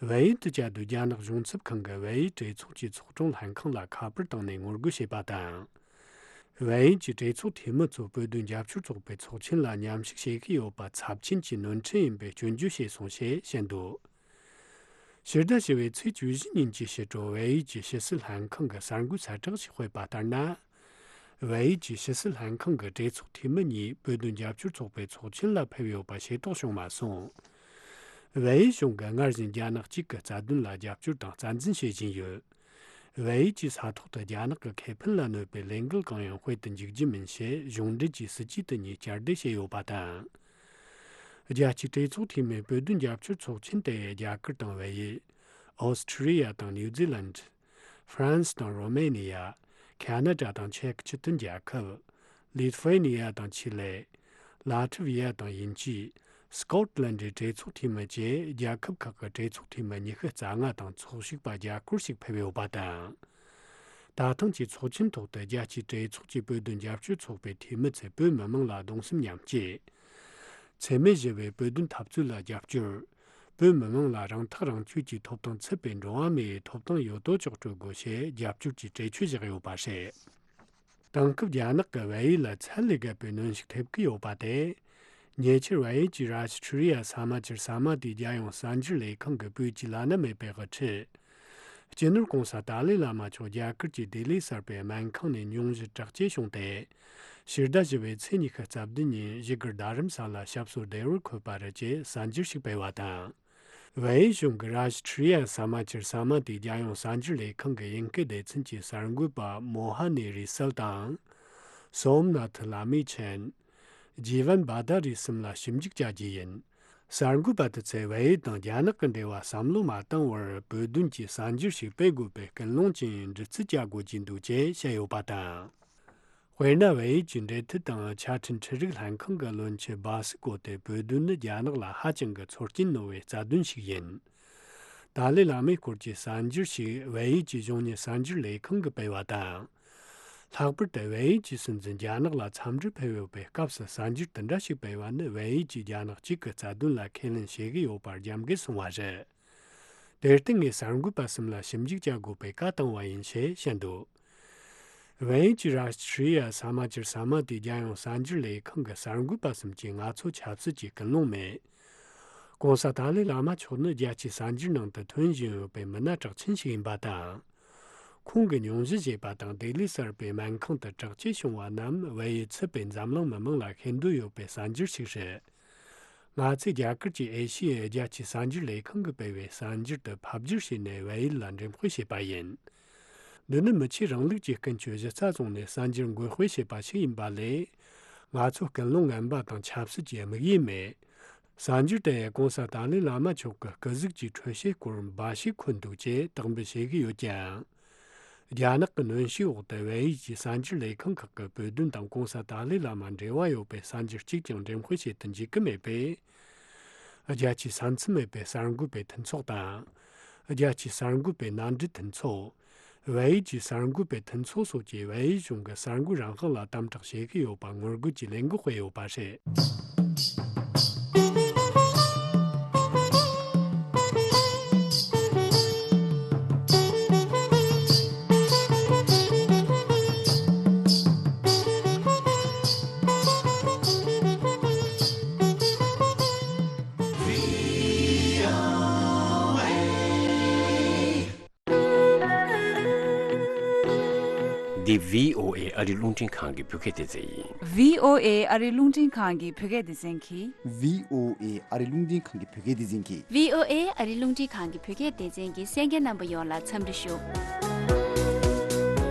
བལ་ཡུལ་དུ་བཅའ་སྡོད་རྒྱ་ནག་གཞུང་ཚབ་ཁང་གིས་བལ་ཡུལ་གྲོས་ཚོགས་ཀྱི་ཚོགས་དྲུང་ལྷན་ཁང་ལ་ཁ་པར་བཏང་ནས་ངོ་རྒོལ་བྱས་པ་དང་། བལ་ཡུལ་གྱི་གྲོས་ཚོགས་འཐུས་མི་ཚོ་བོད་དོན་རྒྱབ་སྐྱོར་ཚོགས་པའི་ཚོགས་ཆེན་ལ་མཉམ་ཞུགས་བྱེད་ཀྱི་ཡོད་པ་ཚབས་ཆེན་གྱི་ནོར་འཁྲུལ་ཡིན་པའི་སྐྱོན་བརྗོད་བྱས་སོང་ཞེས་བཤད་འདུག། ཕྱི་ཟླ་བཞི་པའི་ཚེས་བཅུ་བཞི་ཉིན་གྱི་ཕྱི་དྲོ་བལ་ཡུལ་གྱི་ཕྱི་སྲིད་ལྷན་ཁང་གི་གསར་འགོད་གསལ་བསྒྲགས་ཤིག་སྤེལ་བ་ལྟར་ན། བལ་ཡུལ་གྱི་ཕྱི་སྲིད་ལྷན་ཁང་གི་གྲོས་ཚོགས་འཐུས་མི་གཉིས་བོད་དོན་རྒྱབ་སྐྱོར་ཚོགས་པའི་ཚོགས་ཆེན་ལ་ཕེབས་ཡོད་པ་ཤེས་རྟོགས་བྱུང་མ་སོང་། བལ་ཡུལ་གཞུང་གིས་སྔར་བཞིན་རྒྱ་ནག་གཅིག་གི་རྩ་དོན་ལ་རྒྱབ་སྐྱོར་དང་རྩ་འཛིན་བྱེད་བཞིན་ཡོད། བལ་ཡུལ་གྱི་ས་ཐོག་ཏུ་རྒྱ་ནག་གི་ཁེ་ཕན་ལ་གནོད་པའི་ལས་འགུལ་གང་ཡང་སྤེལ་དུ་འཇུག་རྒྱུ་མིན་ཞེས་གཞུང་འབྲེལ་གྱི་སྲིད་ཇུས་དེ་གཉིས་བསྐྱར་ཟློས་བྱས་ཡོད་པ་དང་། རྒྱལ་སྤྱིའི་གྲོས་ཚོགས་འཐུས་མིའི་བོད་དོན་རྒྱབ་སྐྱོར་ཚོགས་ཆེན་དེ་རྒྱ་གར་དང་བལ་ཡུལ། ཨོ་སི་ཁྲི་ལི་ཡ་དང་ནིའུ་ཛི་ལན། ཧྥ་རན་སི་དང་རོ་མེ་ནི་ཡ། ཁ་ན་ཌ་དང་ཅེཀ་སྤྱི་མཐུན་རྒྱལ་ཁབ། ལི་ཐུ་ཝེ་ནི་ཡ་དང་ཆི་ལེ། ལ་ཐི་ཝི་ཡ་དང་དབྱིན་ཇི། སྐོཊ་ལན་ཌའི་གྲོས་ཚོགས་འཐུས་མི་བཅས་རྒྱལ་ཁབ་ཁག་གི་གྲོས་ཚོགས་འཐུས་མི་ཉི་ཤུ་རྩ་ལྔ་དང་ཚོགས་ཞུགས་པ་བརྒྱ་སྐོར་ཞིག་ཕེབས་ཡོད་པ་དང་། ད་ཐེངས་ཀྱི་ཚོགས་ཆེན་ཐོག་ཏུ་རྒྱལ་སྤྱིའི་གྲོས་ཚོགས་ཀྱི་བོད་དོན་རྒྱབ་སྐྱོར་ཚོགས་པའི་འཐུས་མི་ཚོས་བོད་མི་མང་ལ་གདུང་སེམས་མཉམ་སྐྱེད། འཚེ་མེད་ཞི་བའི་བོད་དོན་འཐབ་རྩོད་ལ་རྒྱབ་སྐྱོར། བོད་མི་མང་ལ་རང་ཐག་རང་གཅོད་ཀྱི་ཐོབ་ཐང་ཚུད་པའི་འགྲོ་བ་མིའི་ཐོབ་ཐང་ཡོད་དོ་ཅོག་སྤྲོད་དགོས་ཞེས་རྒྱབ་སྐྱོར་གྱི་གྲོས་ཆོད་བཞག་ཡོད་པ་རེད། དེང་སྐབས་རྒྱ་ནག་གིས་བལ་ཡུལ་ལ་ཚད་ལས་བརྒལ་བའི་གནོན་ཤུགས་ཐེབས་ཀྱི་ཡོད་པ་དེ། ཉེ་ཆར་བལ་ཡུལ་གྱི་རཱ་ཤི་ཁྲི་ཡ་ས་མ་ཅིར་ས་མ་ཏིའི་རྒྱལ་ཡོངས་གསར་འགྱུར་ལས་ཁང་གི་བོད་ཀྱི་བླ་ན་མེད་པའི་དབུ་ཁྲིད། སྤྱི་ནོར་༧གོང་ས་ཏཱ་ལའི་བླ་མ་མཆོག་རྒྱ་གར་གྱི་ལྡི་ལི་གསར་པའི་སྨན་ཁང་ནས་སྙུང་གཞི་དྲག་སྐྱེད་བྱུང་སྟེ། ཕྱི་ཟླ་བཞི་པའི་ཚེས་ཉི་ཤུ་རྩ་བདུན་ཉིན་བཞུགས་སྒར་རྡ་རམ་ས་ལ་སྐྱབས་གསོ་བདེ་བར་འཁོད་པ་རེད་ཅེས་གསར་འགྱུར་ཞིག་སྤེལ་བ་དང་། བལ་ཡུལ་གཞུང་གི་རཱ་ཤི་ཁྲི་ཡ་ས་མ་ཅིར་ས་མ་ཏིའི་རྒྱལ་ཡོངས་གསར་འགྱུར་ལས་ཁང་གི་དབྱིན་སྐད་སྡེ་ཚན་གྱི་གསར་འགོད་པ་མོ་ཧ་ནི་རི་སལ་དང་། སོམ་ན་ཐི་ལ་མི་ཆན། ཇི་ཝན་བྷ་དྷ་རི་གསུམ་ལ་ཞིབ་འཇུག་བྱ་རྒྱུ་ཡིན། གསར་འགོད་པ་དེ་ཚོས་བལ་ཡུལ་དང་རྒྱ་ནག་གི་འབྲེལ་བ་བསམ་བློ་མ་བཏང་བར་བོད་དོན་གྱི་གསར་འགྱུར་ཞིག་སྤེལ་དགོས་པའི་སྐུལ་སློང་ཅན་འདྲི་རྩད་བྱ་དགོས་ཀྱི་འདུག་ཅེས་བཤད་ཡོད་པ་དང་། དཔེར་ན། བལ་ཡུལ་གྱི་འབྲེལ་མཐུད་དང་ཆ་འཕྲིན་འཕྲུལ་རིག་ལྷན་ཁང་གི་བློན་ཆེན་སྦ་སི་ཀོ་ཏེ་བོད་དོན་ནི་རྒྱ་ནག་ལ་ཧ་ཅང་གི་ཚོར་སྐྱེན་རྣོ་བའི་རྩ་དོན་ཞིག་ཡིན། ཏཱ་ལའི་བླ་མའི་སྐོར་གྱི་གསར་འགྱུར་ཞིག་བལ་ཡུལ་གྱི་གཞུང་གཉེར་གསར་འགྱུར་ལས་ཁང་གིས་སྤེལ་བ་དང་། ལྷག་པར་དུ་བལ་ཡུལ་གྱི་སྲིད་འཛིན་རྒྱ་ནག་ལ་འཚམས་འདྲིར་ཕེབས་ཡོད་པའི་སྐབས་སུ་གསར་འགྱུར་དེ་འདྲ་ཞིག་སྤེལ་བ་ནི་བལ་ཡུལ་གྱིས་རྒྱ་ནག་གཅིག་གི་རྩ་དོན་ལ་ཁས་ལེན་བྱེད་ཀྱི་ཡོད་པར་རྒྱབ་འགལ་སོང་བ་རེད། དེར་བརྟེན་ངས་གསར་འགོད་པ་གསུམ་ལ་ཞིབ་འཇུག་བྱ་དགོས་པའི་བཀའ་བཏང་བ་ཡིན་ཞེས་བཤད་འདུག། བལ་ཡུལ་གྱི་རཱ་ཤི་ཁྲི་ཡ་ས་མ་ཅིར་ས་མ་ཏིའི་རྒྱལ་ཡོངས་གསར་འགྱུར་ལས་ཁང་གི་གསར་འགོད་པ་གསུམ་གྱིས་ང་ཚོ་ཆབ་སྲིད་ཀྱི་སྐུལ་སློང་མེད། ༸གོང་ས་ཏཱ་ལའི་བླ་མ་མཆོག་ནི་རྒྱལ་སྤྱིའི་གསར་འགྱུར་ནང་དུ་ཐོན་བཞིན་ཡོད་པའི་མི་སྣ་གྲགས་ཆེན་ཞིག་ཡིན་པ་དང་། ཁོང་གི་སྙུང་གཞི་བཞེས་པ་དང་ལྡི་ལི་གསར་པའི་སྨན་ཁང་དུ་དྲག་སྐྱེད་བྱུང་བ་རྣམས་བལ་ཡུལ་ཚུད་པའི་འཛམ་གླིང་མི་མང་ལ་ཤེས་འདོད་ཡོད་པའི་གསར་འགྱུར་ཞིག་རེད། ང་ཚོས་རྒྱ་གར་གྱི་ཨེ་ཤི་ཡའི་རྒྱལ་སྤྱིའི་གསར་འགྱུར་ལས་ཁང་གིས་སྤེལ་བའི་གསར་འགྱུར་དེ་ཕབ་བསྒྱུར་བྱས་ནས་བལ་ཡུལ་ལ་འགྲེམས་སྤེལ་བྱས་པ་ཡིན། འདི་ནི་མི་ཆོས་རིང་ལུགས་ཀྱི་ཀུན་སྤྱོད་གཞི་རྩ་བཟུང་ནས་གསར་འགྱུར་འགོད་སྤེལ་བྱས་པ་ཞིག་ཡིན་པ་ལས། ང་ཚོ་སྐུལ་སློང་ངན་པ་དང་ཆབ་སྲིད་ཀྱི་དམིགས་ཡུལ་མེད། གསར་འགྱུར་དེ་ཡང་༸གོང་ས་ཏཱ་ལའི་བླ་མ་མཆོག་གི་སྐུ་གཟུགས་ཀྱི་འཕྲོད་བྱེད་སྐོར་འབའ་ཞིག་འཁོད་འདུག་ཅེས་དག་འབུལ་བྱེད་ཀྱི་ཡོད་ཀྱང་། རྒྱ་ནག་གི་གནོན་ཤུགས་འོག་ཏུ་བལ་ཡུལ་གྱི་གསར་འགྱུར་ལས་ཁང་ཁག་གིས་བོད་དོན་དང་༸གོང་ས་ཏཱ་ལའི་བླ་མ་འབྲེལ་བ་ཡོད་པའི་གསར་འགྱུར་གཅིག་ཀྱང་འགྲེམས་སྤེལ་བྱེད་དུ་འཇུག་གི་མེད་པས། རྒྱལ་སྤྱིའི་ས་མཚམས་མེད་པའི་གསར་འགོད་པའི་མཐུན་ཚོགས་དང་། རྒྱལ་སྤྱིའི་གསར་འགོད་པའི་མནའ་འབྲེལ་མཐུན་ཚོགས། བལ་ཡུལ་གྱི་གསར་འགོད་པའི་མཐུན་ཚོགས་སོགས་ཀྱིས་བལ་ཡུལ་གཞུང་གི་གསར་འགོད་རང་དབང་ལ་དམ་དྲག་བྱེད་ཀྱི་ཡོད་པ་ངོ་རྒོལ་གྱི་ལས་འགུལ་སྤེལ་ཡོད་པ་རེད། འདི་བྷི་ཨོ་ཨེ་ཨ་རིའི་རླུང་འཕྲིན་ཁང་གི་བོད་སྐད་སྡེ་ཚན་ཡིན། བྷི་ཨོ་ཨེ་ཨ་རིའི་རླུང་འཕྲིན་ཁང་གི་བོད་སྐད་སྡེ་ཚན་གྱིས། བྷི་ཨོ་ཨེ་ཨ་རིའི་རླུང་འཕྲིན་ཁང་གི་བོད་སྐད་སྡེ་ཚན་གྱིས། བྷི་ཨོ་ཨེ་ཨ་རིའི་རླུང་འཕྲིན་ཁང་གི་བོད་སྐད་སྡེ་ཚན་གྱི་གསན་མཁན་རྣམ་པ་ཡོངས་ལ་འཚམས་འདྲི་ཞུ།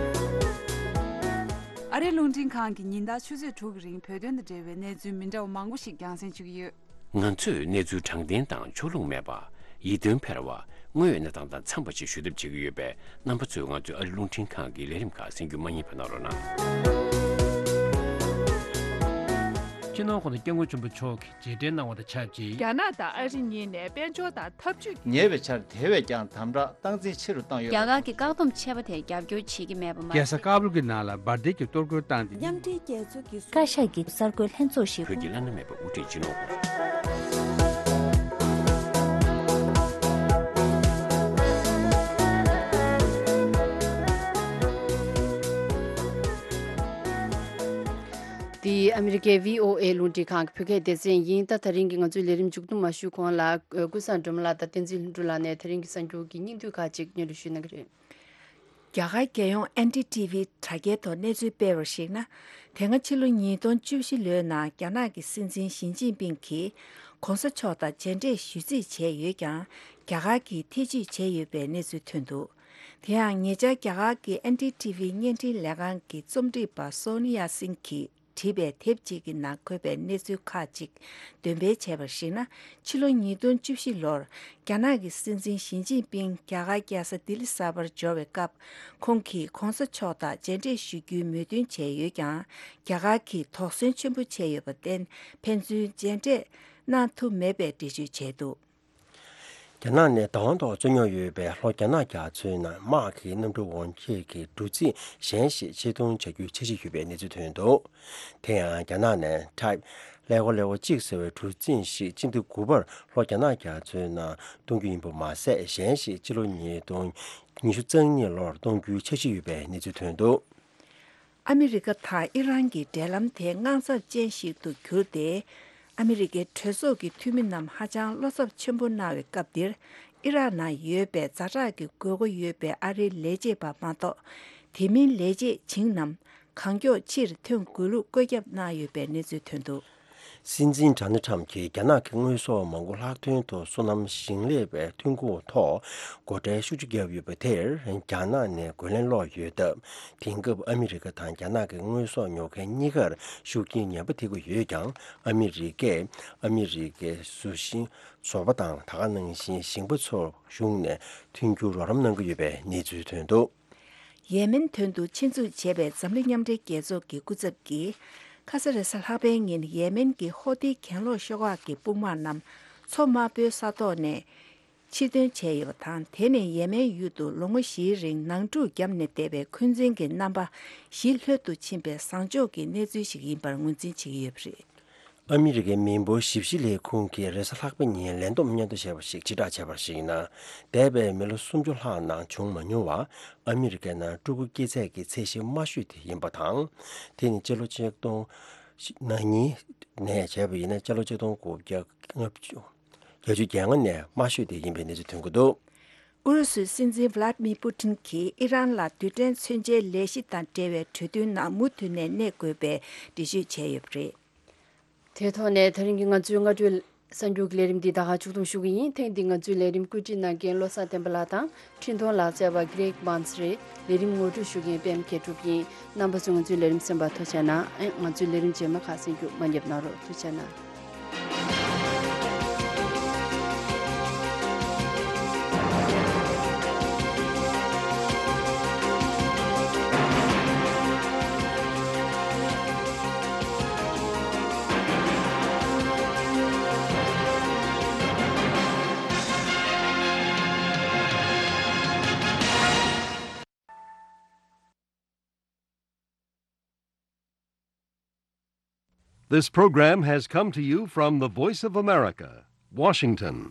ཨ་རིའི་རླུང་འཕྲིན་ཁང་གིས་ཉིན་ལྟར་ཆུ་ཚོད་དྲུག་གི་རིང་བོད་དོན་དང་འབྲེལ་བའི་གནས་ཚུལ་མི་འདྲ་བ་མང་པོ་ཞིག་རྒྱང་སྲིང་ཞུ་གི་ཡོད། ང་ཚོས་གནས་ཚུལ་དྲང་བདེན་དང་ཕྱོགས་ལྷུང་མེད་པ། ཡིད་རྟོན་འཕེར་བ། དངོས་ཡོད་གནས་སྟངས་དང་འཚམས་པ་ཞིག་ཞུ་ཐབས་བྱེད་ཀྱི་ཡོད་པས། རྣམ་པ་ཚོས་ང་ཚོའི་ཨ་རིའི་རླུང་འཕྲིན་ཁང་གི་ལས་རིམ་ཁག་གསན་རྒྱུ་མ་བསྙེལ་བ་གནང་རོགས་གནང་། སྤྱི་ནོར་༸གོང་ས་༸སྐྱབས་མགོན་ཆེན་པོ་མཆོག་གིས་རྗེས་དྲན་གནང་བ་དང་ཆབས་ཅིག་རྒྱ་ནག་དང་ཨ་རི་གཉིས་ནས་དཔལ་འབྱོར་དང་འཐབ་ཇུས། ཉེ་བའི་ཆར་དེ་བས་ཀྱང་དམ་དྲག་སྟངས་འཛིན་ཆེ་རུ་བཏང་ཡོད་པ་རེད། རྒྱ་གར་གྱི་བཀག་སྡོམ་ཆད་པ་དེར་རྒྱབ་སྐྱོར་བྱེད་ཀྱི་མེད་པ་མ་རྒྱལ་ས་ཀ་བུལ་གྱི་ནང་ལ་འབར་མདེལ་གྱི་གཏོར་རྒོལ་བཏང་སྟེ། མཉམ་འབྲེལ་རྒྱལ་ཚོགས་ཀྱི་བཀའ་ཤག་གི་གསར་འགོད་ལྷན་ཚོགས་ཤིག་བོད་ཀྱི་བླ་ན་མེད་པ་དབུ་ཁྲིད་སྤྱི་ནོར་འདི་ཨ་མི་རི་ཀའི་བྷི་ཨོ་ཨེ་རླུང་འཕྲིན་ཁང་གི་བོད་སྐད་སྡེ་ཚན་ཡིན། ད་དེ་རིང་གི་ང་ཚོའི་ལས་རིམ་མཇུག་བསྡོམས་མ་ཞུས་གོང་ལ། ཨ། ཀུན་བཟང་སྒྲོལ་མ་ལགས་དང་བསྟན་འཛིན་ལྷུན་གྲུབ་ལགས་ནས་དེ་རིང་གི་གསར་འགྱུར་གྱི་སྙིང་བསྡུས་ཁག་ཅིག་སྙན་སྒྲོན་ཞུ་གནང་གི་རེད། རྒྱ་གར་རྒྱལ་ཡོངས་ཨེན་ཌི་ཊི་ཝི་དྲ་རྒྱའི་ཐོག་གནས་ཚུལ་སྤེལ་བར་གཞིགས་ན། དེ་སྔ་ཕྱི་ལོ་ཉིས་སྟོང་བཅུ་བཞི་ལོའི་ནང་རྒྱ་ནག་གི་སྲིད་འཛིན་ཞི་ཅིན་ཕིང་གིས་གོང་ས་མཆོག་དང་མཇལ་འཕྲད་ཞུ་རྩིས་བྱས་ཡོད་ཀྱང་། རྒྱ་གར་གྱིས་ཐེ་ཇུས་བྱས་ཡོད་པའི་གནས་ཚུལ་ཐོན་འདུག་དེ་ཡང་ཉེ་ཆར་རྒྱ་གར་གྱི་ཨེན་ཌི་ཊི་ཝི་བརྙན་འཕྲིན་ལས་ཁང་གི་རྩོམ་སྒྲིག་པ་སོ་ནི་ཡ་སིང་གིས་བྲིས་པའི་དེབ་ཅིག་གི་ནང་འཁོད་པའི་གནས་ཚུལ་ཁག་ཅིག་འདོན་སྤེལ་བྱས་པར་གཞིགས་ན། ཕྱི་ལོ་ཉིས་སྟོང་བཅུ་བཞི་ལོར་རྒྱ་ནག་གི་སྲིད་འཛིན་ཞི་ཅིན་ཕིང་རྒྱ་གར་རྒྱལ་ས་ལྡི་ལི་གསར་པར་འབྱོར་བའི་སྐབས། ཁོང་གིས་གོང་ས་མཆོག་དང་མཇལ་འཕྲད་ཞུ་རྒྱུའི་མོས་མཐུན་བྱས་ཡོད་ཀྱང་། རྒྱ་གར་གྱིས་དོགས་ཟོན་ཆེན་པོ་བྱས་ཡོད་པར་བརྟེན། ཕན་ཚུན་མཇལ་འཕྲད་གནང་ཐུབ་མེད་པའི་འགྲེལ་བརྗོད་བྱས་འདུག་རྒྱ་ནག་ནས་བདག་དབང་ཐོག་རྩོད་རྙོག་ཡོད་པའི་ལྷོ་རྒྱ་ནག་རྒྱ་མཚོའི་ནང་དམག་གི་གནམ་གྲུ་འོར་འཁྱེར་གྱི་གྲུ་གཟིངས་གཞན་ཞིག་ཕྱིར་གཏོང་བྱ་རྒྱུའི་འཆར་གཞི་ཡོད་པའི་གནས་ཚུལ་ཐོན་འདུག་དེ་ཡང་རྒྱ་ནག་ནས་Type ཀླད་ཀོར་ཀླད་ཀོར་གཅིག་ཟེར་བའི་གྲུ་གཟིངས་ཤིག་སྤྱི་ཟླ་དགུ་པར་ལྷོ་རྒྱ་ནག་རྒྱ་མཚོའི་ནང་གཏོང་རྒྱུ་ཡིན་པ་མ་ཟད། གཞན་ཞིག་ཕྱི་ལོ་ཉིས་སྟོང་ཉི་ཤུ་རྩ་གཉིས་ལོར་གཏོང་རྒྱུའི་འཆར་གཞི་ཡོད་པའི་གནས་ཚུལ་ཐོན་འདུག་ཨ་མི་རི་ཀ་དང་ཨི་རན་གྱི་འབྲེལ་ལམ་དེ་དངངས་འཚབ་ཅན་ཞིག་ཏུ་གྱུར་ཏེ། ཨ་མི་རི་ཀའི་གྲོས་ཚོགས་ཀྱི་འཐུས་མི་རྣམས་ཧ་ཅང་བློ་འཚབ་ཆེན་པོ་གནང་བའི་སྐབས་འདིར། ཨི་རག་ནང་ཡོད་པའི་ཛ་དྲག་གི་དགོས་མཁོ་ཡོད་པའི་ཨ་རིའི་ལས་བྱེད་པ་མ་གཏོགས། དེ་མིན་ལས་བྱེད་བྱིངས་རྣམས་གང་མགྱོགས་ཕྱིར་ཐོན་དགོས་ལུགས་བཀོད་ཁྱབ་གནང་ཡོད་པའི་གནས་ཚུལ་ཐོན་འདུག་སྲིད་འཛིན་ཌོ་ནལ་ཁྲམ་གྱིས་རྒྱ་ནག་གི་དངོས་ཟོག་མང་པོ་ལྷག་དོན་དུ་སོ་ནམ་ཞིང་ལས་པའི་ཐོན་ཁུངས་ཐོག་སྒོ་ཁྲལ་ཤུགས་ཆེ་བརྒྱབ་ཡོད་པ་དེར་རྒྱ་ནག་ནས་རྒོལ་ལན་སློག་ཡོད་སྟབས། དེང་སྐབས་ཨ་མི་རི་ཀ་དང་རྒྱ་ནག་གི་དངོས་ཟོག་ཉོ་མཁན་གཉིས་ཀར་ཤུགས་རྐྱེན་ངན་པ་ཐེབས་ཀྱི་ཡོད་ཀྱང་། ཨ་མི་རི་ཀས་ཨ་མི་རི་ཀའི་བཟོ་ཞིང་བཟོ་པ་དང་། ད་ག་ནང་བཞིན་ཞིང་པ་ཚོར་གཞུང་ནས་མཐུན་འགྱུར་རོགས་རམ་གནང་གི་ཡོད་པའི་གནས་ཚུལ་ཐོན་འདུག་ཡེ་མེན་དོན་དུ་ཆེད་འཛུགས་བྱས་པའི་འཛམ་གླིང་མཉམ་འབྲེལ་རྒྱལ་ཚོགས་ཀྱི་སྐུ་ཚབ་ཀྱིས། ཁ་ས་རེས་གཟའ་ལྷག་པའི་ཉིན་ཡེ་མེན་གྱི་ཧོ་ཏི་གྱེན་ལོག་ཤོག་ཁག་གི་དཔུང་དམག་རྣམས་མཚོ་དམར་པོའི་ས་ཐོག་ནས་ཕྱིར་འདོན་བྱས་ཡོད་པ་དང་། དེ་ནི་ཡེ་མེན་ཡུལ་དུ་ལོ་ངོ་བཞིའི་རིང་ནང་འཁྲུག་བརྒྱབ་ནས་བསྡད་པའི་འཁོན་འཛིན་གྱི་རྣམ་པ་ཞི་ལྷོད་དུ་ཕྱིན་པའི་བཟང་ཕྱོགས་ཀྱི་གནས་ཚུལ་ཞིག་ཡིན་པར་ངོས་འཛིན་བྱེད་ཀྱི་ཡོད་པ་རེད། ཨ་མི་རི་ཀའི་མི་འབོར་ཞིབ་བཤེར་ལས་ཁུངས་ཀྱིས་རེས་གཟའ་ལྷག་པའི་ཉིན་ལས་བསྡོམས་སྙན་ཐོ་ཞེས་པ་ཞིག་ཕྱིར་བསྒྲགས་བྱས་པར་གཞིགས་ན། འདས་པའི་མི་ལོ་སུམ་ཅུ་ལྷག་ནང་བྱུང་མ་མྱོང་བར་ཨ་མི་རི་ཀའི་ནང་སྤྲུལ་སྐུ་སྐྱེས་ཚད་ཀྱི་ཚད་གཞི་དམའ་ཤོས་དེ་ཡིན་པ་དང་། དེ་ནི་སྤྱི་ལོ་ཆིག་སྟོང་ན་གཉིས་ནས་བྱས་པ་ཡིན་ན། སྤྱི་ལོ་ཆིག་སྟོང་དགུ་བརྒྱ་ལྔ་བཅུ་བརྒྱད་ཅུ་གྱ་ལྔ་ནས་དམའ་ཤོས་དེ་ཡིན་པའི་གནས་ཚུལ་ཐོན་གྱི་འདུག་ཨུ་རུ་སུའི་སྲིད་འཛིན་ཝ་ལཱད་མི་པུ་ཏིན་གྱིས་ཨི་རན་ལ་རྡུལ་ཕྲན་མཚོན་ཆའི་ལས་གཞི་དང་འབྲེལ་བའི་གྲོས་མཐུན་ནང་མུ་མཐུད་ནས་གནས་དགོས་པའི་འགྲེལ་བརྗོད་བྱས་ཡོད་པ་རེད། དེ་ཐོག་ནས་དེ་རིང་གི་ང་ཚོའི་སྔ་དྲོའི་གསར་འགྱུར་གྱི་ལས་རིམ་འདི་ད་ག་མཇུག་བསྡོམས་ཞུ་གི་ཡིན། ཐེངས་འདིའི་ང་ཚོའི་ལས་རིམ་བཀོད་སྒྲིག་གནང་མཁན་བློ་བཟང་བསྟན་པ་ལགས་དང་འཕྲིན་གཏོང་ལག་རྩལ་བ་གྷི་རེག་བཱན་སི་རེད། ལས་རིམ་ངོ་སྤྲོད་ཞུ་མཁན་པད་མ་མཁས་གྲུབ་ཡིན། རྣམ་པ་ཚོས་ང་ཚོའི་ལས་རིམ་གསན་པར་ཐུགས་རྗེ་གནང་། ཨེ། ང་ཚོའི་ལས་རིམ་རྗེས་མ་ཁག་གསན་རྒྱུ་མ་བསྙེལ་གནང་རོགས། ཐུགས་རྗེ་གནང་། This program has come to you from the Voice of America, Washington.